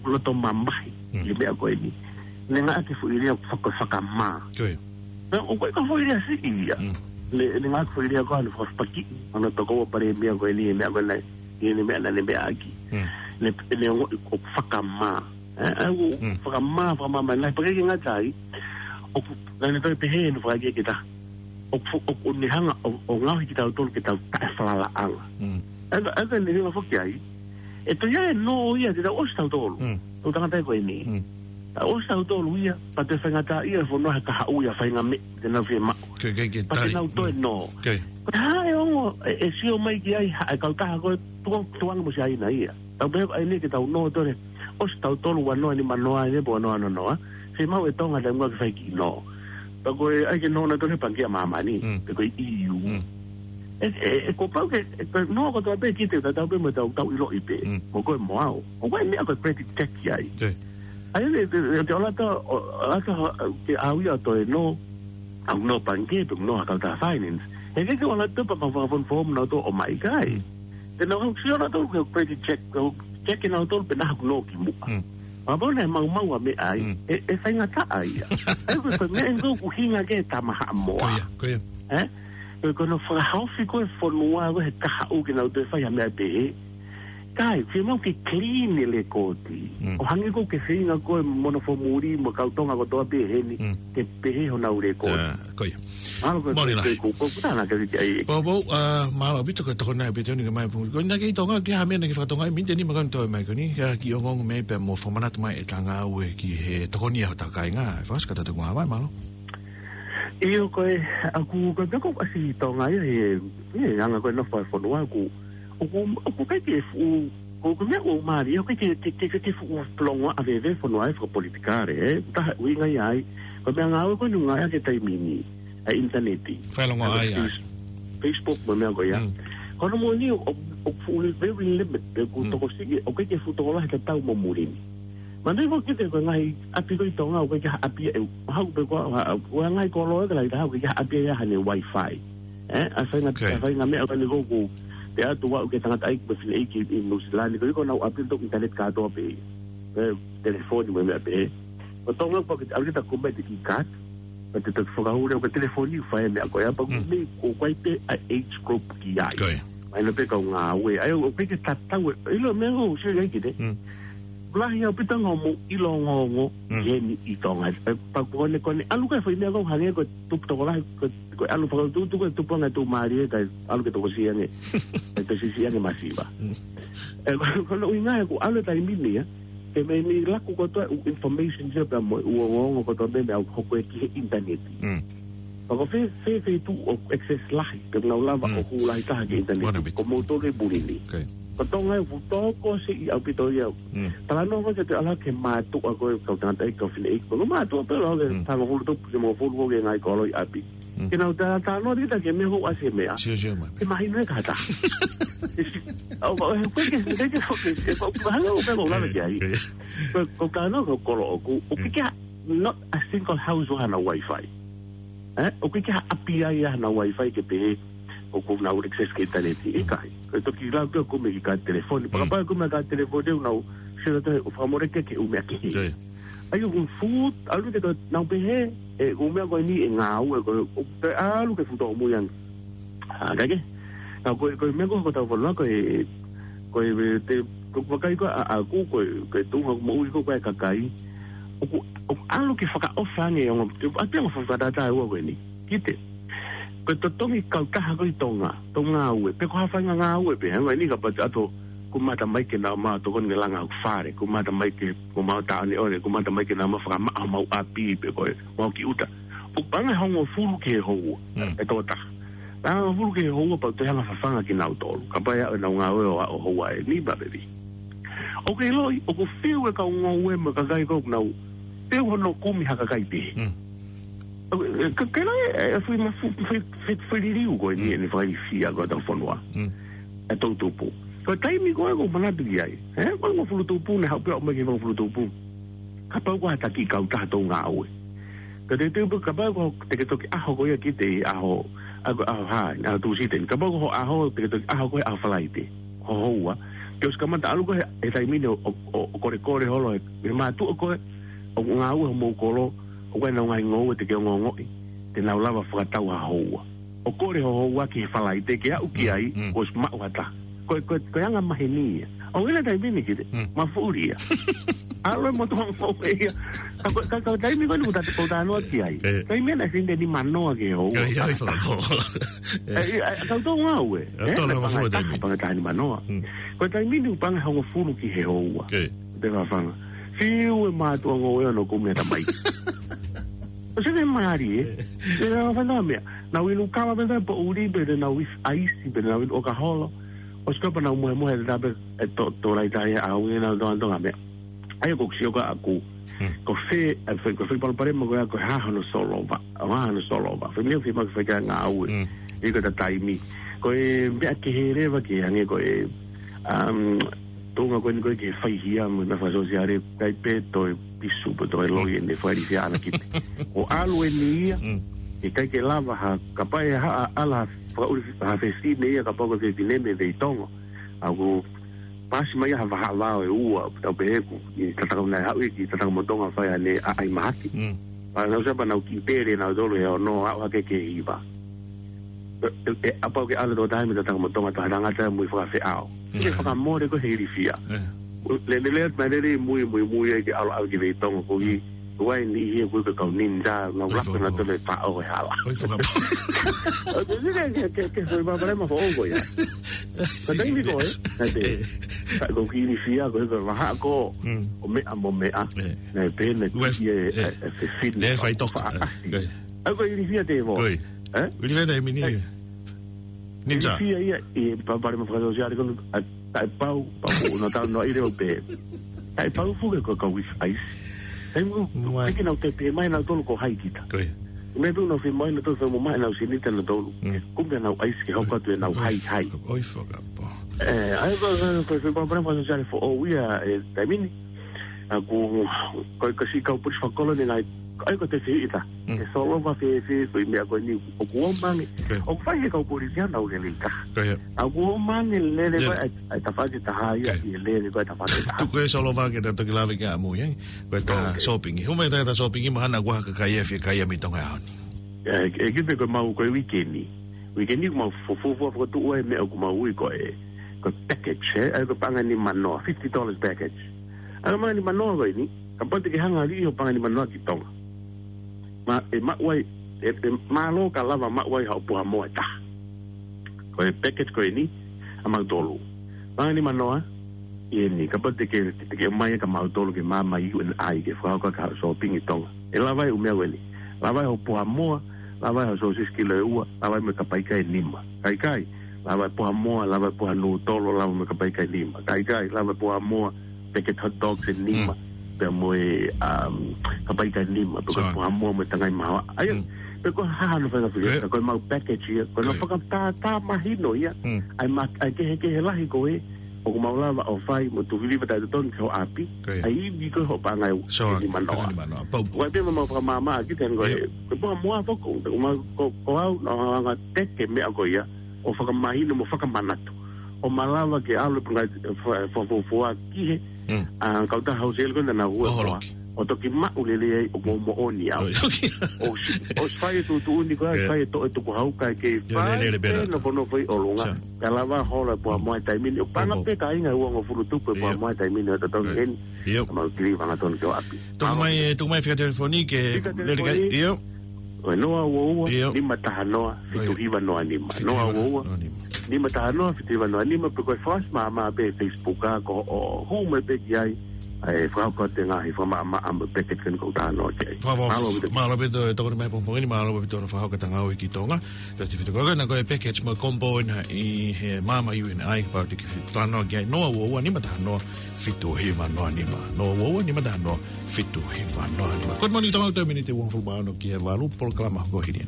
ʻoku loto mamahi, Mm. ʻi he meʻa ko eni. Ne ngāueʻaki e foʻi lea ʻoku faka-, fakamā. Ko ia. Naʻe ʻikai ko e foʻi lea siʻi ia. Mm. Ne, ne ngāueʻaki e foʻi lea ko ē ʻa e fakafepakiʻi, ʻa e tokoua palēmia ko eni, meʻa ko ena, ʻi he meʻa naʻa ne meʻa ʻaki. Mm. Ne, ne ongoʻi ʻoku fakamā. Ē, ʻa ia ʻoku Mm. fakamā, fakamā mai, naʻe pehē ke ngata ai. ʻOku, naʻa ne toe pehē ʻene fakaikiiki ke ta. ʻOku, ʻoku ne hanga, ʻo, ʻo ngaohi kitautolu ke tau taʻefalalaʻanga. Mm. ʻA ia, ʻa ia ne hanga foki ai. ʻE toe ʻi ai e nō ia te tau ʻosi tautolu. Mm. Tau tangata ko eni. Mm. Tau ʻosi tautolu ia, pea toe faingataʻaʻia e fonua he kahaʻu ia faingamālie te nau fiemaʻu. Ke, ke, ke Pea te tali. nau toe Mm. nō. Ke. Ko e hā e ongo, ʻe, ʻe sio mai ki ai, ha, e kautaha ko ē, tuku, tukuange mo Siaina ia. Tau pehē ʻa eni ke tau nō toe, ʻosi tautolu ua noa nima noa eni, pe ua noa noa noa. Fiemaʻu ʻe Tonga te mua ke fai ki nō. Pea ko e, ʻai ke nō nautolu he Pangikē ʻa Māmani, Mm. pe ko e E U. Mm. ʻE, ʻe, ʻe, kuo pau ke, ʻe, ko e nō kotoa pē kita, tau pē mo tau, tau ʻiloʻi pē. Mm. Mo koe mo au. ʻOku ʻi ai e meʻa ko e credit check ki ai. Te. ʻA ia, te, te, te ʻoua te, ʻo, ʻoua te, ke ʻalu ia ʻo toe nō, ʻa e nō Pangikē, pe nō ha kautaha finance. He ʻikai ke ʻoua te pea mau fakafonufonuʻi nautolu ʻo ʻomai ki ai. Mm. Te nau hanga ʻo sio nautolu ki he credit check, ke check nautolu pe naʻa haʻaku nō ki muʻa. Mm. Pea kapau naʻe maumau ʻa e meʻa ai, Mm. ʻe, ʻe faingataʻa ia. ʻA ia ko e, ko e meʻa eni ʻoku ʻuhinga ki ai e Tama Haʻamoa. Ko ia, ko ia. Ē? Ko e, ko hono fakahaofi ko ē e fonua ko ē he kahaʻu ke nau toe fai ha meʻa pehē. Kae, fiemaʻu ke clean e lēkooti. Mm. ʻO hangē ko ē ʻoku ke feinga koe mo hono fōmuli mo e kau Tonga kotoa pē heni, Mm. ke pehē honau lēkooti. Tā, ko ia. Mālō ko e, Mālō ko e, lahi. ko e, ko e, ko e, ko e, ko e, ko e, Pōpou, ā, mālō ʻaupito ko e tokoni ʻaupito ni ke mai pung. Ko ena ki Tonga, ki ha meʻa naʻa ke fakatonga ai, miniti nima ko eni toe mai ko eni, ā, ke ongoongo mai pea mo fakamanatu mai e ngāue ki he tokoni ʻa hotau kāinga. Fakasika tātou ko ā mai, mālō. ʻIo ko e, ʻoku, ko e meʻa ko ē ʻoku ʻasi ʻi Tonga ia, he, he anga ko ē e nofo e fonua ʻoku, ʻoku, ʻoku ʻikai ke fuʻu, ko, ko e meʻa ʻoku mālie, ʻoku ʻikai ke, ke, ke, ke, ke fuʻu longoaʻa veve e fonua ʻi he fakapolitikale, ē? Taha ʻuhinga ia ai, ko e meʻangāue ko eni ʻoku ngāueʻaki he taimi ni, ʻa e ʻinitaneti. Fakalongoaʻa ai, ai. Face-, Facebook mo e meʻa ko ia. Mm. Ko hono moʻoni ʻoku, ʻoku fuʻu very limited, ʻoku Mm. tokosiʻi, ʻoku ʻikai ke fuʻu tokolahi tatau mo muli ni. Manatuʻi foki kiate koe ngaahi ʻapi ko ē ʻi Tonga, ʻoku ʻikai ke ha ʻapi ʻe, mahalo pē ko e, ko e ngaahi kolo ē ka lahi taha, ʻoku ʻikai ke ha ʻapi ʻe ʻi ai haʻane Wi-Fi. Ē, ʻa e faʻahinga, ʻa e faʻahinga meʻa ko eni ʻoku ou pehē atu, ʻoku ʻi ai e tangataʻeiki mo e fineʻeiki ʻi Nuʻusila ni, ko ē ʻoku nau ʻapi ʻenau ʻinitaneti kātoa pē. Ē, telefoni mo e meʻa pehē. Ko Tonga ʻoku ʻikai ke te ʻalu ke ta kumi e kiki card, ka te toki fakahū leva ko e telefoni ʻoku fai e meʻa ko ia, pea ʻoku mei ko ē pē ʻa e age group ki ai. Mahino pē kau ngāue. ʻA ia, ʻoku ʻikai ke tatau e, ʻilo e meʻa ʻoku ou sio ki ai kiate. Lahi ʻaupito ʻa e ngaahi ongoongo ʻi heni ʻi Tonga. Ē, pea ko eni ko eni ʻalu ko ē fai meʻa ko ē hangē ko e tupu tokolahi, ko e, ko e ʻalu fakatuʻutuʻu ko e tupu ange tuʻumālie kae ʻalu ke tokosiʻi ange. Kae tokosiʻi ange masiva. Ē, ko, ko hono ʻuhinga ē ʻoku ʻalu e taimi ni ia, ke mei ni laku kotoa e ʻū information ia pea mo e ʻū ongoongo kotoa mei meʻa ʻoku hoko ē ki he ʻinitaneti. Pea ko fē, fē, fē feituʻu ʻoku access lahi, ke nau lava ʻo hū lahi taha ki he ʻinitaneti. Ko moutolu e puli ni. Ko Tonga ē ʻoku tokosiʻi ʻaupito ia. Talanoa ko ē ke te ala ke mātuʻa ko ē kau tangataʻeiki kau fineʻeiki. Ko mātuʻa pē ʻalu ke hangofulu tupu ki he hongofulu ko ē ki he ngaahi kolo ʻi ʻapi. Ke nau tā, talanoa kita ki he meʻa ʻoku ʻasi e meʻa. Ke mahino e kata. ʻO, ʻo, ʻoku ʻikai ke, ʻoku ʻikai ke foki, ʻoku mahalo ʻoku ʻikai ke lava ki ai. Ko, ko e talanoa ko ē kolo ʻoku, ʻoku ʻikai ke ha, not a single house ʻoku ʻi ai hano Wi-Fi. Ē, ʻoku ʻikai ke ha ʻapi ʻe ʻi ai hano Wi-Fi ke pehē ʻoku nau access ki he ʻinitaneti. ʻIkai. Ko e toki lau ke ʻoku mei ki he kaati telefoni. Pea kapau ʻoku mei ki he kaati telefoni ʻoku nau sio atu he ʻoku fakamoleki ki he ʻū meʻa kehe. ʻA ia ʻoku fuʻu, ʻalu ke tau nau pehē, ē, ʻū meʻa ko eni ʻe ngāue, ko e, ʻo, pea ʻalu ke fuʻu tōmui ange. ʻA, kae kehe. Ka ko e, ko e meʻa ko ē ʻoku tau fanongo ko ē, ko e, te, ko e vakai ko ē ʻa, ʻaʻaku, ko e, ko e tuʻunga moʻui ko ē ʻa e kakai. ʻOku, ʻoku ʻalu ke fakaʻofa ange ʻa e ongo, te, ʻa e ongo fakatātā ua ko eni. Kiate. Ko e totongi kautaha ko ē ʻi Tonga, tau ngāue, pe ko ha faʻahinga ngāue pē, hangē ko eni kapau te ʻalu ʻo kumi ha tamaiki ke nau ō mai ʻo tokoni ki he langa ʻo e fale, kumi ha tamaiki ke ō mai ʻo tāʻoniʻoni, kumi ha tamaiki ke nau ō mai ʻo fakamaʻa homau ʻapi pe ko e mau ki ʻuta. ʻOku paʻanga ʻe hongofulu ki he houa, ʻe toko taha. Paʻanga ʻe hongofulu ki he houa pea ʻoku toe hanga ʻo fafanga kinautolu. Kapau ʻe aʻu ʻenau ngāue ʻo aʻu houa ʻe nima pe fiha. ʻOku ke ʻiloʻi, ʻoku fiu e kau ngoue mo e kakai ko ē ʻoku nau fiu hono kumi ha kakai pehē. Ka, ka ʻikai, ē, ʻe fai ma fu-, fai, fai, fai liliu ko eni, ʻene fakailifia ko ē hotau fonua. ʻE toʻutupu. Ko e taimi ko ē ʻoku ou manatu ki ai. Ē, ko e hongofulu tupu, naʻe haʻu pē ʻo ʻomai ki he hongofulu tupu. Kapau ko ha taki kautaha tau ngāue. Ka te teu pē kapau ko te ke toki ʻaho ko ia kiate ʻi ʻaho, ʻa ko e ʻaho hā, ʻaho Tūsite ni. Kapau ko hoʻo ʻaho, te ke toki ʻaho ko ē ʻaho Falaite. Ko houa. Ke ʻosi kamata ʻalu ko ē he, he taimi ni ʻo, ʻo, ʻo, ʻo kolekole holo he, he mātuʻa ko ē, ʻo ngāue homou kolo, ʻoku ʻi ai ʻenau ngaahi ngoue te ke ongoongoʻi, te nau lava fakatau ha houa. ʻO kole ho houa ki he Falaite ke aʻu ki ai, kuo ʻosi maʻu ha taha. Ko e, ko e, ko e anga maheni ia. ʻO ʻi he taimi ni kiate, mafuʻuli ia. ʻAlu e motuʻa mo e ia. Ka ko, ka, ka taimi ko eni ʻoku ta, ʻoku ta talanoa ki ai. Taimi naʻe sini ni manoa ki he houa. Ka ʻi ai fakapō. Ē, ē, ē, kau tau ngāue. Ē, tau ngāue full time. Paʻanga taha ni manoa. Ko e taimi ni ʻoku paʻanga ʻe hongofulu ki he houa. Te fafanga. Fiu e mātuʻa ngoue ʻo kumi e tamaiki. ʻOsi ʻene mali, ē. Te nau fai ha meʻa. Nau inu kava pē, pea ʻuli pē, te nau ʻi ai ʻaisi pē, te nau inu ʻoka holo. ʻOsi kapau nau mohemohe, te tape, ē, to, to laita ia, ʻa ʻuhinga nau tonga tonga meʻa. ʻA ia ʻoku ou sio kiate au. Ko fē, ē, fē, ko fē palopalema ko ia ko e hā hono solova. Hā hono solova. Fē meʻa fē ma fē ka ngāue. ʻI he ko e taimi. Ko e meʻa kehe leva ke hangē ko e, um, tuʻunga ko eni ko ē ke fai hia mo e meʻa fakasōsiale, ʻikai pē toe pisu pe toe loi ʻene fai hia ana kipe. ʻO ʻalu eni ia, ʻikai ke lava ha, kapau ʻe ha, ʻa, ʻala fakaʻuli ha fefine ia, kapau ko e fefine mei Veitongo. ʻA ʻoku pasi mai ha vahaʻa vao ʻe ua, tau pehē ʻoku, ʻi tatau naʻe haʻu ia ki Tatakamotonga fai ʻene ʻaʻai mahaki. Pea nau sio pea nau kiʻi pele nautolu he ono, aʻu hake ki he hiva. ʻE, ʻe, ʻe, kapau ke ʻalu toko taha mei Tatakamotonga, taha tangata mui fakafeʻao. Ke fakamole ko ē he ilifia. Lele, lele, mai lele, mui, mui, mui, ai ke ʻalu, ʻalu ki Veitongo ko ē. Ko e niʻihi ia ko e kau ninja, nau laku nautolu e faʻo he hala. ʻOi, fakapō. ʻO te sike ke, ke, ke, ko e palopalema foʻou ko ia. Ka taimi ko ē, ka te, ka ko e kiʻi ilifia ko ē, ko e vahaʻa ko, ʻo meʻa mo meʻa. Naʻe pehē naʻe kiʻi e, e, e fefine. Naʻe fai toka. Faʻa. ʻA ia ko e ilifia te vo. Ē? Ilifia taimi ni. Ninja. Ilifia ia ʻi he palopalema fakasōsiale ko eni, ʻa, taʻepau, pau, ʻo nau talanoaʻi leva pē. Taʻepau foki ko e kau ʻi ai. Taimi ko ē, ʻikai ke nau tepe mai nautolu ko hai kita. Meʻa pē ʻoku nau fai mai nautolu, fai mai ʻenau seniti nautolu. Kumi ʻenau ʻaisi ke hoko atu ʻenau haihai. ʻOi, fakapō. Ē, ʻa ia ko, ko, ko, ko e palopalema fakasōsiale foʻou ia, ē, taimi ni. ʻA ʻoku, ko e, ko e siʻi kau polisi fakakolo ni nai, ʻai ko e te fiʻita. Mm. ʻE solova fēfē, ko e meʻa ko eni, ʻoku ō mai ange. Okay. ʻOku fai he kau polisi ia naʻa nau lele ka. Ko ia. ʻA ʻoku ō mai ange lele Yeah. ko e, ʻai, ʻai tafaʻaki taha ia, Okay. ʻi he lele ko e tafaʻaki taha. Tuku e solova ke ta toki lave ki ai ʻamui, ē? Ko e ta Okay. shopping. Hū mai ta, ta shopping, mahalo ʻoku ʻi ai ha kakai ʻe fie kai ʻa e mei Tonga he ʻaho ni. ʻE, ʻe kipe ko e mau ko e weekend ni. Weekend ni ko e mau fuofua fakatuʻu ai meʻa ʻoku mau ui ko e, ko e package, ē? ʻAi ko e paʻanga nima noa, fifty dollars package. ʻAi ko e paʻanga nima noa ko eni, kapau te ke hanga ʻo liʻi hoʻo paʻanga nima noa ki Tonga. Ma, ʻe maʻu ai, ʻe, ʻe mālō ka lava maʻu ai haʻo puha moa ʻe taha. Ko e package ko eni, ʻa mautolu. Paʻanga nima noa, ʻi heni, kapau te ke, te ke mai ka mautolu ke maama U N I ke fakahoko ʻaki haʻo shopping ʻi Tonga. ʻE lava ai ʻū meʻa ko eni. Lava ai hoʻo puha moa, lava ai hoʻo sōsisi kilo ʻe ua, lava ai mo e kapai kai ʻe nima. Kaikai, lava ai puha moa, lava ai puha nūtolo, lava mo e kapai kai ʻe nima. Kaikai, lava ai puha moa, packet hot dogs ʻe nima, Mm. pea mo e, um, kapai kai ʻe nima, pea ko e Sure. puha moa mo e tangai mahaoa. ʻAia, Mm. pea ko e hā hano fainga fili, Ko e ko e mau package ia, ko e mau Ko e fakatātā mahino ia. Mm. ʻAi ma, ʻai kehekehe lahi ko ē, ʻoku mau lava ʻo fai mo tufiliva taʻetotongi ki hoʻo ʻapi, Ko e. ʻai ivi ko ē hoʻo paʻanga ʻe Sure, nima noa. paʻanga nima noa. Pau. Ko e pē mau fakamāmā ʻaki te ko e, Yep. ko e puha moa foki, ko mau, ko, ko au, naʻa ku hanga ʻo teke meʻa ko ia, ʻo fakamahino mo fakamanatu. ʻO malava ke ʻalu e paʻanga, fa, fa, fa, fa, ki he, Mm. ʻa, kautaha housel ko ena naʻa nau hua Oho, koa. loki. ʻO toki maʻu lelei ai ʻoku moʻoni au. Oh, okay. ʻOsi, ʻosi fai e tuʻutuʻuni ko ē, Yeah. fai e toʻo e tukuhau kae kei Yeah, fai lelei, lelei, pē pē nā. nofo nofo ʻi ʻolunga. Sure. Kae lava hola e puha moa he taimi ni. ʻO paʻanga Oho. pē ka inga uangofulu tupu e puha Yeah. moa he taimi ni ʻo totongi Yeah. eni. Yeah. Ka mau kili fanga tonu ki hoʻo ʻapi. Tuku mai, tuku mai fika telefoni ke Fika lele kai. telefoni. Yeah. Ko e noa ua ua, Ia. nima taha noa, fitu hiva noa nima. Ia. Fitu hiva noa nima. Noa ua ua, nima taha noa, fitu hiva noa nima, pe ko e flash māmā pē Facebook ʻa ko ē, hū mai pē ki ai, ʻe fakahoko atu e ngaahi fakamaʻamaʻa mo e package ko eni ʻoku ou talanoa ki ai. Fa-, fa-, Mālō ʻaupito. mālō ʻaupito e tokoni mai pongipongi ni, mālō ʻaupito hono fakahoko e tangau ʻi Tonga. Tau te fito ko ena ko e package mo e combo ena ʻi he māmā U N I, kapau te ke fie talanoa ki ai, noa ua ua, nima taha noa, fitu hiva noa nima. Noa ua ua, nima taha noa, fitu hiva noa nima. Good morning, Tonga, ʻoku toe miniti ʻe uofulu mā ono ki he valu, polokalama ko eni.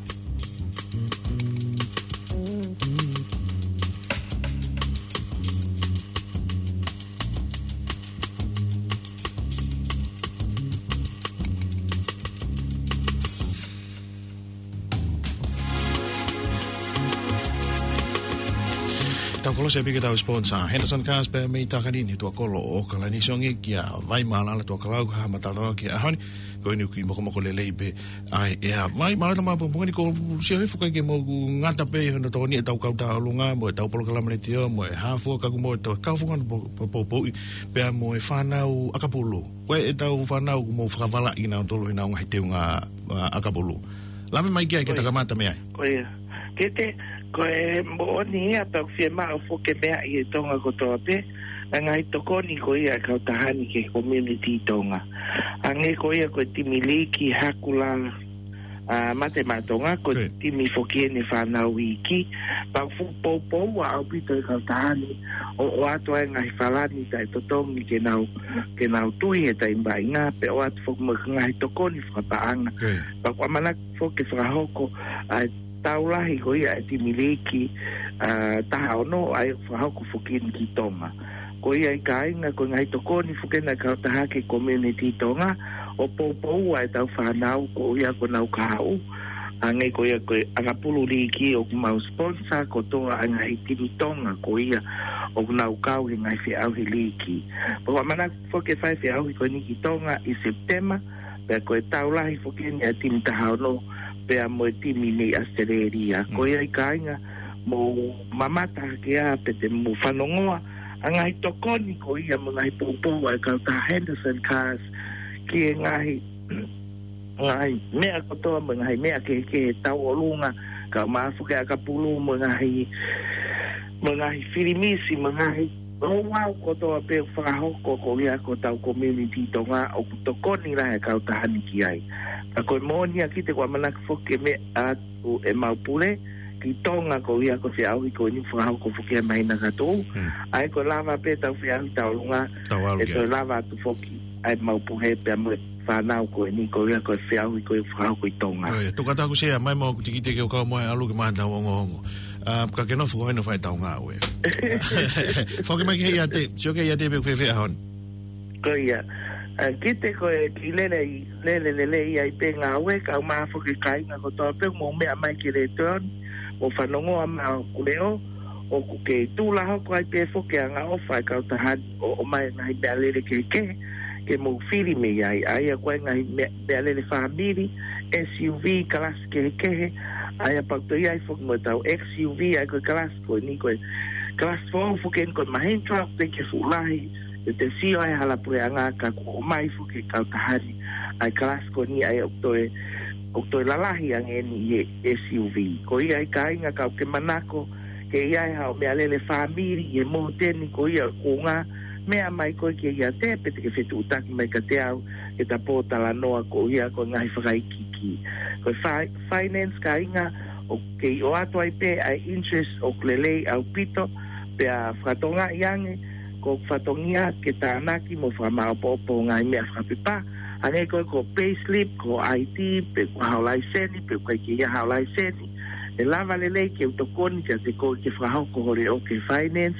Tau kolosi pē ki heʻetau sponsor, Henderson Cars pē mei Takanini, tuʻa kolo ʻo ʻAokalani, sio ange kia Vai Mālala Tuʻakalau, ha matala ki he ʻaho ni, ko eni ʻoku kei mokomoko lelei pē ai ʻe ia. Vai Mālala, tama pongipongi ni ko sio he fuka ke mo ku ngata pē hono tokoni ʻetau kau tauʻolunga, mo ʻetau polokalama letiō, mo e hā fua ka ʻoku mo e tau kau fua ngata po-, po-, po-, poʻi, pea mo e fānau ʻakapulu. Ko e ʻetau fānau ʻoku mo fakavalaʻi kinautolu heʻenau ngaahi teunga, ʻa, ʻakapulu. Lave mai ki ai ke Ko ia. takamata mei ai. Ko ia. Tete, ko e moʻoni ia pea ʻoku fiemaʻu foki ke meaʻi ʻe Tonga kotoa pē, ʻa e ngaahi tokoni ko ia ʻa e kautaha ni ki he community Tonga. Hangē ko ia ko e timi liiki Hakula, ʻa, Mate Maʻa Tonga, ko e Ko ia. timi foki eni fānau iiki. Pea ʻoku fuʻu poupou ʻaupito e kautaha ni, ʻo, ʻoatu ai e ngaahi falani taʻetotongi ke nau, ke nau tui he taimi vaʻinga, pea ʻoatu foki mo e ngaahi tokoni fakapaʻanga. Ko ia. Pea ʻoku ʻamanaki foki ke fakahoko ʻa e tau lahi ko ia ʻa e timi liiki, ʻa, taha ono, ʻa ia ʻoku fakahoko foki eni ki Tonga. Ko ia ai kāinga, ko e ngaahi tokoni foki ena ʻa e kautaha ki he community Tonga, ʻo poupou ʻa ʻetau fānau ko ia ʻoku nau kahaʻu. Hangē ko ia ko e ʻakapulu liiki ʻoku mau sponsor kotoa ʻa e ngaahi timi Tonga ko ia ʻoku nau kau he ngaahi feʻauhi liiki. Pea ʻoku ʻamanaki foki ke fai e feʻauhi ko eni ki Tonga ʻi Sepitema, pea ko e tau lahi foki eni ʻa e timi taha ono, pea mo e timi mei ʻAositelēlia. Mm. Ko ia ai kāinga, mou mamata hake ā pea te mou fanongoa ʻa e ngaahi tokoni ko ia mo e ngaahi poupou ʻa e kautaha Henderson Cars ki he ngaahi, ngaahi meʻa kotoa mo e ngaahi meʻa kehekehe tauʻolunga, kae ʻumaʻā foki e ʻakapulu mo e ngaahi, mo e ngaahi filimisi, mo e ngaahi ouau kotoa pē ʻoku fakahoko ko ia ko ʻetau community Tonga ʻoku tokoni lahi e kautaha ni ki ai. Ka ko e moʻoni ia, Tete, ʻoku ʻamanaki foki ke meʻa atu ʻemau pule ki Tonga ko ia ko e feʻauhi ko eni ʻoku fakahoko foki he māhina ka tuʻu. Hmm. ʻA ia ko e lava pē ʻetau feʻauhi tauʻolunga, Tau ʻalu ʻe ki ai. toe lava atu foki ʻa ʻemau pule pea mo e fānau ko eni ko ia ko e feʻauhi ko ia ʻoku fakahoko ʻi Tonga. Ko ia, tuku atu ʻeku sea mai mo ʻeku tikite ke u kau mo e ʻalu ke mātau ongoongo. ʻA, ka ke nofo ko eni ʻo fai ʻetau ngāue. Foki mai ki he ʻiate, sio ki he ʻiate pe ʻoku fēfē ʻaho ni. Ko ia. ʻA, kiate koe, kei lele, lele, lele ai pē ngāue, kae ʻumaʻā foki e kāinga kotoa pē, mou meʻa mai ki he letiō ni, mou fanongo mai ʻa hoku leʻo, ʻoku kei tuʻu lā hoko ai pē foki e angaʻofa ʻa e kautaha ni ʻo, ʻomai e ngaahi meʻalele kehekehe, ke mou fili mei ai, ʻa ia ko e ngaahi meʻa, meʻalele fāmili, S U V, kalasi kehekehe, ʻa ia pea ʻoku toe ʻi ai foki mo ʻetau X U V, ʻa ia ko e kalasi ko eni ko e kalasi foʻou foki eni ko e Mahindra, ʻoku teʻeki ke fuʻu lahi, ʻe te sio ai hala puleʻanga ka kuo ʻomai foki e kautaha ni ʻa e kalasi ko eni ʻa ia ʻoku toe, ʻoku toe lalahi ange eni ʻi he S U V. Ko ia ai kāinga ka ʻoku ke manako ke ʻi ai haʻo meʻalele fāmili ʻi he motu ni ko ia ʻoku ngā meʻa mai koe ki he iate pe te ke fetuʻutaki mai kiate au ke ta pōtalanoa koeʻuhi ko e ngaahi fakaikiiki. Ko e fi-, finance kāinga ʻoku kei ʻoatu ai pē ʻa e interest ʻoku lelei ʻaupito, pea fakatokangaʻi ange, ko e fatongia ke tānaki mo fakamaopoopo ngaahi meʻa fakapepa, hangē ko e ko e payslip, ko e I D, pe ko haʻo laiseni, pe ko e ʻikai ke ʻi ai haʻo laiseni, ʻe lava lelei ke u tokoni kiate koe ke fakahoko ho leʻo ki he finance,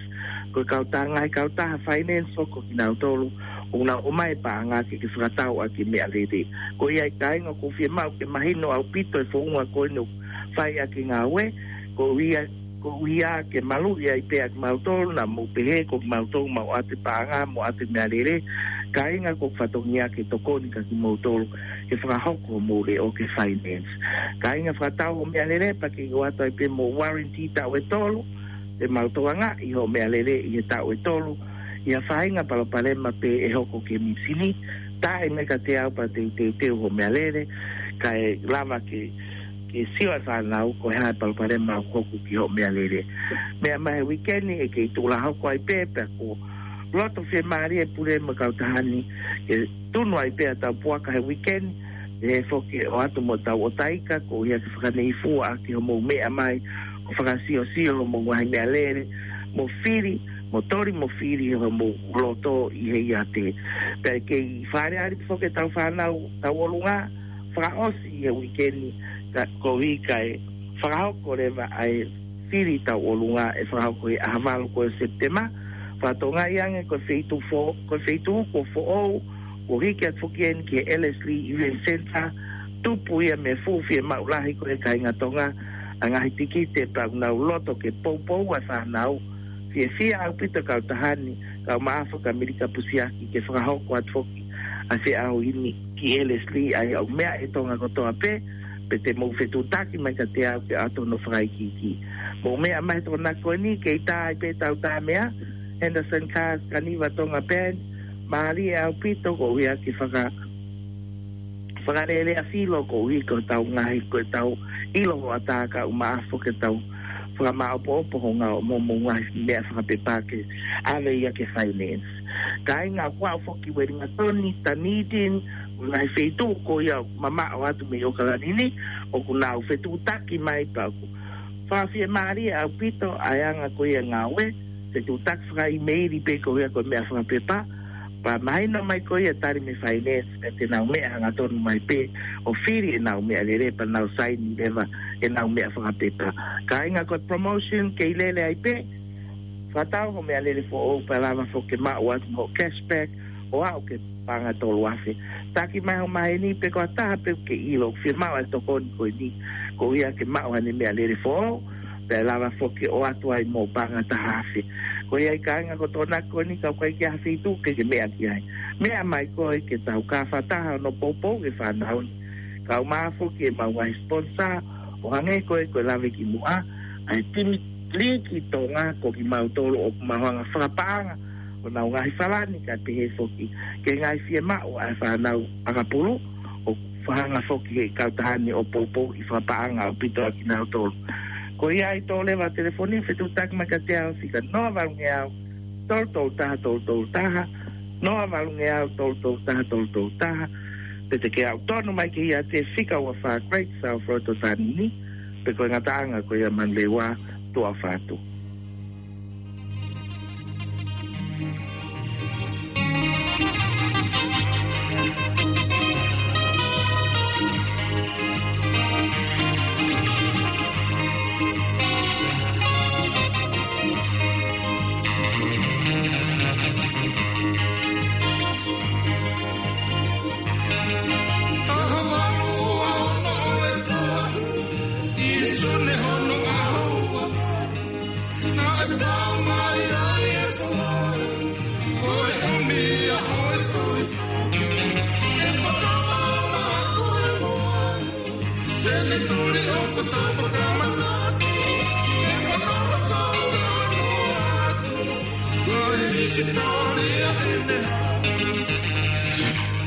ko e kautaha ngaahi kautaha finance foki ko kinautolu, ʻoku nau ʻomai e paʻanga ke ke fakatau ʻaki e meʻalele. Ko ia ai kāinga ʻoku ou fiemaʻu ke mahino ʻaupito e founga ko eni ʻoku fai ʻaki e ngāue, ko ia, ko ia ke maluʻi ai pē ʻa kimautolu, naʻa mou pehē ko kimautolu mau ʻoatu e paʻanga, mau ʻoatu e meʻalele, kāinga ko e fatongia ke tokoni kia kimoutolu, ke fakahoko homou leʻo ki he finance. Kāinga fakatau ho meʻalele, pea kei ʻoatu ai pē mo e warranty taʻu ʻe tolu, te mau tokangaʻi ho meʻalele ʻi he taʻu ʻe tolu, ʻi ha faʻahinga palopalema pē ʻe hoko ki he mīsini, tā mai kiate au pea te u teuteu ho meʻalele, kae lava ke, ke sio ʻa e fānau ko e hā e palopalema ʻoku hoko ki ho meʻalele. Meʻa mai he uike ni ʻe kei tuʻu lā hoko ai pē, pea ʻoku loto fiemālie e pule mo e kautaha ni ke tunu ai pē ʻetau puaka he uike ni, ʻe foki ʻoatu mo ʻetau ʻotaika, koeʻuhi ke fakanei fua ʻaki homou meʻa mai, ʻo fakasiosio homou ngaahi meʻalele, mo fili, mo toli mo fili homou loto ʻi he iate. Pea kei fāreali foki ʻetau fānau tauʻolunga, fakaʻosi ʻi he uike ni, ka, koeʻuhi kae fakahoko leva ʻa e fili tauʻolunga ʻe fakahoko he ʻaho valu ko ē ʻo Sepitema. Fakatokangaʻi ange ko e feituʻu fo-, ko e feituʻu kuo foʻou, kuo hiki atu foki eni ki he Ellerslie Event Centre, tupu ia mei he fuʻu fiemaʻu lahi ko ē ʻa e kāinga Tonga ʻa e ngaahi tikite pea ʻoku nau loto ke poupou ʻa e fānau. Fiefia ʻaupito e kautaha ni, kae ʻumaʻā foki ʻa Milika Pusiaki ke fakahoko atu foki ʻa e feʻauhi ni ki Ellerslie, ʻa ia ʻoku meʻa ʻe Tonga kotoa pē, pea te mou fetuʻutaki mai kiate au ke ʻoatu hono fakaikiiki. Mou meʻa mai he Tokonaki ko eni, kei tā ai pē ʻetau tā meʻa, Henderson Cars, Kaniva Tonga Band, mālie ʻaupito koeʻuhi ke faka-, fakalelea filo koeʻuhi ko ʻetau ngaahi, ko ʻetau ʻilo hoʻatā kae ʻumaʻā foki ʻetau fakamaopoopo ho ngaahi mo, mo ngaahi meʻa fakapepa ke ʻave ia ki he finance. Kāinga ʻoku aʻu foki Uelingatoni, Dunedin, mo e ngaahi feituʻu ko ia mamaʻo atu mei ʻAokalani ni, ʻoku nau fetuʻutaki mai pea ʻoku fakafiemālie ʻaupito ʻa e anga ko ia e ngāue, fetuʻutaki fakaʻimeili pē koeʻuhi ko e meʻa fakapepa, pea mahino mai ko ia tali mei he finance, pea te nau meʻa hangatonu mai pē ʻo fili ʻenau meʻalele pea nau saini leva ʻenau meʻa fakapepa. Kāinga ko e promotion kei lele ai pē, fakatau ho meʻalele foʻou pea lava foki ke maʻu atu mo e cashback ʻo aʻu ki he paʻanga ʻe tolu afe. Taki mai ho maheni pe ko ha taha pē ʻoku ke ʻilo ʻoku fiemaʻu ʻa e tokoni ko eni, koeʻuhi ke maʻu haʻane meʻalele foʻou, pea lava foki ʻo ʻoatu ai mo e paʻanga ʻe taha afe. Ko ia ai kāinga ko e Tokonaki ko eni ka ʻoku ʻikai ke ʻi ai ha feituʻu ke ke meʻa ki ai. Meʻa mai koe ke tau kau fakataha hono poupou ki he fānau ni. Kae ʻumaʻā foki ʻemau ngaahi sponsor, ʻo hangē ko ē ko e lave ki muʻa, ʻa e timi Liiki Tonga ko kimautolu ʻoku mau hanga fakapaʻanga honau ngaahi falani kae pehē foki ki he ngaahi fiemaʻu ʻa e fānau ʻakapulu, ʻoku fakahanga foki ʻe he kautaha ni ʻo poupouʻi fakapaʻanga ʻaupito ʻa kinautolu. Ko ia ai tō leva e telefoni, fetuʻutaki mai kiate au, fika noa valungeau, tolu tolu taha, tolu tolu taha, noa valungeau, tolu tolu taha, tolu tolu taha, pe te ke aʻu tonu mai ki he iate fika ua fā Great South Road ʻo Sānini, pe ko e ngataʻanga ko ia Manuleva, Tuʻa Fatu.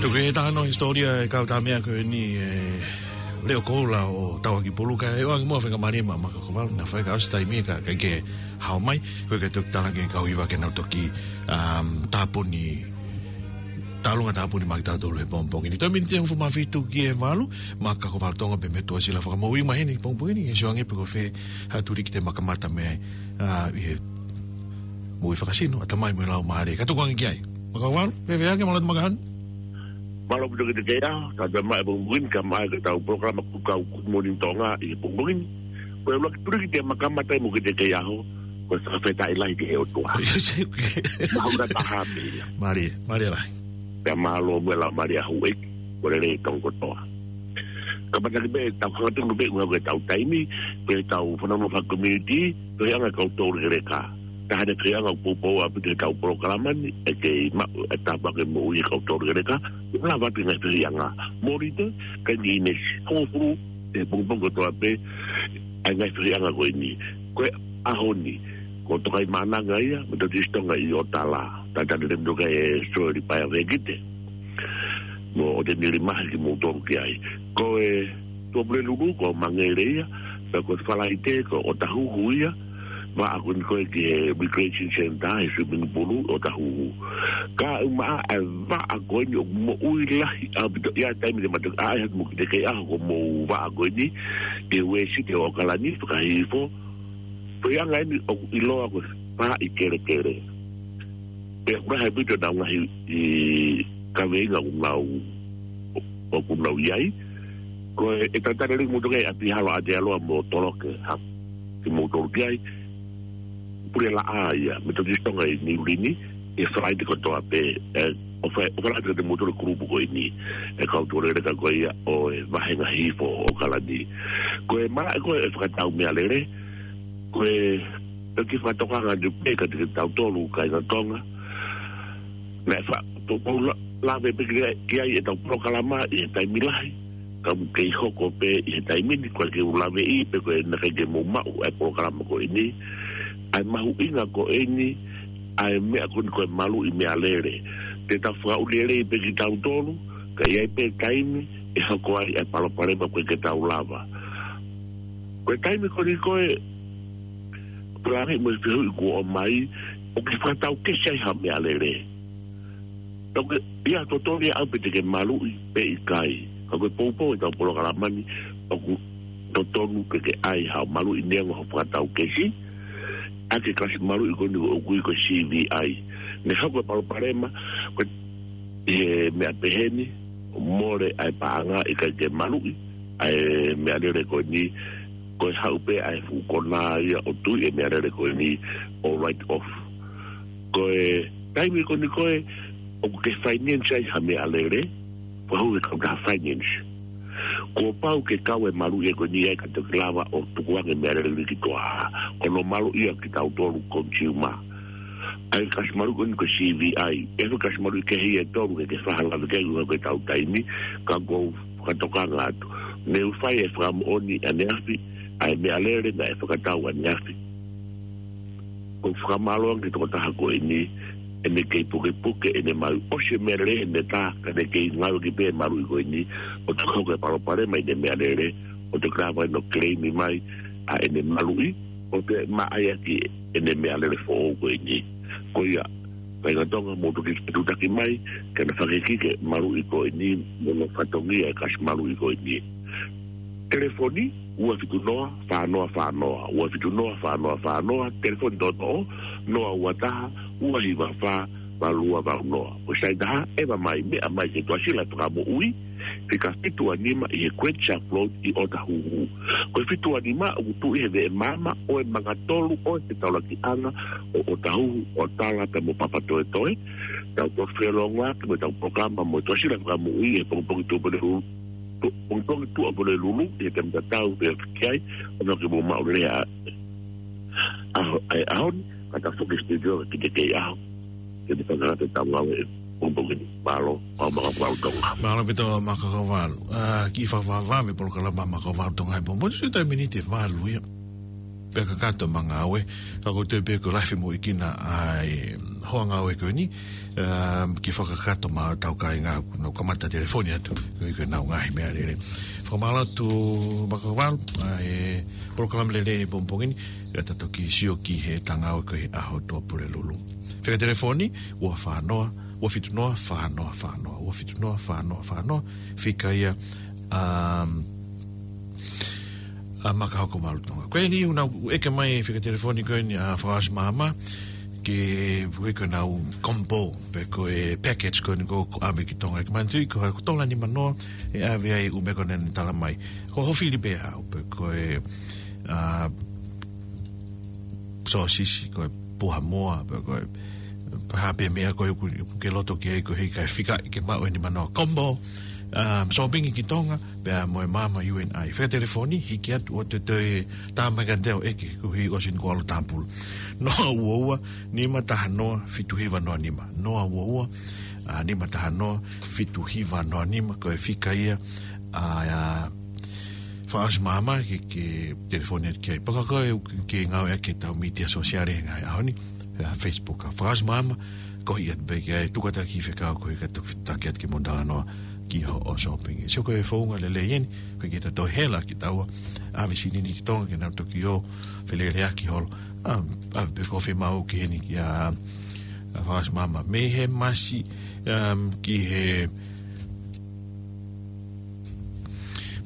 Tuku e tano hisitōlia e kau tāmea ko eni, e, Leo Koula ʻo Tauakipulu, kae ʻoange muʻa e faingamālie maʻa Makakovalu, naʻa faifai ʻosi taimi ka, ka ke hao mai, ko e ke toki talaki e kau hiva ke nau toki, um, tāpuni, tālunga tāpuni maʻa kitautolu he pongipongi ni. Toe miniti ʻe hongofulu mā fitu ki he valu, Makakovalu Tonga pea mo Tuʻasila Fakamoʻui mai heni pongipongi ni, ʻe sio ange pe ko fē ha tuliki te ma kamata mei ai, a, ʻi he moʻui fakasino, ʻatamai mo e laumālie. Ka tuku ange ki ai. Makakovalu, fēfē ange, mālō atu Makahanu. Mālō ʻaupito kiate koe, ka tau maʻu e pongipongi ni, ka maʻu ai ʻetau polokalama Kuka Good Morning Tonga ʻi he pongipongi ni. Ko e ʻuluaki tuliki te ma kamata ai mo kiate koe, ko e fakafetaʻi lahi ki he ʻOtua. Mahuʻinga taha pē ia. Mālie, mālie lahi. Pea mālō mo e laumālie ʻa houʻeiki, ko e lelei ʻa Tonga kotoa. Ka mātuʻaki pē, tau hangatonu pē ʻuha ko ʻetau taimi, pea tau fanongo fakacommunity, feohiʻanga kau toulekeleka. Taha e feohiʻanga ʻoku poupou ʻaupito ʻetau polokalama ni, ʻe kei maʻu e tāpuaki moʻui ʻa e kau toulekeleka, ʻe lava atu e ngaahi feohiʻanga. Mōnite, kae ʻi he ʻaho ni, hongofulu e pongipongi kotoa pē, ʻa e ngaahi feohiʻanga ko eni. Ko e ʻaho ni, ko Tokaimaʻananga ia, Metotisi Tonga ʻi ʻOtala. Talitali lelei mo e Tokaimaʻananga e Soeli Paea Vekite. Mo ʻOtenili Mahe kimoutolu ki ai. Ko e Tuʻapulelulu ko Mangere ia, pea ko e Falaite ko ʻOtahuhu ia, vaʻa ko eni ko ē ki he Recreation Centre, he swimming pool ʻOtahuhu. Ka ʻumaʻā e vaʻa ko eni ʻoku moʻui lahi ʻaupito ia taimi te ma toki ʻaʻahi atu mo kiate koe ʻi he ʻaho ko hoʻomou vaʻa ko eni, ʻi he Uēsite ʻo ʻOkalani, fakahihifo, feohiʻanga eni ʻoku ʻiloa ko e Faʻahi Kelekele. Pea ʻoku lahi ʻaupito ʻenau ngaahi kaveinga ʻoku nau, ʻoku nau ʻi ai. Ko e, ʻe talitali lelei kimoutolu ki ai ʻa Pihalo ʻAtealoa mo Toloke, ha, kimoutolu ki ai. Pule laʻā ia, Metotisi Tonga ʻi Niu Lini, ʻi he Falaite kotoa pē, e, ʻo Fa-, ʻo Falaite kimoutolu e kulupu ko eni, e kau toulekeleka ko ia ʻo e vāhenga hihifo ʻo ʻOkalani. Ko e malaʻe ko ē ʻo e fakatau meʻalele, ko e, ko e kiʻi fakatokanga atu pē kiate kitautolu kāinga Tonga. Naʻe fa-, to-, to-, la-, lave pē ki ai, ki ai ʻetau polokalama ʻi he taimi lahi. Ka ʻoku kei hoko pē ʻi he taimi ni, ko e ke u laveʻi pē ko e naʻe ʻikai ke mou maʻu ʻa e polokalama ko eni. ʻA e mahuʻinga ko eni, ʻa e meʻa ko eni ko e maluʻi meʻalele. Te tau fakaʻuli lelei pē kitautolu, ka ʻi ai pē taimi, ʻe hoko ai ʻa e palopalema ko ē ke tau lava. Ko e taimi ko eni ko ē, pulani mo e fehuʻi kuo ʻomai, ʻoku ke fakatau kesi ai ha meʻalele. Ka ko e, ia totonu ia ʻaupito ke maluʻi pe ʻikai. Ka ko e poupou ʻetau polokalama ni, ʻoku totonu ke ke ʻai haʻo maluʻi neongo hoʻo fakatau kesi, ʻaki e kalasi maluʻi ko eni ʻoku ui ko e C V I. Naʻe hoko e palopalema, ko e ʻi he meʻa pehē ni, mole ʻa e paʻanga ʻikai ke maluʻi ʻa e meʻalele ko eni, ko e haʻu pē ʻa e fuʻu konā ia ʻo tui e meʻalele ko eni ʻo write off. Ko e taimi ko eni ko ē, ʻoku ke finance ai ha meʻalele, fakahū he kautaha finance. Kuo pau ke kau e maluʻi ko eni ai ka toki lava ʻo tukuange meʻalele ni ki tuʻa. Ko hono maluʻi ia kitautolu consumer. ʻA e kalasi maluʻi ko eni ko e C V I. ʻE fai kalasi maluʻi kehe ia ʻe tolu ke ke faʻa lave ki ai ʻuha ko ʻetau taimi, ka ʻoku ou fakatokanga atu. Ne u fai e fakamoʻoni ʻaneafi, ʻa e meʻalele naʻe fakatau ʻaneafi. ʻOku ou fakamālō ange ki he tokotaha ko eni, ʻene kei pukepuke, ʻene maʻu ʻosi e meʻalele ʻene tā, ka ne kei ngāueʻaki pē e maluʻi ko eni, ʻo toki hoko e palopalema ʻi heʻene meʻalele, ʻo toki lava ʻo claim mai ʻa ʻene maluʻi, ʻo toe maʻa ia ki heʻene meʻalele foʻou ko eni. Ko ia, kāinga Tonga, mou toki tutaki mai, ke na fakakikite e maluʻi ko eni, mo hono fatongia e kalasi maluʻi ko eni. Telefoni, ua fitu noa, fā noa fā noa, ua fitu noa, fā noa fā noa, telefoni toʻotoʻo, noa ua taha, ua hiva fā, valu ua valu noa. Ko e saini taha, ʻeva mai, meʻa mai ki he Tuʻasila Fakamoʻui, fika fitu ua nima ʻi he Great Shark Road ʻi ʻOtahuhu. Ko e fitu ua nima, ʻoku tuʻu ʻi he veʻe maama ʻo e Mangatolu ʻo e Fetaulakiʻanga ʻo ʻOtahuhu, ʻOtala pea mo Papatoetoe. Tau toki feʻiloaki mo ʻetau polokalama mo e Tuʻasila Fakamoʻui he pongipongi Tuʻapulelulu, pongipongi Tuʻapulelulu, ʻi he taimi tatau pē ki ai, ʻo nau ke mou maʻu lelei ā. ʻaho, ʻa e ʻaho ni, ka ta foki studio ki te kei ʻaho. Ke te whakangata tau ngāue ʻi he pongipongi ni. Mālō, ʻa Maka Valu Tonga. Mālō ʻaupito Maka Valu. Ā, kiʻi fakavavevave polokalama Maka Valu Tonga he pongipongi. Sio tai miniti ʻe valu ia. Pea kakato ʻema ngāue. Ka ko e toe pē ko e live mo ikina ʻa e hoa ngāue ko eni. Ā, kiʻi fakakakato ʻema tau kāinga, nau kamata telefoni atu. Ko e, ko ʻenau ngaahi meʻalele. Fakamālō atu Maka Valu, ʻa e polokalama lelei he pongipongi ni. Ka ta toki sio ki heʻeta ngāue ko e ʻaho Tuʻapulelulu. Fika telefoni, ua fā noa, ua fitu noa, fā noa fā noa, ua fitu noa, fā noa fā noa, fika ia, um, ʻa Maka Hoko Malu Tonga. Ko eni ʻoku nau ʻeke mai fika telefoni ko eni ʻa Fakaʻosi Maama, ke ui ko ʻenau combo, pe ko e package ko eni ko, ko ʻave ki Tonga. Ke manatuʻi ko ha ko e tola nima noa, ʻe ʻave ai ʻū meʻa ko eni naʻa ne tala mai. Ko hofili pē au, pe ko e, ā, sōsisi, ko e puha moa, pe ko e, pe ha pē meʻa ko ē ʻoku, ʻoku ke loto ki ai ko e hiki ai fika ke maʻu eni manoa combo, ā, sōpingi ki Tonga, pea mo e maama U N I. Fika telefoni, hiki atu ʻo te toe tā mai kiate au ʻeke koeʻuhi ʻosi eni kuo ʻalu ʻo tāpulu. Noa ua ua, nima taha noa, fitu hiva noa nima. Noa ua ua, ā, nima taha noa, fitu hiva noa nima, ko e fika ia, ā, ā, Fakaʻosi Maama ke, ke telefoni atu ki ai. Pea ka ko e ke, ke ngāue ʻaki ʻetau mītia sōsiale he ngaahi ʻaho ni, ʻa e Facebook ʻa Fakaʻosi Maama, ko ia pē ke ʻai tuku atu ki he fekau ko e ka tuku taki atu ke mo talanoa ki hoʻo sōpingi. Sio ko e founga lelei eni, ko e ke ta toe hela ki taua, ʻave silini ki Tonga ke nau toki ō, feleleʻaki holo. Ā, ʻave pē ko e fiemaʻu ki heni kia, ā, Fakaʻosi Maama. Mei he masi, um, ki he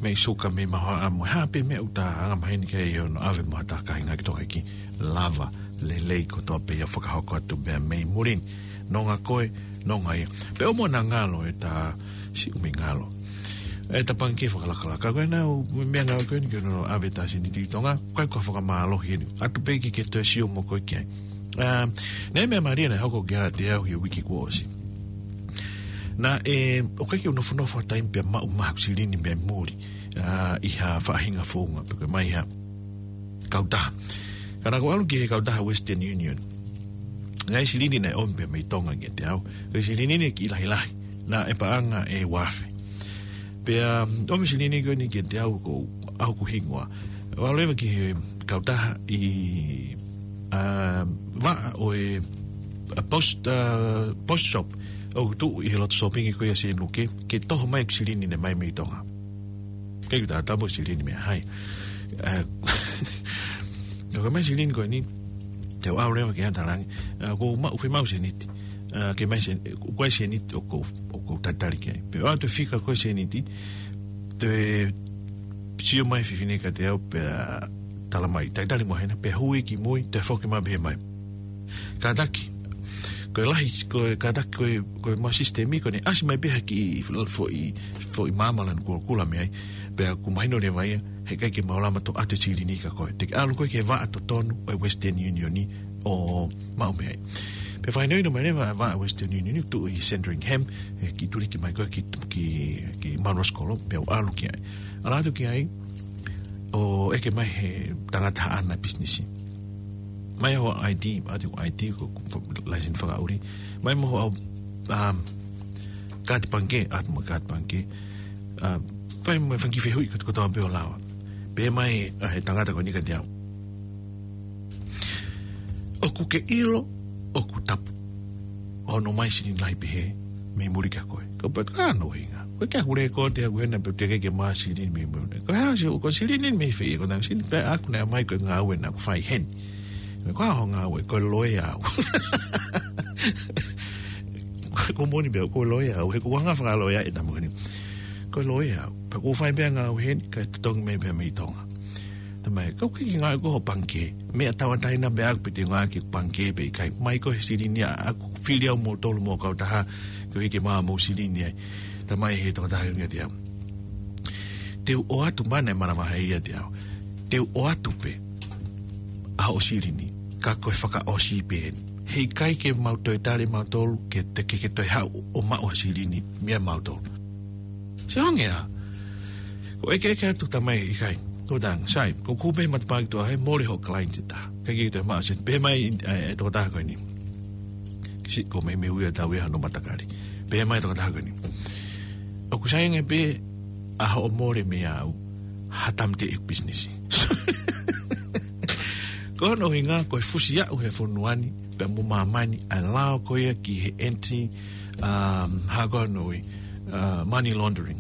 mei suka mei mahoaʻa mo ha pē meʻa ʻoku ta anga maheni ki ai hono ʻave mo ha taha kāinga ki Tonga ke lava lelei kotoa pē ia fakahoko atu pea mei muli ni. Nonga koe, nonga ia. Pea ʻoua naʻa ngalo ʻeta siʻi ʻū meʻangalo. ʻEta pangikē fakalakalaka. Ko ʻenau meʻangalo ko eni ke nau ʻave ʻeta seniti ki Tonga. Ko e ko e fakamālohi eni. ʻAtu pē ke ke toe sio mo koe ki ai. Ā, naʻe meʻa mālie naʻe hoko kiate au he uike kuo ʻosi. Naʻe, ʻoku ʻikai ke u nofonofo ha taimi pea maʻu mai haʻaku silini mei muli, ā, ʻi ha faʻahinga founga, pe ko e mai ha kautaha. Ka naʻa ku ʻalu ki he kautaha Western Union. Ngaahi silini naʻe ʻomi pē mei Tonga kiate au. Ko e silini ni kiʻi lahilahi. Naʻe paʻanga ʻe uaafe. Pea, um, ʻomi silini ko eni kiate au ko ʻeku hingoa. ʻAlu leva ki he kautaha ʻi, ā, vaʻa ʻo e, ā, post, ā, post shop. ʻOku tuʻu ʻi he loto sōpingi ko ia Sēnuke, ke toho mai ʻeku silini naʻe mai mei Tonga. ʻIkai ke u taʻotaʻo pe ko e silini mei fē. Ā, ko e mai silini ko eni, te u ʻalu leva ki he ʻatalangi. Ā, ʻoku ou maʻu, fiemaʻu seniti. Ā, ke mai sen-, ko e seniti ʻoku ou, ʻoku ou talitali ki ai. Pea ʻoatu e fika ko e seniti, te sio mai e fefine kiate au pea tala mai. Talitali mo hena, pea hui ki mui, toe foki mai pehē mai. Kātaki. Ko e lahi, ko e kātaki, ko e, ko e mau sisitemi, ko ʻene ʻasi mai pē ha kiʻi foʻi, foʻi maama lanu kulokula mei ai. Pea ʻoku mahino leva ia, heʻikai ke mau lava ʻo ʻoatu e silini kia koe. Te ke ʻalu koe ki he vaʻa totonu ʻo e Western Union ni ʻo maʻu mei ai. Pea fakahinohino mai leva e vaʻa Western Union ni, tuʻu ʻi Sandringham, ʻe kiʻi tuliki mai koe ki, ki, ki Munros Kolo, pea u ʻalu ki ai. ʻAlu atu ki ai, ʻo ʻeke mai he tangata haʻana pisinisi. Mai ho I D, ʻoatu e I D ko, ko, ko e laiseni fakaʻuli. Mai mo ho, um, kaati pangikē, ʻoatu mo e kaati pangikē. Um, fai mo e fanga kiʻi fehuʻi ko, kotoa pē ʻo lava. Pehē mai, ā, he tangata ko eni kiate au. ʻOku ke ʻilo, ʻoku tapu. Hono mai silini lahi pehē, mei muli kia koe. Ko e pea ka no hinga. Ko e ke aku lēkooti ʻaku hena pe te ke ke mai silini mei muli. Ko e hā si, ko e silini mei fē, ko e nau silini pē ʻaku naʻe mai ko e ngāue naʻa ku fai heni. Ko e hā hoʻo ngāue, ko e loea au. Ko e moʻoni pē, ko e loea au, he ko e anga fakaloea ʻeta moʻoni. Ko e loea au, pea ʻoku ou fai pē ngāue heni, kae totongi mai pē mei Tonga. Tamai, kau kiki ngāue ko ho pangikē. Meʻa tauʻatāina pē ʻaku pe te ngāue ki he pangikē pe ʻikai. Mai ko e silini ʻaku fili au mo tolu mo kautaha, ko e ke maʻu mo silini ai. Tamai he tauʻatāina kiate au. Te u ʻoatu mana e mana vahe ia te au. Te u ʻoatu pē ʻa hoʻo silini. Ka ko e fakaʻosi pē eni. Heʻikai ke mau toe tali mautolu, ke te ke, ke toe haʻu ʻo maʻu ha silini, meia mautolu. Se onge ā. Ko e ʻeke ʻeke atu tamai ʻikai. Ko tang, sai, ko kupe matapā ki tuʻa he mole ho client ta. Kae kehe, toe maʻu sēniti. Pehē mai ʻa e tokotaha ko eni. Kiʻi siʻi ko e meimei ui ʻa e tau ia hono matakali. Pehē mai tokotaha ko eni: ʻOku sai ange pē ʻa hoʻo mole meiate au ha tāmateʻi ʻeku pisinisi. Ko hono ʻuhinga ko e fusi aʻu he fonua ni pea mo māmani ʻa e lao ko ia ki he anti, um, hā ko hono ui, uh, money laundering.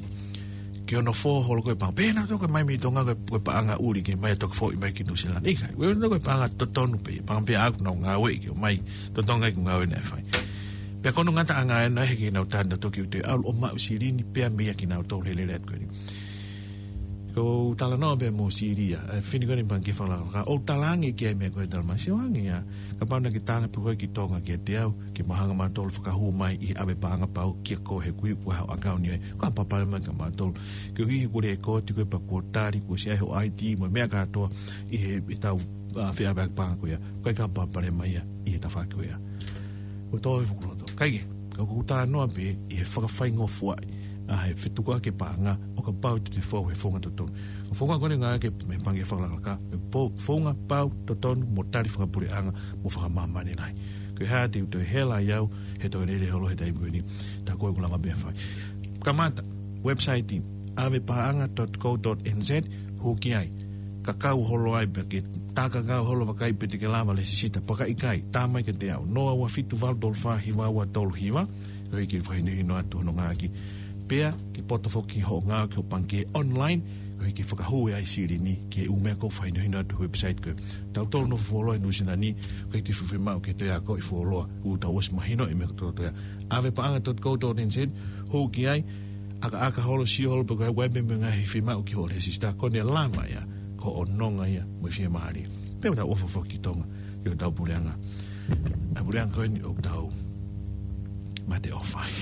Ke ʻoua naʻa fō holo ko e paʻanga. Pehē nautolu ko e mai mei Tonga ko e, ko e paʻanga ʻuli ke mai ʻo toki foʻi mai ki Nuʻusila ni. ʻIkai, ko e nautolu ko e paʻanga totonu pē, paʻanga pē ʻaʻaku naʻá ku ngāueʻi ke ʻomai, totongi ʻeku ngāue naʻe fai. Pea ko hono ngataʻanga ʻena he ʻikai ke nau tali nautolu ke u toe ʻalu ʻo maʻu silini pea mei ai kinautolu he lele atu ko eni. Ko u talanoa pē mo Silia, ʻa e fefine ko eni Pangikē Fakalakalaka, ʻo u talaange ki ai e meʻa ko ē, talamai: Sio ange ia, kapau naʻá ke talaange pē koe ki Tonga kiate au, ke mau hanga ʻo maʻu ha fakahū mai ʻi he ʻave paʻanga pau kia koe he kuo ʻi ai hoʻo ʻakauni ai. Ko e palopalema ia kia mautolu. Koeʻuhi he kuo ʻi ai e kōti ko ē pea kuo tali, kuo ʻosi ʻi ai hoʻo ID mo e meʻa kātoa ʻi he, ʻi heʻetau, ʻa, feʻaveʻaki paʻanga ko ia. Ko e palopalema ia ʻi he tafaʻaki ko ia. Ko e tō e fukuloto. Kae kehe, ka ʻoku ou talanoa pē ʻi he fakafaingofuaʻi ʻa e fetukuʻaki e paʻanga ʻo kapau te te fou he founga totonu. Ko e founga ko eni ngāueʻaki ʻe he Pangikē Fakalakalaka, e po-, founga pau, totonu, mo tali fakapuleʻanga mo fakamāmani lahi. Ko e hā te u toe hela ai au he toe lele holo he taimi ko eni, tā ko ē ʻoku lava pē ʻo fai. Kamata, website, ʻavepaʻanga dot co dot N Z, hū ki ai. Kakau holo ai pē, ke tā kakau holo, vakai pe te ke lava lēsisita. Pea ka ʻikai, tā mai kiate au, noa ua fitu valu tolu fā hiva ua tolu hiva, koeʻuhi ke fakahinohino atu hono ngāueʻaki. Pea ke poto foki hoʻo ngāueʻaki hoʻo pangikē online, koeʻuhi ke fakahū ai e silini ki he ʻū meʻa ʻoku fakahinohino atu he website ko ē. Tautolu ʻoku nofo fuoloa ʻi Nuʻusila ni, ʻoku ʻikai te u fiemaʻu ke toe akoʻi fuoloa, kuo tau ʻosi mahinoʻi e meʻa kotoa ia. ʻAvepaʻanga dot co dot N Z, hū ki ai, ʻakaʻaka holo, sio holo pe ko e hā e meʻa ʻoku fiemaʻu ki hoʻo lēsisita, ko ʻene lava ia, ko hoʻo nonga ia mo e fiemālie. Pea ʻoku tau ʻofa foki ki Tonga, ki hotau puleʻanga. ʻA e puleʻanga ko eni ʻoku tau mate ʻofa ai.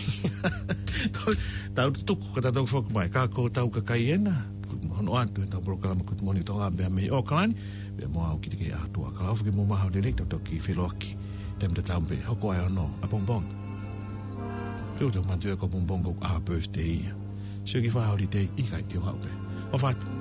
Tau tuku, ka tau toki foki mai. Ka ko hotau kakai ena, hono ʻoatu ʻetau polokalama Good Morning Tonga pea mei ʻAokalani, pea mo au Kitike ʻAtua. Ka ʻofa ke mou maʻu ha lelei, tau toki feʻiloaki taimi tatau pē, hoko ʻa e ono ʻapongipongi. Pea ʻoku tau manatuʻi ko ʻapongipongi ko ʻeku birthday ia. Sio ki he holiday, ʻikai, te u haʻu pē. ʻOfa atu.